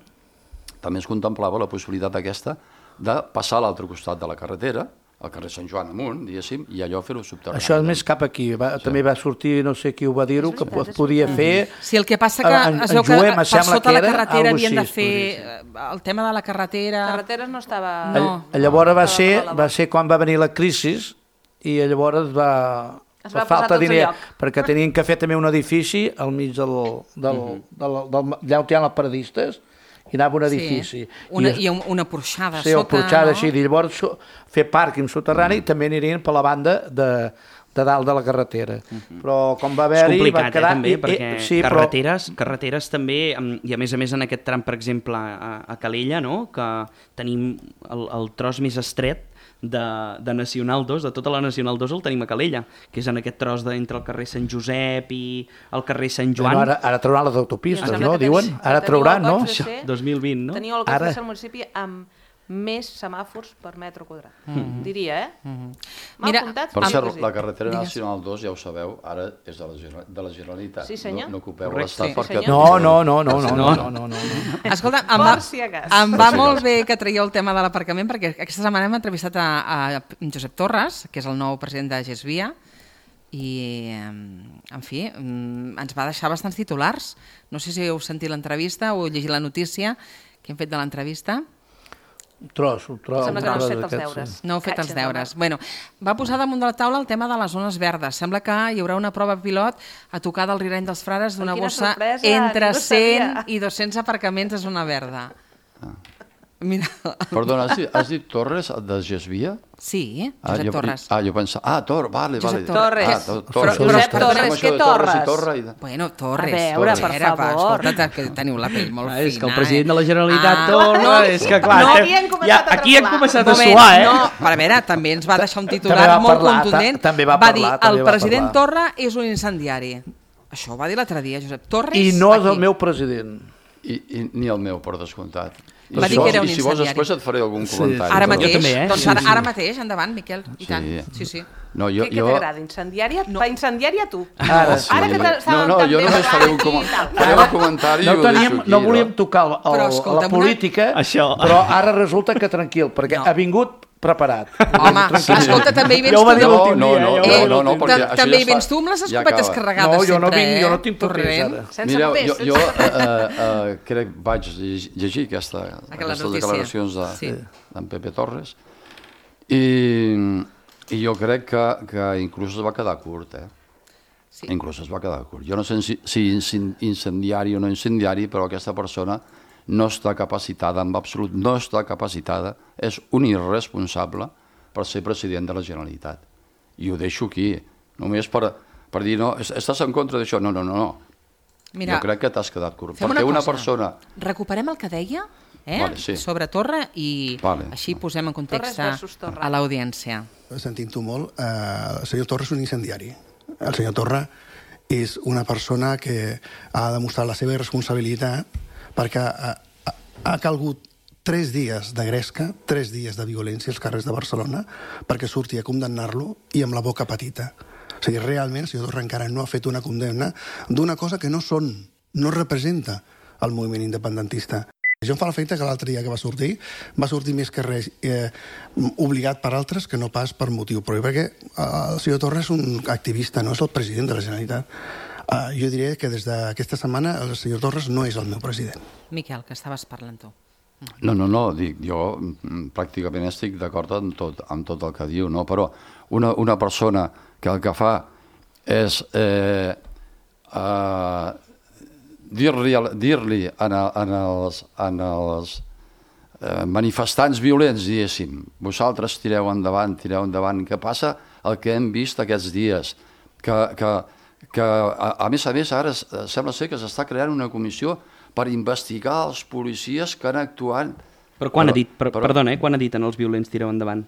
També es contemplava la possibilitat aquesta de passar a l'altre costat de la carretera, al carrer Sant Joan amunt, diguéssim, i allò fer-ho subterrani. Això és més cap aquí. Va, sí. També va sortir, no sé qui ho va dir-ho, que es podia fer... Sí, el que passa que En- es en veu que Juem, em per sembla sota que la era, carretera algo havien de així, fer eh, el tema de la carretera... Carreteres no estava... No. Llavors va Estava ser, per la va ser quan va venir la crisi i llavors va... Es per va posar falta tots de a diner, lloc. perquè tenien que fer també un edifici al mig del, del, Mhm. del, del, del, allà on hi ha els paradistes, i anava un edifici. Sí, una, I, i un- una porxada sí, sota, o porxada no? així, i llavors su- fer pàrquing soterrani i també anirien per la banda de, de dalt de la carretera. Però com va És haver-hi... complicat, va quedar, eh, també, i- i- perquè sí, però- carreteres, carreteres també, em, i a més a més en aquest tram, per exemple, a, a Calella, no?, que tenim el, el tros més estret de, de Nacional dos, de tota la Nacional dos el tenim a Calella, que és en aquest tros de, entre el carrer Sant Josep i el carrer Sant Joan. Bueno, ara, ara trauran les autopistes, Em sembla no? que Diuen? teniu- Ara teniu trauran, el no? goig de ser- dos mil vint, no? Teniu el Ara- goig de ser el municipi amb més semàfors per metre quadrat. Mhm. Diria, eh? Mhm. Mal Mira, comptat, Per sí cert, que sí. la carretera Digues. nacional dos, ja ho sabeu, ara és de la, Genera- de la Generalitat. Sí, senyor. No, no ocupeu Correcte. l'Estat Sí, perquè... senyor. No, no, no, no, no, no, no, no, no. Escolta, em va, Per si acas. em Per va si molt acas. bé que traieu el tema de l'aparcament, perquè aquesta setmana hem entrevistat a, a Josep Torres, que és el nou president de Gesvia, i, eh, en fi, mm, ens va deixar bastants titulars. No sé si heu sentit l'entrevista o heu llegit la notícia que hem fet de l'entrevista. Un tros, un tros. Sembla un que no has tros fet els d'aquests, deures. sí. No heu fet els Catxes, deures. Bueno, va posar damunt de la taula el tema de les zones verdes. Sembla que hi haurà una prova pilot a tocar del Rirany dels Frares d'una Quina bossa sorpresa, entre ningú cent sabia. i dos-cents aparcaments de zona verda. Mira, Perdona, has dit, has dit Torres de Gesvia? sí, Ah, Josep jo, Torres. Ah, jo pensava... Ah, Tor, vale, Josep vale. Torres. Ah, to, Però- Torres. Josep Pensem Torres, això què de Torres i Torres? Torre i de... Bueno, Torres. A veure, per Torres, favor. Escolta, que teniu la pell molt Ah, és que el fina, president eh? de la Generalitat Ah, Torres, no, és que clar... no estem- havien començat ja, a aquí hem tremolar. començat a Moment, suar, eh? no, però a veure, també ens va deixar un titular També va molt parlar, contundent. ta- també va va parlar, dir, també el va president parlar. Torra és un incendiari. Això ho va dir l'altre dia, Josep Torres. I no és aquí. el meu president. I, i, ni el meu, per descomptat. I Va si dir que vols- era un I si vols incendiari. després et faré algun Sí, comentari. Ara però- mateix, Jo també, eh? doncs Sí, ara, sí. ara mateix, endavant, Miquel, i Sí. tant. Sí, sí. No, jo, Què, què jo... t'agrada? Incendiària? No. Pa incendiària tu. Ara, Sí, Ara que no, t'estàvem no, tan jo bé només faré un, parlant com... i tal. faré un comentari no, i ho teníem, deixo aquí. no volíem tocar el, Però, el, escolta, la una- política, Això. però ara resulta que tranquil, perquè No. ha vingut preparat. Home, escolta, també hi vens Ja ho va tu. dir No, l'últim no, dia. no, ja ho no, va dir no, no, l'últim perquè dia. això També ja hi es fa- vens tu amb les ja escopetes acaba. carregades No, jo no sempre, vinc, eh? jo no tinc papers, Torrent. ara. Sense Mireu, papers, jo, sense jo papers. eh, eh, crec vaig lleg- llegir aquesta, aquestes notícia. declaracions de, Sí. d'en Pepe Torres i, i jo crec que, que inclús es va quedar curt, eh? Sí. Inclús es va quedar curt. Jo no sé si, si incendiari o no incendiari, però aquesta persona no està capacitada, en absolut no està capacitada, és un irresponsable per ser president de la Generalitat. I ho deixo aquí, només per, per dir, no, estàs en contra d'això? No, no, no, no. Mira, jo crec que t'has quedat curt. Perquè una, una persona... Recuperem el que deia eh? vale, sí. sobre Torra i vale. així posem en context a l'audiència. Sentint-ho molt, eh, el senyor Torra és un incendiari. El senyor Torra és una persona que ha demostrat la seva irresponsabilitat perquè ha, ha, ha calgut tres dies de gresca, tres dies de violència als carrers de Barcelona perquè surti a condemnar-lo i amb la boca petita. O sigui, realment el senyor Torra encara no ha fet una condemna d'una cosa que no són, no representa el moviment independentista. Jo em fa l'efecte que l'altre dia que va sortir, va sortir més que res eh, obligat per altres que no pas per motiu propi, perquè el senyor Torra és un activista, no és el president de la Generalitat. Eh, jo diré que des d'aquesta setmana el senyor Torres no és el meu president. Miquel, que estaves parlant tu. No, no, no, dic, jo pràcticament estic d'acord amb tot, amb tot el que diu, no? Però una, una persona que el que fa és eh, eh, dir-li dir-li en, en els, en els eh, manifestants violents, diguéssim, vosaltres tireu endavant, tireu endavant, que passa el que hem vist aquests dies, que, que, que a, a més a més ara sembla ser que s'està creant una comissió per investigar els policies que han actuat... Però quan però, ha dit, per, però, perdona, eh, quan ha dit en els violents tireu endavant?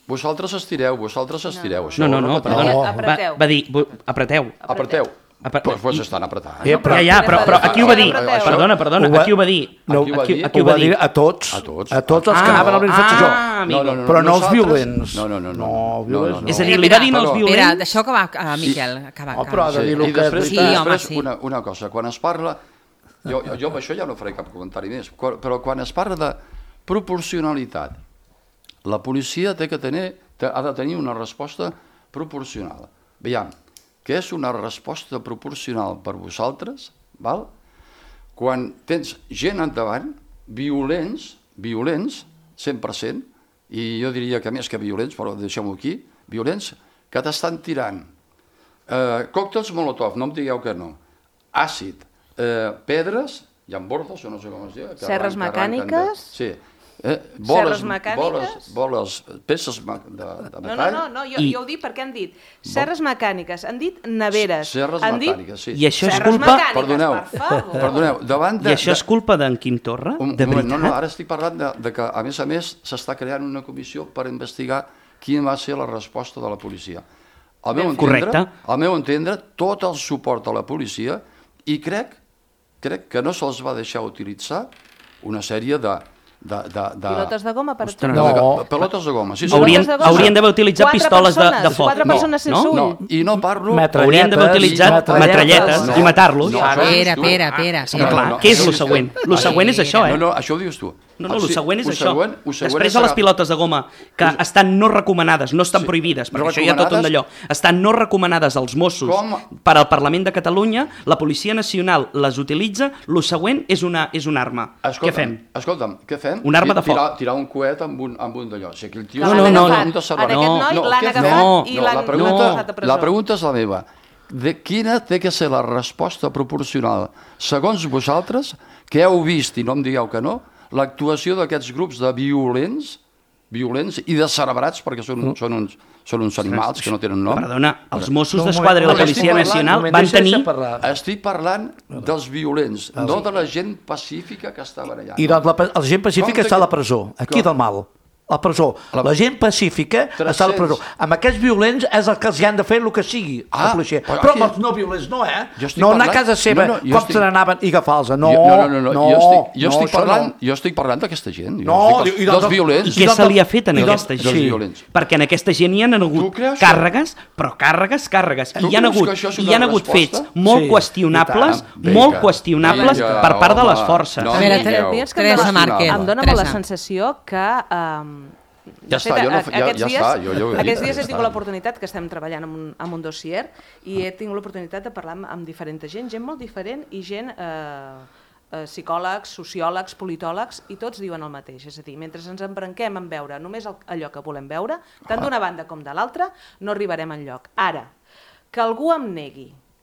Vosaltres estireu, vosaltres estireu. No, no, no, perdona, va, va dir, apreteu. Apreteu. Pues, pues estan apretant. Eh, però, ja, ja, però, però aquí ho va dir. Perdona, perdona, aquí ho va dir. No, aquí, aquí ho va dir a tots. A tots, a tots els que anaven a la manifestació. Ah, no, no, no, però no els violents. No, no, no. no, no, no, no. És a dir, li va dir als violents... Mira, deixa acabar, uh, Miquel. Acabar, oh, però ha de dir-ho que... I després, sí, després home, sí. una, una cosa, quan es parla... Jo, jo, jo amb això ja no faré cap comentari més, però quan es parla de proporcionalitat, la policia té que tenir, ha de tenir una resposta proporcional. Veiem, que és una resposta proporcional per vosaltres, val? Quan tens gent endavant, violents, violents, cent per cent, i jo diria que més que violents, però deixem-ho aquí, violents, que t'estan tirant eh, còctels Molotov, no em digueu que no, àcid, eh, pedres, llambordes, o no sé com es diu. Serres mecàniques? Sí. Eh, boles, Serres mecàniques? Boles, boles, peces de, de metall. No, no, no, no jo, I... jo ho dic perquè han dit serres mecàniques, han dit neveres. Serres han mecàniques, dit... sí. I això és culpa... Perdoneu, perdoneu, davant de... I això és culpa d'en Quim Torra? Un, de moment, no, no, ara estic parlant de, de que, a més a més, s'està creant una comissió per investigar quina va ser la resposta de la policia. Al meu entendre, al meu entendre, tot el suport a la policia, i crec, crec que no se'ls va deixar utilitzar una sèrie de... De, de, de... Pilotes de goma, per exemple? No, de, pilotes de goma, sí. sí. Haurien, haurien d'haver utilitzat quatre pistoles persones, de, de foc. Quatre persones sense no, ull. No, i no parlo... Haurien d'haver utilitzat metralletes no, i matar-los. No, espera, espera, espera. No, clar, què és el següent? El següent és això, eh? No, no, això ho dius tu. No, no, el següent és això. Després de les pilotes de goma, que estan no recomanades, no estan prohibides, perquè això hi ha tot un d'allò, estan no recomanades als Mossos per al Parlament de Catalunya, la Policia Nacional les utilitza, el següent és una arma. Què fem? Escolta'm, què fem? Una arma de foc. Tirar un coet amb un d'allò. O sigui, el tio... No, no, no. En aquest noi l'han agafat i l'han posat a presó. La pregunta és la meva. De quina té que ser la resposta proporcional, segons vosaltres, que heu vist, i no em digueu que no, l'actuació d'aquests grups de violents, violents i descerebrats, perquè són, són, uns, són uns animals que no tenen nom. Perdona, els Mossos d'Esquadra i la Policia Nacional van tenir... Estic parlant dels violents, no de la gent pacífica que estava allà. I doncs la, la gent pacífica està a la presó, aquí del mal. A la presó. La gent pacífica està a la presó. Amb aquests violents és el que els han de fer el que sigui, la policia. Però amb els no violents no, eh? No anar a casa seva, com se n'anaven i agafar-los. No, no, no. Jo estic parlant jo estic parlant d'aquesta gent. Dels violents. I què se li ha fet a aquesta gent? Perquè en aquesta gent hi han hagut càrregues, però càrregues, càrregues. I hi han hagut fets molt qüestionables, molt qüestionables per part de les forces. A veure, Teresa Márquez. Em dóna la sensació que... Ja està, jo no, ja, ja està, jo, jo aquests dies he tingut l'oportunitat que estem treballant amb un, amb un dossier i he tingut l'oportunitat de parlar amb, amb diferent gent, gent molt diferent i gent eh, eh, psicòlegs, sociòlegs, politòlegs, i tots diuen el mateix, és a dir, mentre ens embranquem en veure només el, allò que volem veure, tant d'una banda com de l'altra, no arribarem enlloc. Ara, que algú em negui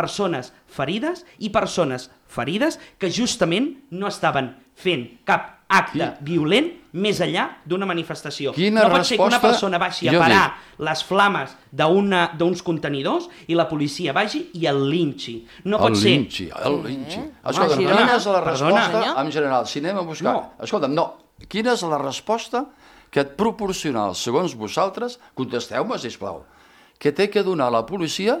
persones ferides i persones ferides que justament no estaven fent cap acte violent més enllà d'una manifestació. Quina no pot ser que una resposta- persona vagi a jo parar dic. les flames d'una- d'uns contenidors i la policia vagi i el linxi. No pot el ser... linxi, el linxi. Eh? Escolta, Home, quina és la perdona. resposta, en general, si anem a buscar... No. Escolta'm, no, quina és la resposta que et proporciona, segons vosaltres, contesteu-me, sisplau, que té que donar la policia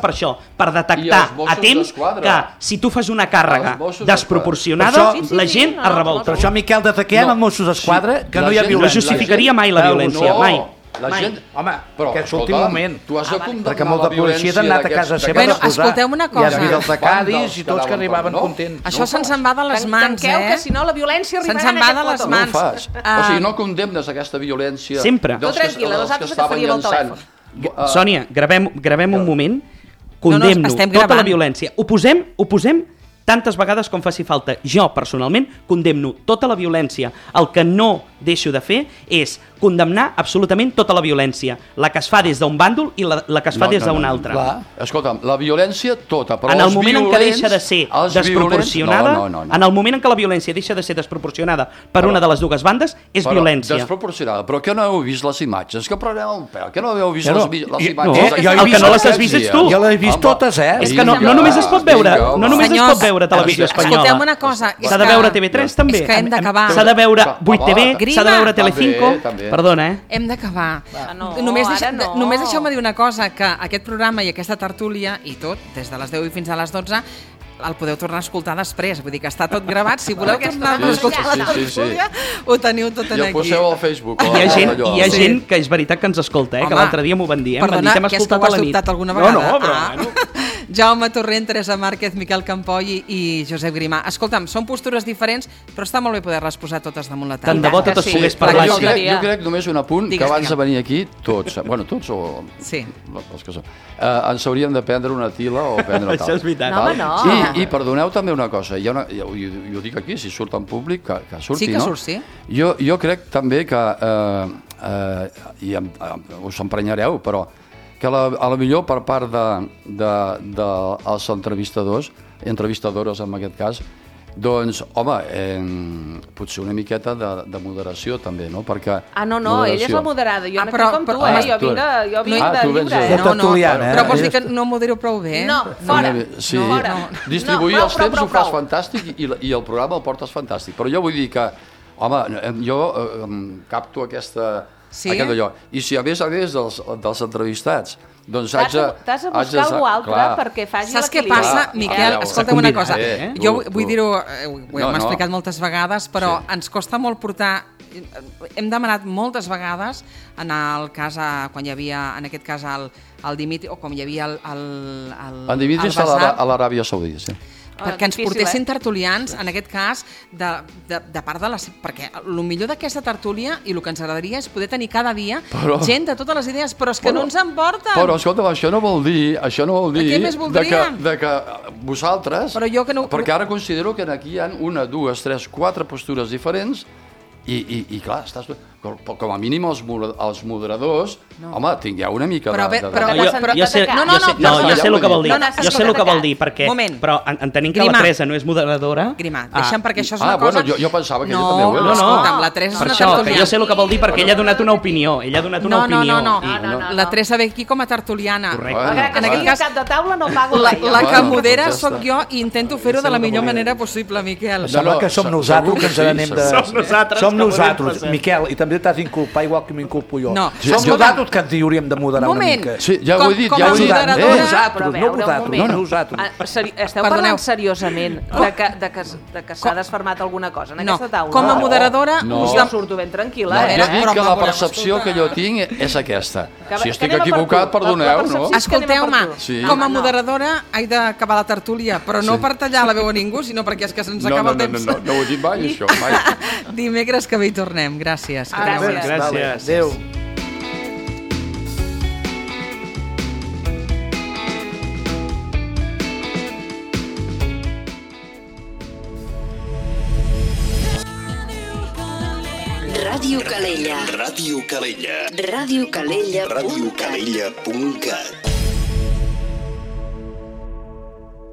passa per això, per detectar a temps que si tu fas una càrrega desproporcionada, la gent es revolta. Per això, Miquel, des que hi ha els Mossos d'Esquadra, que no hi ha violència. No justificaria mai la violència, mai. La Mai. gent... Home, però, aquest últim escolta, moment. tu has de Ah, vale. condemnar Perquè molta la violència policia han anat a casa seva Bueno, a posar. escolteu una Hi cosa. havia els de Cádiz i tots que arribaven no? contents. Això se'ns en va de les Tan- mans, tanqueu, eh? que si no la violència Se'ns arribarà en en va aquest de les plató. No ho mans. fas. Ah. O sigui, no condemnes aquesta violència Sempre. dels Tu que, tranquil·la, dels nosaltres que que estaven faríem el llançant. Uh, Sònia, gravem, gravem un moment, No, no, condemno estem tota la gravant. violència. Ho posem, ho posem tantes vegades com faci falta. Jo, personalment, condemno tota la violència. El que no deixo de fer és condemnar absolutament tota la violència. La que es fa des d'un bàndol i la, la que es fa No, des no, d'un no, altre. Clar. Escolta'm, la violència tota, però En el els moment en què violents, deixa de ser els desproporcionada, violents- no, no, no, no. en el moment en què la violència deixa de ser desproporcionada per una de les dues bandes, és Però violència. Desproporcionada. Però que no heu vist les imatges? Que preneu un pèl. Que no heu vist Ja no. les, vi- les Jo- imatges? no, d'aquesta jo he El que vist no les totes, has vist ets tu. Jo les he vist totes, eh? És que no, Vinga, no només es pot veure, vinga, no home. només es Senyors, pot veure televisió espanyola. escolteu una cosa, és S'ha de que- veure T V tres també. és que hem d'acabar. S'ha de veure Va, vuit T V, Grima. s'ha de veure Telecinco. També, també. Perdona, eh? Hem d'acabar. Ah, no, només ara deixa, no. només deixeu-me dir una cosa, que aquest programa i aquesta tertúlia i tot, des de les deu i fins a les dotze, el podeu tornar a escoltar després. Vull dir que està tot gravat. Si voleu tornar a Sí, escoltar la sí, sí, sí. tertúlia, ho teniu tot I el aquí. poseu al Facebook. Hi ha gent, allò. hi ha Sí. gent que és veritat que ens escolta, eh? Home, que l'altre dia m'ho van dir, eh? Em van dir Perdona, que hem que és que escoltat ho a has la nit. dubtat alguna vegada? No, no, però Ah. bueno. Jaume Torrent, Teresa Márquez, Miquel Campoy i, i Josep Grimà. Escolta'm, són postures diferents, però està molt bé poder-les posar totes damunt la taula. Tant de bo totes sí. pogués Però parlar jo així. crec, jo crec només un apunt, Digues, que abans digue'm. de venir aquí, tots, bueno, tots o Sí. els que són, eh, ens hauríem de prendre una tila o prendre tal. Això és veritat. No, home, no. I, I perdoneu també una cosa, hi ha una, jo, jo, jo dic aquí, si surt en públic, que, que surti, Sí que no? surt, sí. Jo, jo crec també que, eh, eh, i em, em, us emprenyareu, però que la, a la millor per part de, de, de els entrevistadors, entrevistadores en aquest cas, doncs, home, eh, potser una miqueta de, de moderació també, no? Perquè Ah, no, no, ella és la moderada. Jo Ah, no però- com tu, però- eh? ah, Jo tu- vinc de, jo vinc Ah, de tu vens lliure, de- eh? No, no, tertuliana, eh? però vols dir que no modero prou bé? No, fora. Sí, No, fora. distribuir No, prou, els prou, temps prou, ho fas prou. fantàstic i, i el programa el portes fantàstic. Però jo vull dir que, home, em- jo eh, em capto aquesta, Sí? aquest allò. I si a més a més dels, dels entrevistats, doncs T'has haig de... de, t'has de haig buscar algú altre clar. perquè faci Saps què l'equilibri. passa, Ah, Miquel? ah, Escolta'm una combinat, cosa. eh? Jo Tu- vull tu. dir-ho, eh, ho No, hem no. explicat moltes vegades, però Sí. ens costa molt portar... Hem demanat moltes vegades, en el cas, a, quan hi havia, en aquest cas, el, el Dimitri, o com hi havia el... el, el En Dimitri el està a l'Ara- Basar, a l'Aràbia Saudita, sí. perquè ens difícil, portessin eh? tertulians, en aquest cas, de, de, de part de les... Perquè el millor d'aquesta tertúlia i el que ens agradaria és poder tenir cada dia Però- gent de totes les idees, però és que Però- no ens en porten. Però, escolta'm, això no vol dir, això no vol dir Què més de que, voldríem? de que vosaltres... Però jo que no- Perquè ara considero que aquí hi ha una, dues, tres, quatre postures diferents i, i, i clar, estàs, com, com a mínim els, mo- els moderadors, no. home, tingueu una mica Però de... bé, de, però- de... Jo, t'has jo sé, sentit No, no, jo no, sé, però- no, jo sé el que vol dir. No, no, Jo sé el que vol dir, escolta, perquè... Moment. Però en- entenent que Grima. la Teresa no és moderadora... Grima, ah, deixa'm, perquè això és Ah, una cosa... bueno, jo, jo pensava que no, ella també ho era. No, no, escolta'm, la Teresa és per una això, que tertuliana. jo sé el que vol dir perquè ella ha donat una opinió. Ella ha donat una No, no, opinió. no, no. I- no, no. La Teresa ve aquí com a tertuliana. Correcte. Bueno, Malgrat que en sigui aquest cas, cap de taula no pago la, res. jo. la que Bueno, modera doncs ja sóc està. jo i intento fer-ho de la millor manera possible, Miquel. No, Sembla no, que som se- nosaltres segur que ens que sí, n'anem de... Som nosaltres Som que podem nosaltres, passar. Miquel, i també t'has d'inculpar igual que m'inculpo jo. No. Som Sí, nosaltres que ens hi hauríem de moderar Moment. una mica. Sí, ja ho Com- he dit, com ja a ho he dit. moderadora- Eh, Nosaltres, Però a no veure, un vosaltres, moment. no nosaltres. Ah, seri esteu Perdoneu. parlant seriosament de que, de que, de que s'ha desfermat alguna cosa en No, aquesta taula? com a moderadora... No. us Jo dem- surto ben tranquil·la, No, eh? jo dic Però que me la voleu percepció escoltar. que jo tinc és aquesta. Que- Si que estic anem a per equivocat, tu. La- la perdoneu, no? percepció- Escolteu-me, Sí. com a No, no. moderadora he d'acabar la tertúlia, però no Sí. per tallar la veu a ningú, sinó perquè és que se'ns No, acaba no, el no, temps. no, no, no ho he dit mai, això, mai. Dimecres que bé hi tornem. Gràcies. Que Gràcies. tingueu- Gràcies. Adéu. Ràdio Calella. Ràdio Calella. Ràdio Calella. radiocalella.cat.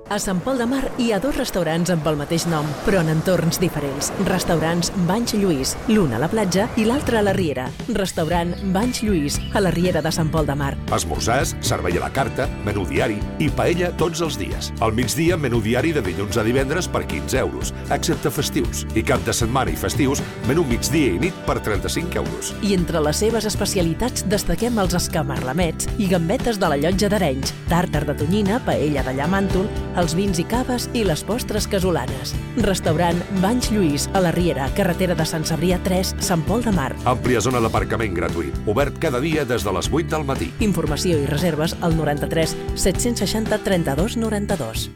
A Sant Pol de Mar hi ha dos restaurants amb el mateix nom, però en entorns diferents. Restaurants Banys Lluís, l'un a la platja i l'altre a la Riera. Restaurant Banys Lluís, a la Riera de Sant Pol de Mar. Esmorzars, servei a la carta, menú diari i paella tots els dies. Al migdia, menú diari de dilluns a divendres per quinze euros, excepte festius. I cap de setmana i festius, menú migdia i nit per trenta-cinc euros. I entre les seves especialitats destaquem els escamarlamets i gambetes de la Llotja d'Arenys, tàrtar de tonyina, paella de llamàntol, els vins i caves i les postres casolanes. Restaurant Banys Lluís, a la Riera, carretera de Sant Cebrià tres, Sant Pol de Mar. Àmplia zona d'aparcament gratuït, obert cada dia des de les vuit del matí. Informació i reserves al noranta-tres set-cents seixanta trenta-dos noranta-dos.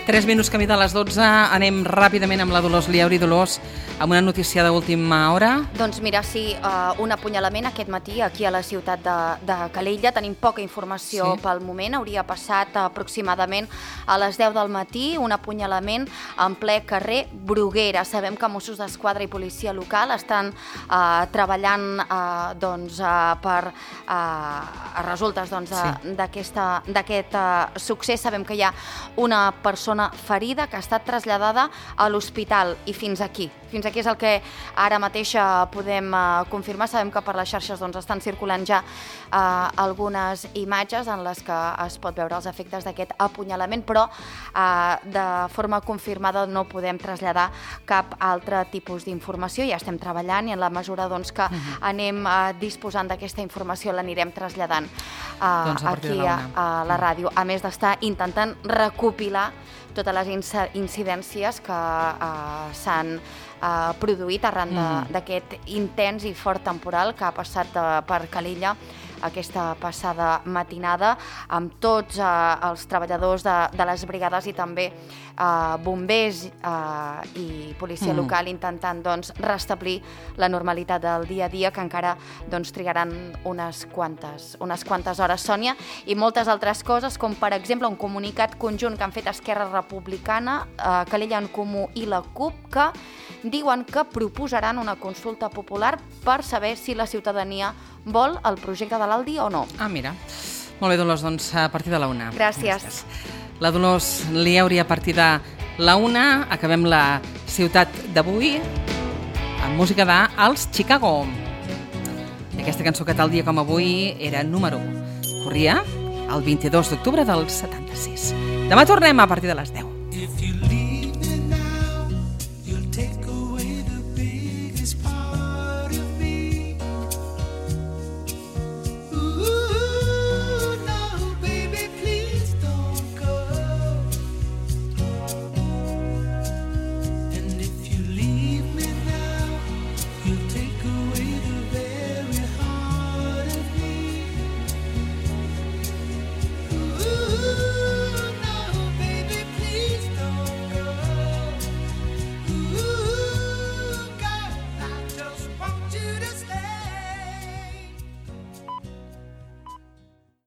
Tres minuts camí de les dotze, anem ràpidament amb la Dolors Liauri. Dolors, amb una notícia d'última hora. Doncs mira, sí, uh, un apunyalament aquest matí aquí a la ciutat de, de Calella. Tenim poca informació sí. pel moment. Hauria passat aproximadament a les deu del matí un apunyalament en ple carrer Bruguera. Sabem que Mossos d'Esquadra i policia local estan uh, treballant uh, doncs, uh, per uh, resultes doncs, sí. d'aquest uh, succés. Sabem que hi ha una persona ferida que ha estat traslladada a l'hospital i fins aquí. Fins aquí és el que ara mateix podem uh, confirmar. Sabem que per les xarxes doncs, estan circulant ja uh, algunes imatges en les que es pot veure els efectes d'aquest apunyalament, però uh, de forma confirmada no podem traslladar cap altre tipus d'informació. Ja estem treballant i en la mesura doncs, que uh-huh. anem uh, disposant d'aquesta informació l'anirem traslladant uh, doncs aquí a, a la ràdio, a més d'estar intentant recopilar totes les incidències que uh, s'han uh, produït arran d'aquest mm. intens i fort temporal que ha passat de, per Calella aquesta passada matinada, amb tots eh, els treballadors de, de les brigades i també eh, bombers eh, i policia mm. local intentant doncs, restablir la normalitat del dia a dia, que encara doncs, trigaran unes quantes, unes quantes hores, Sònia, i moltes altres coses, com per exemple un comunicat conjunt que han fet Esquerra Republicana, eh, Calella en Comú i la CUP, que diuen que proposaran una consulta popular per saber si la ciutadania vol el projecte de l'Aldi o no. Ah, mira. Molt bé, Dolors, doncs a partir de la una. Gràcies. La Dolors Liauri a partir de la una. Acabem la ciutat d'avui amb música d'Als Chicago. Aquesta cançó que tal dia com avui era número u. Corria el vint-i-dos d'octubre del setanta-sis. Demà tornem a partir de les deu.